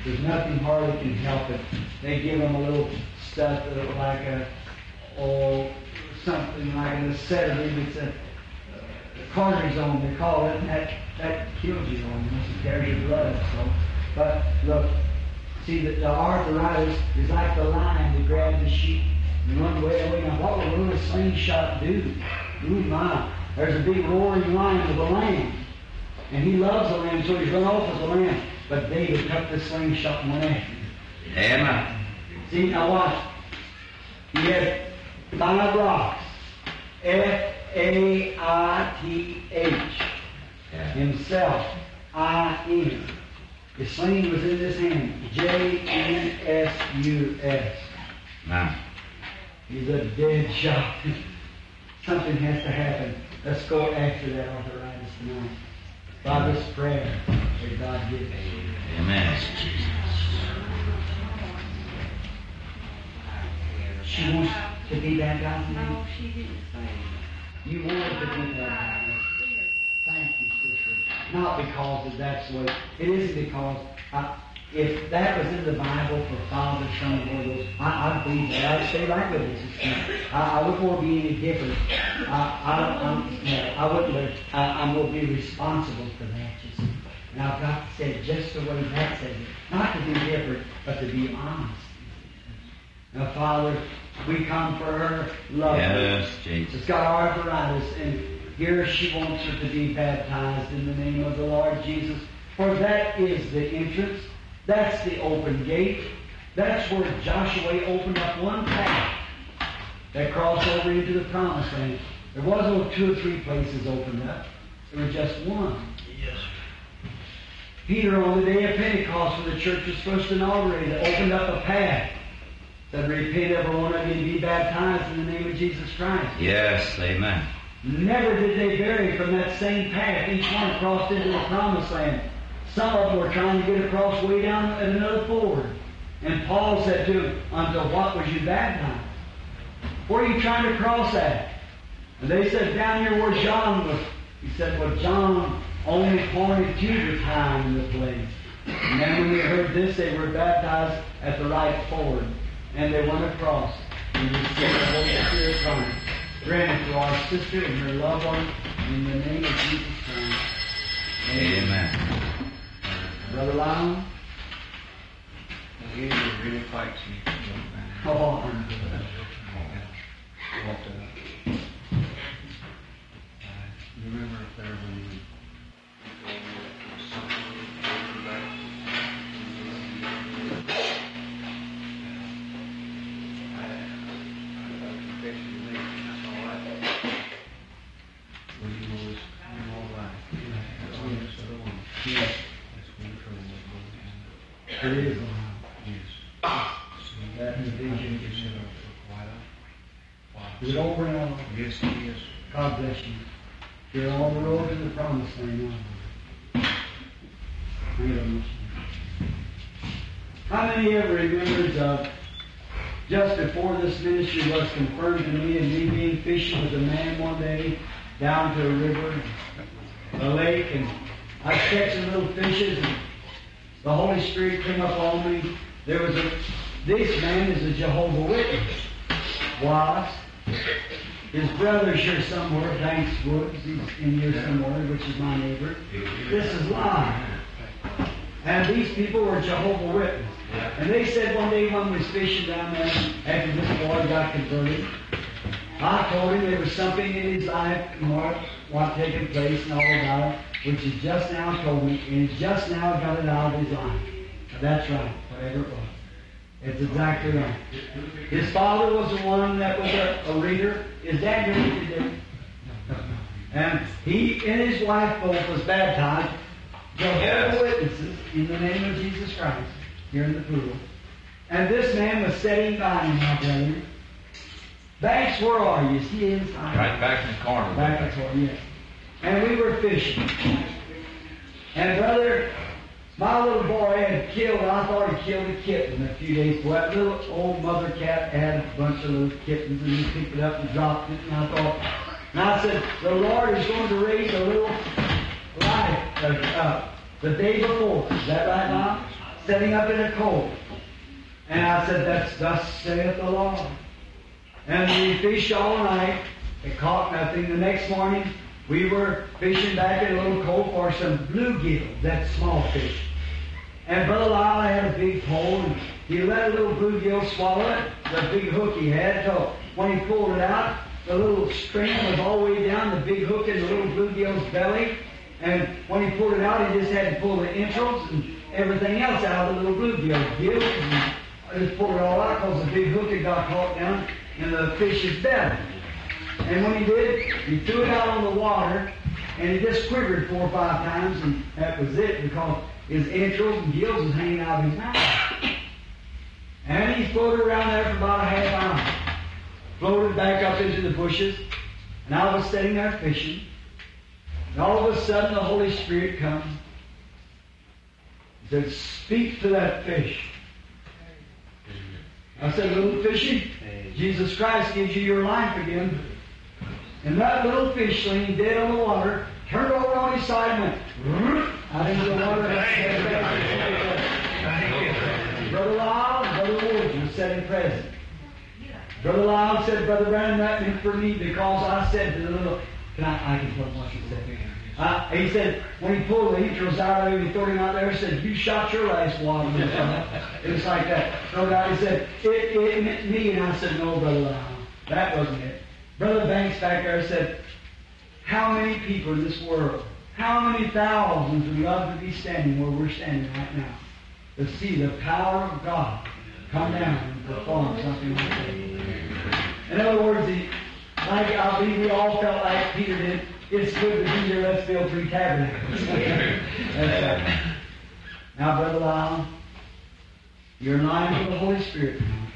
There's nothing hardly can help it. They give them a little stuff uh, like a, or something like an sedative. It's a, a cortisone, they call it, and that, that kills you almost. It tears your blood up. So, but look, see, the, the arthritis is like the lion that grabbed the sheep and run way away. Now, what will a little slingshot do? Ooh, my. There's a big roaring lion with a lamb. And he loves the lamb, so he's run off with the lamb. But David took the slingshot and went after him. Amen. See, now watch. He had five rocks. F A I T H. Yeah. Himself. I N. His sling was in his hand. J N S U S. Amen. He's a dead shot. Something has to happen. Let's go after that arthritis tonight. By this prayer that God gives. Amen. She wants to be baptized now? No, she didn't say. You wanted to be baptized. Thank you, sister. Not because of that's the way. It isn't because I, If that was in the Bible for Father, Son, and Holy Ghost, I, I'd believe that. I'd stay right with it, sister. I, I wouldn't want to be any different. I, I, I'm, no, I wouldn't. I, I'm going to be responsible for that, you see. And I've got to say it just the way that says it. Not to be different, but to be honest. Now, Father, we come for her love. Yes, Jesus. It's got arthritis, and here she wants her to be baptized in the name of the Lord Jesus. For that is the entrance. That's the open gate. That's where Joshua opened up one path that crossed over into the promised land. There was no two or three places opened up. There was just one. Yes. Peter, on the day of Pentecost, when the church was first inaugurated, opened up a path. Said, repent every one of you and be baptized in the name of Jesus Christ. Yes, amen. Never did they vary from that same path. Each one crossed into the promised land. Some of them were trying to get across way down at another ford. And Paul said to them, unto what was you baptized? Where are you trying to cross at? And they said, down here where John was. He said, well, John only pointed to the time and the place. And then when they heard this, they were baptized at the right ford. And they went across and received the Holy Spirit promise. Grant it to our sister and her loved one in the name of Jesus Christ. Amen. Brother Lyle? The enemy really fights me, young man. Oh, I'm But, uh, I remember up there when you told me that there was something holding back. I, I got a confession to make, and that's all right. Well, you know this, you know all right. That's on this other one. Yes, That's when the trouble was going down. it is alive. Yes. So, That I vision think is it's been up for quite a while. Is it over now? Yes, it is. God bless you. You're on the road to the promised land now. How many ever remembers uh, just before this ministry was confirmed to me and me being fishing with a man one day down to a river, a lake, and I was catching little fishes, and the Holy Spirit came up on me. There was a, this man is a Jehovah's Witness. Was. His brother's here somewhere, Banks Woods. He's in here somewhere, which is my neighbor. This is live. And these people were Jehovah's Witness. And they said one day when we was fishing down there, after this boy got converted, I told him there was something in his life and what, what taken place and all about it, which he just now told me, and he's just now got it out of his life. Now, that's right, whatever it was. It's exactly right. His father was the one that was a, a reader. Is that your reader? No. And he and his wife both was baptized, Jehovah's Yes. Witnesses, in the name of Jesus Christ, here in the pool. And this man was sitting by him, my brother. Banks, where are you? Is he inside? Right back in the corner. Back and forth, yes. And we were fishing. And brother, my little boy had killed, I thought he killed a kitten a few days ago. That little old mother cat had a bunch of little kittens, and he picked it up and dropped it, and I thought, and I said, the Lord is going to raise a little life uh, up the day before. Is that right, Mom? Setting up in a cold. And I said, that's thus saith the Lord. And we fished all night. It caught nothing. The next morning, we were fishing back in a little cove for some bluegill, that small fish. And Brother Lyle had a big pole, and he let a little bluegill swallow it, the big hook he had, till when he pulled it out, the little string was all the way down the big hook in the little bluegill's belly. And when he pulled it out, he just had to pull the entrails and everything else out of the little bluegill. Gills, and just pulled it all out because the big hook had got caught down in the fish's belly. And when he did, he threw it out on the water, and it just quivered four or five times, and that was it, because his entrails and gills was hanging out of his mouth. And he floated around there for about a half hour. Floated back up into the bushes, and I was sitting there fishing. And all of a sudden, the Holy Spirit comes. He said, "Speak to that fish." I said, "Little fishy, Jesus Christ gives you your life again." And that little fishling, dead on the water, turned over on his side and went out into the water. Brother Lyle and Brother Woods were sitting present. Brother Lyle said, Brother Branham, that meant for me because I said to the little, can I, I can tell him what he said. Uh, he said, when he pulled the heaters out of him, he threw him out there and said, you shot your last wad. It was like that. No doubt he said, it, it meant me. And I said, no, Brother Lyle, that wasn't it. Brother Banks back there said, how many people in this world, how many thousands would love to be standing where we're standing right now to see the power of God come down and perform something like that. In other words, he, like I believe we all felt like Peter did, it's good to be here, let's build three tabernacles. That's right. Now, Brother Lyle, you're in line for the Holy Spirit now.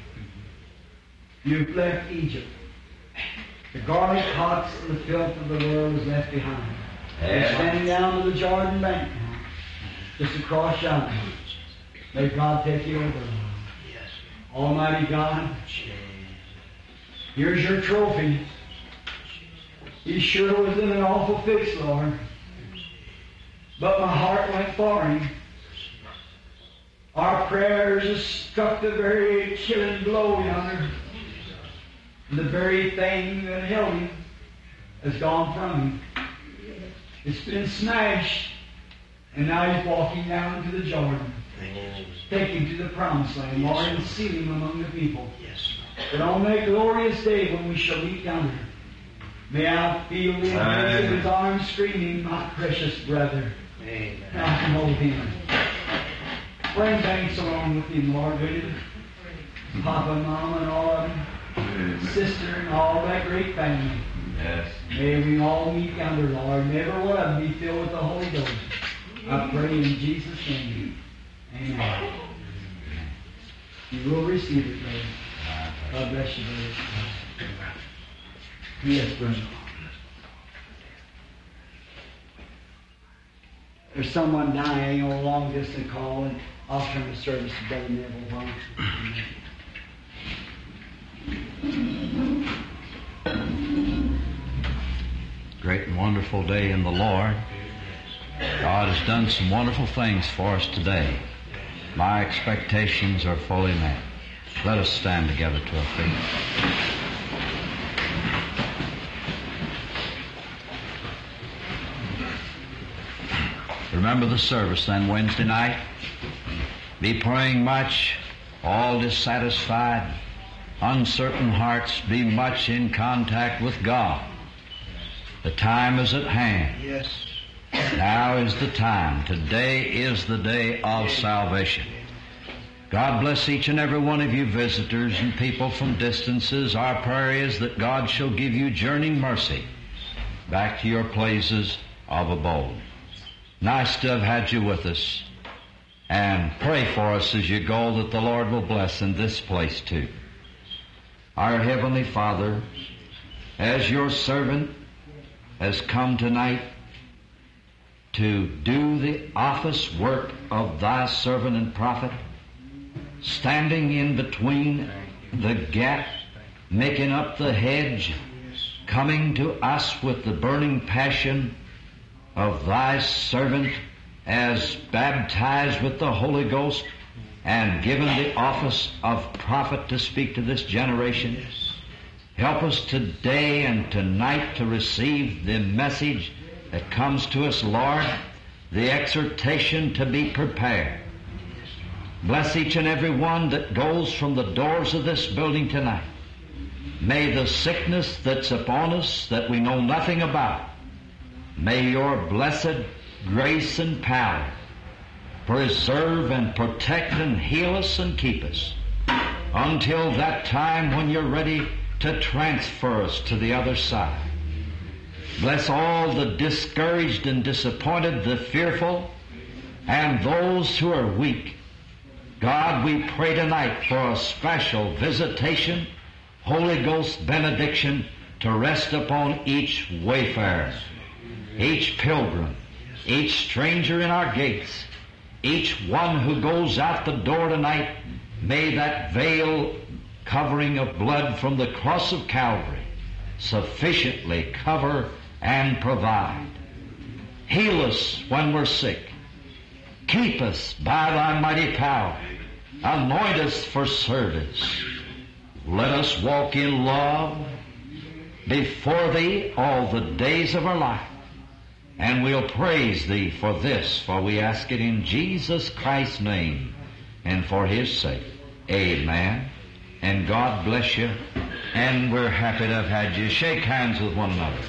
You've left Egypt. The garlic pots and the filth of the world is left behind. You're standing down to the Jordan bank now, just across yonder. May God take you over. Yes. Almighty God, here's your trophy. He sure was in an awful fix, Lord. But my heart went for him. Our prayers have struck the very killing blow yonder. And the very thing that held him has gone from him. It's been smashed. And now he's walking down to the Jordan. Take him to the promised land, Lord, and seal him among the people. Yes, But on that glorious day when we shall meet yonder, may I feel the embrace of his arms screaming, my precious brother. Amen. I can hold him. Bring Banks along with him, Lord, will you? Papa and Mama and all of them. Amen. Sister and all that great family. Yes. May we all meet yonder, Lord. May every one of them be filled with the Holy Ghost. I pray in Jesus' name. Amen. You will receive it, brother. God bless you, brother. Yes, brother. There's someone dying on a long distance call, and I'll turn the service to Brother Neville. Why don't you? Great and wonderful day in the Lord. God has done some wonderful things for us today. My expectations are fully met. Let us stand together to our feet. Remember the service then Wednesday night. Be praying much, all dissatisfied, uncertain hearts, be much in contact with God. The time is at hand. Yes. Now is the time. Today is the day of salvation. God bless each and every one of you visitors and people from distances. Our prayer is that God shall give you journeying mercy back to your places of abode. Nice to have had you with us. And pray for us as you go that the Lord will bless in this place too. Our Heavenly Father, as your servant has come tonight to do the office work of thy servant and prophet, standing in between the gap, making up the hedge, coming to us with the burning passion of thy servant as baptized with the Holy Ghost and given the office of prophet to speak to this generation. Help us today and tonight to receive the message that comes to us, Lord, the exhortation to be prepared. Bless each and every one that goes from the doors of this building tonight. May the sickness that's upon us that we know nothing about, may your blessed grace and power preserve and protect and heal us and keep us until that time when you're ready to transfer us to the other side. Bless all the discouraged and disappointed, the fearful, and those who are weak. God, we pray tonight for a special visitation, Holy Ghost benediction to rest upon each wayfarer, each pilgrim, each stranger in our gates, each one who goes out the door tonight. May that veil covering of blood from the cross of Calvary sufficiently cover and provide. Heal us when we're sick. Keep us by thy mighty power. Anoint us for service. Let us walk in love before Thee all the days of our life. And we'll praise Thee for this, for we ask it in Jesus Christ's name and for His sake. Amen. And God bless you. And we're happy to have had you. Shake hands with one another.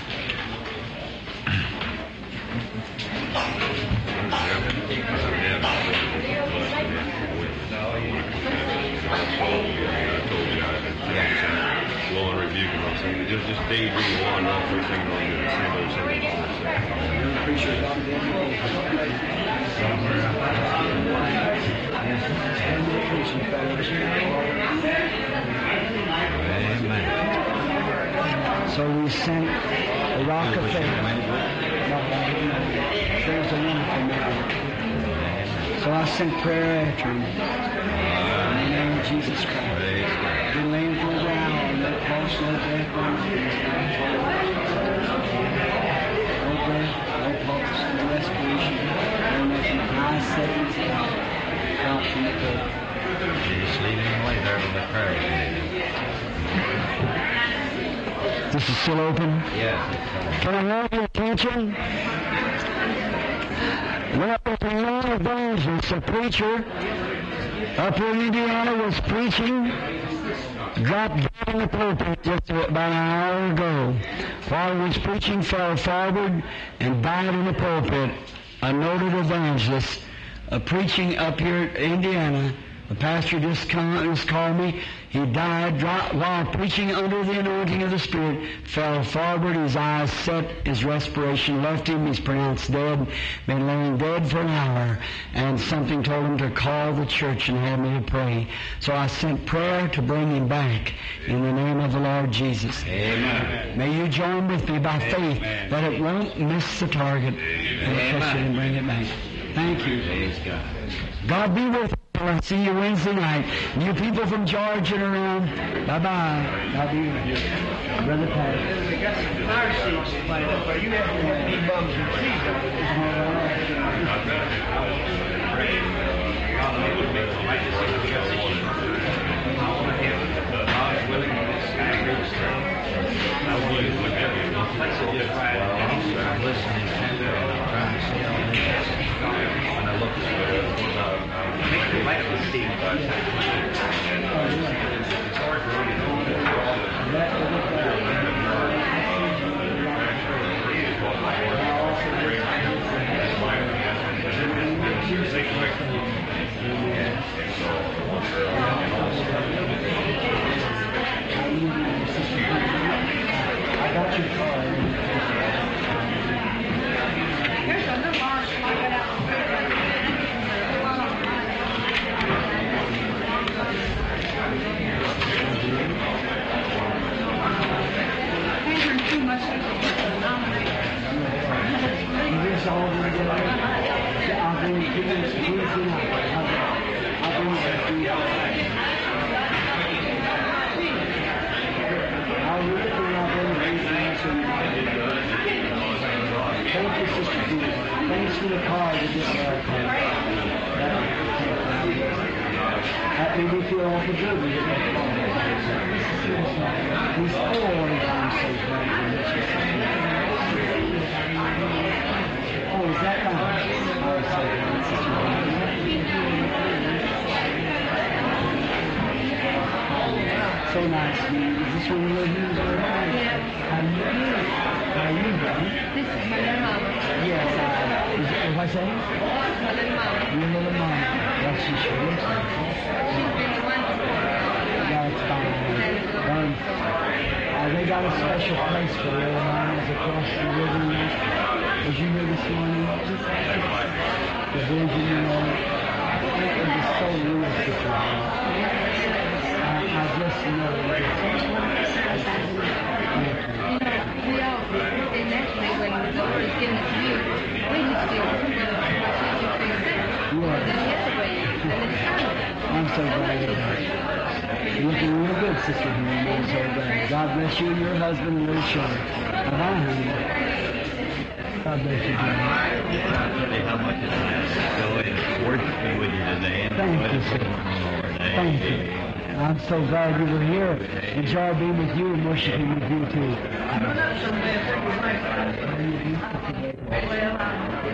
Law and rebuke and all things. Just, just daydream on all three things on the same old, same Amen. So we sent the rock of faith. No, I didn't know. There's a wonderful man. So I sent prayer after him. In the name of Jesus Christ. Been laying for a while, no pulse, no breath, no No breath, no pulse, no respiration, no nothing. Eyes set in his head, out from the bed. Just leave him lay there with the prayer. This is still open? Yes. Can I have your attention? Well, the young evangelist, a preacher up in Indiana was preaching, dropped down in the pulpit just about an hour ago. While he was preaching, fell forward and died in the pulpit. A noted evangelist, uh, preaching up here in Indiana. The pastor just, come, just called me. He died dro- while preaching under the anointing of the Spirit, fell forward, his eyes set, his respiration left him. He's pronounced dead, been laying dead for an hour, and something told him to call the church and have me to pray. So I sent prayer to bring him back in the name of the Lord Jesus. Amen. May you join with me by faith that it won't miss the target. And catch it and bring it back. Thank you. Praise God. God be with you. I'll see you Wednesday night. You people from Georgia and around, bye-bye. God be with you. Brother Pat. We got some fire seats lined up. Are you having to be bums and trees? I'm listening intently and I'm trying to see all this. When I look I got your card. There's a little arch like that out. Andrew, too much to nominate. Is this all going together? I'll bring it to you Wednesday night. I'll, I'll bring it to you. I'll read it and I'll bring it Wednesday night. so you can- Thank you, Sister Judy. Thanks for the card to get our card. That, that made me feel awful good when you get that card. He's always I'm so glad to meet you, Sister. Oh, is that right? Oh, so glad, Sister Judy. So nice to meet you. Is this one of your Hughes? Yeah. How you doing? How are you doing? This is my little mama. Yes, I, is, what's that? My little mama. Your little mama. Well, she sure looks like it. She's been the one before. That's fine. Um, uh, they got a special place for little mamas across the river. Was you here this morning? The vision and all. It was so real, Sister Hall. I, I just know. Thank you. You know, we all, and naturally, when the Lord has given it to you, we just feel, well, why should you feel that? Yeah. Then the other way, and it's kind I'm so glad you're here. You're looking real good, Sister Henry. I'm so glad. God bless you and your husband and little children. Bye-bye, honey. God bless you, dear. Tell you how much it's nice to go and worshiping with you today. And Thank you, enjoy the sir. Lord. Thank you. I'm so glad you were here. Enjoy being with you and worshiping with you too. Well, I'm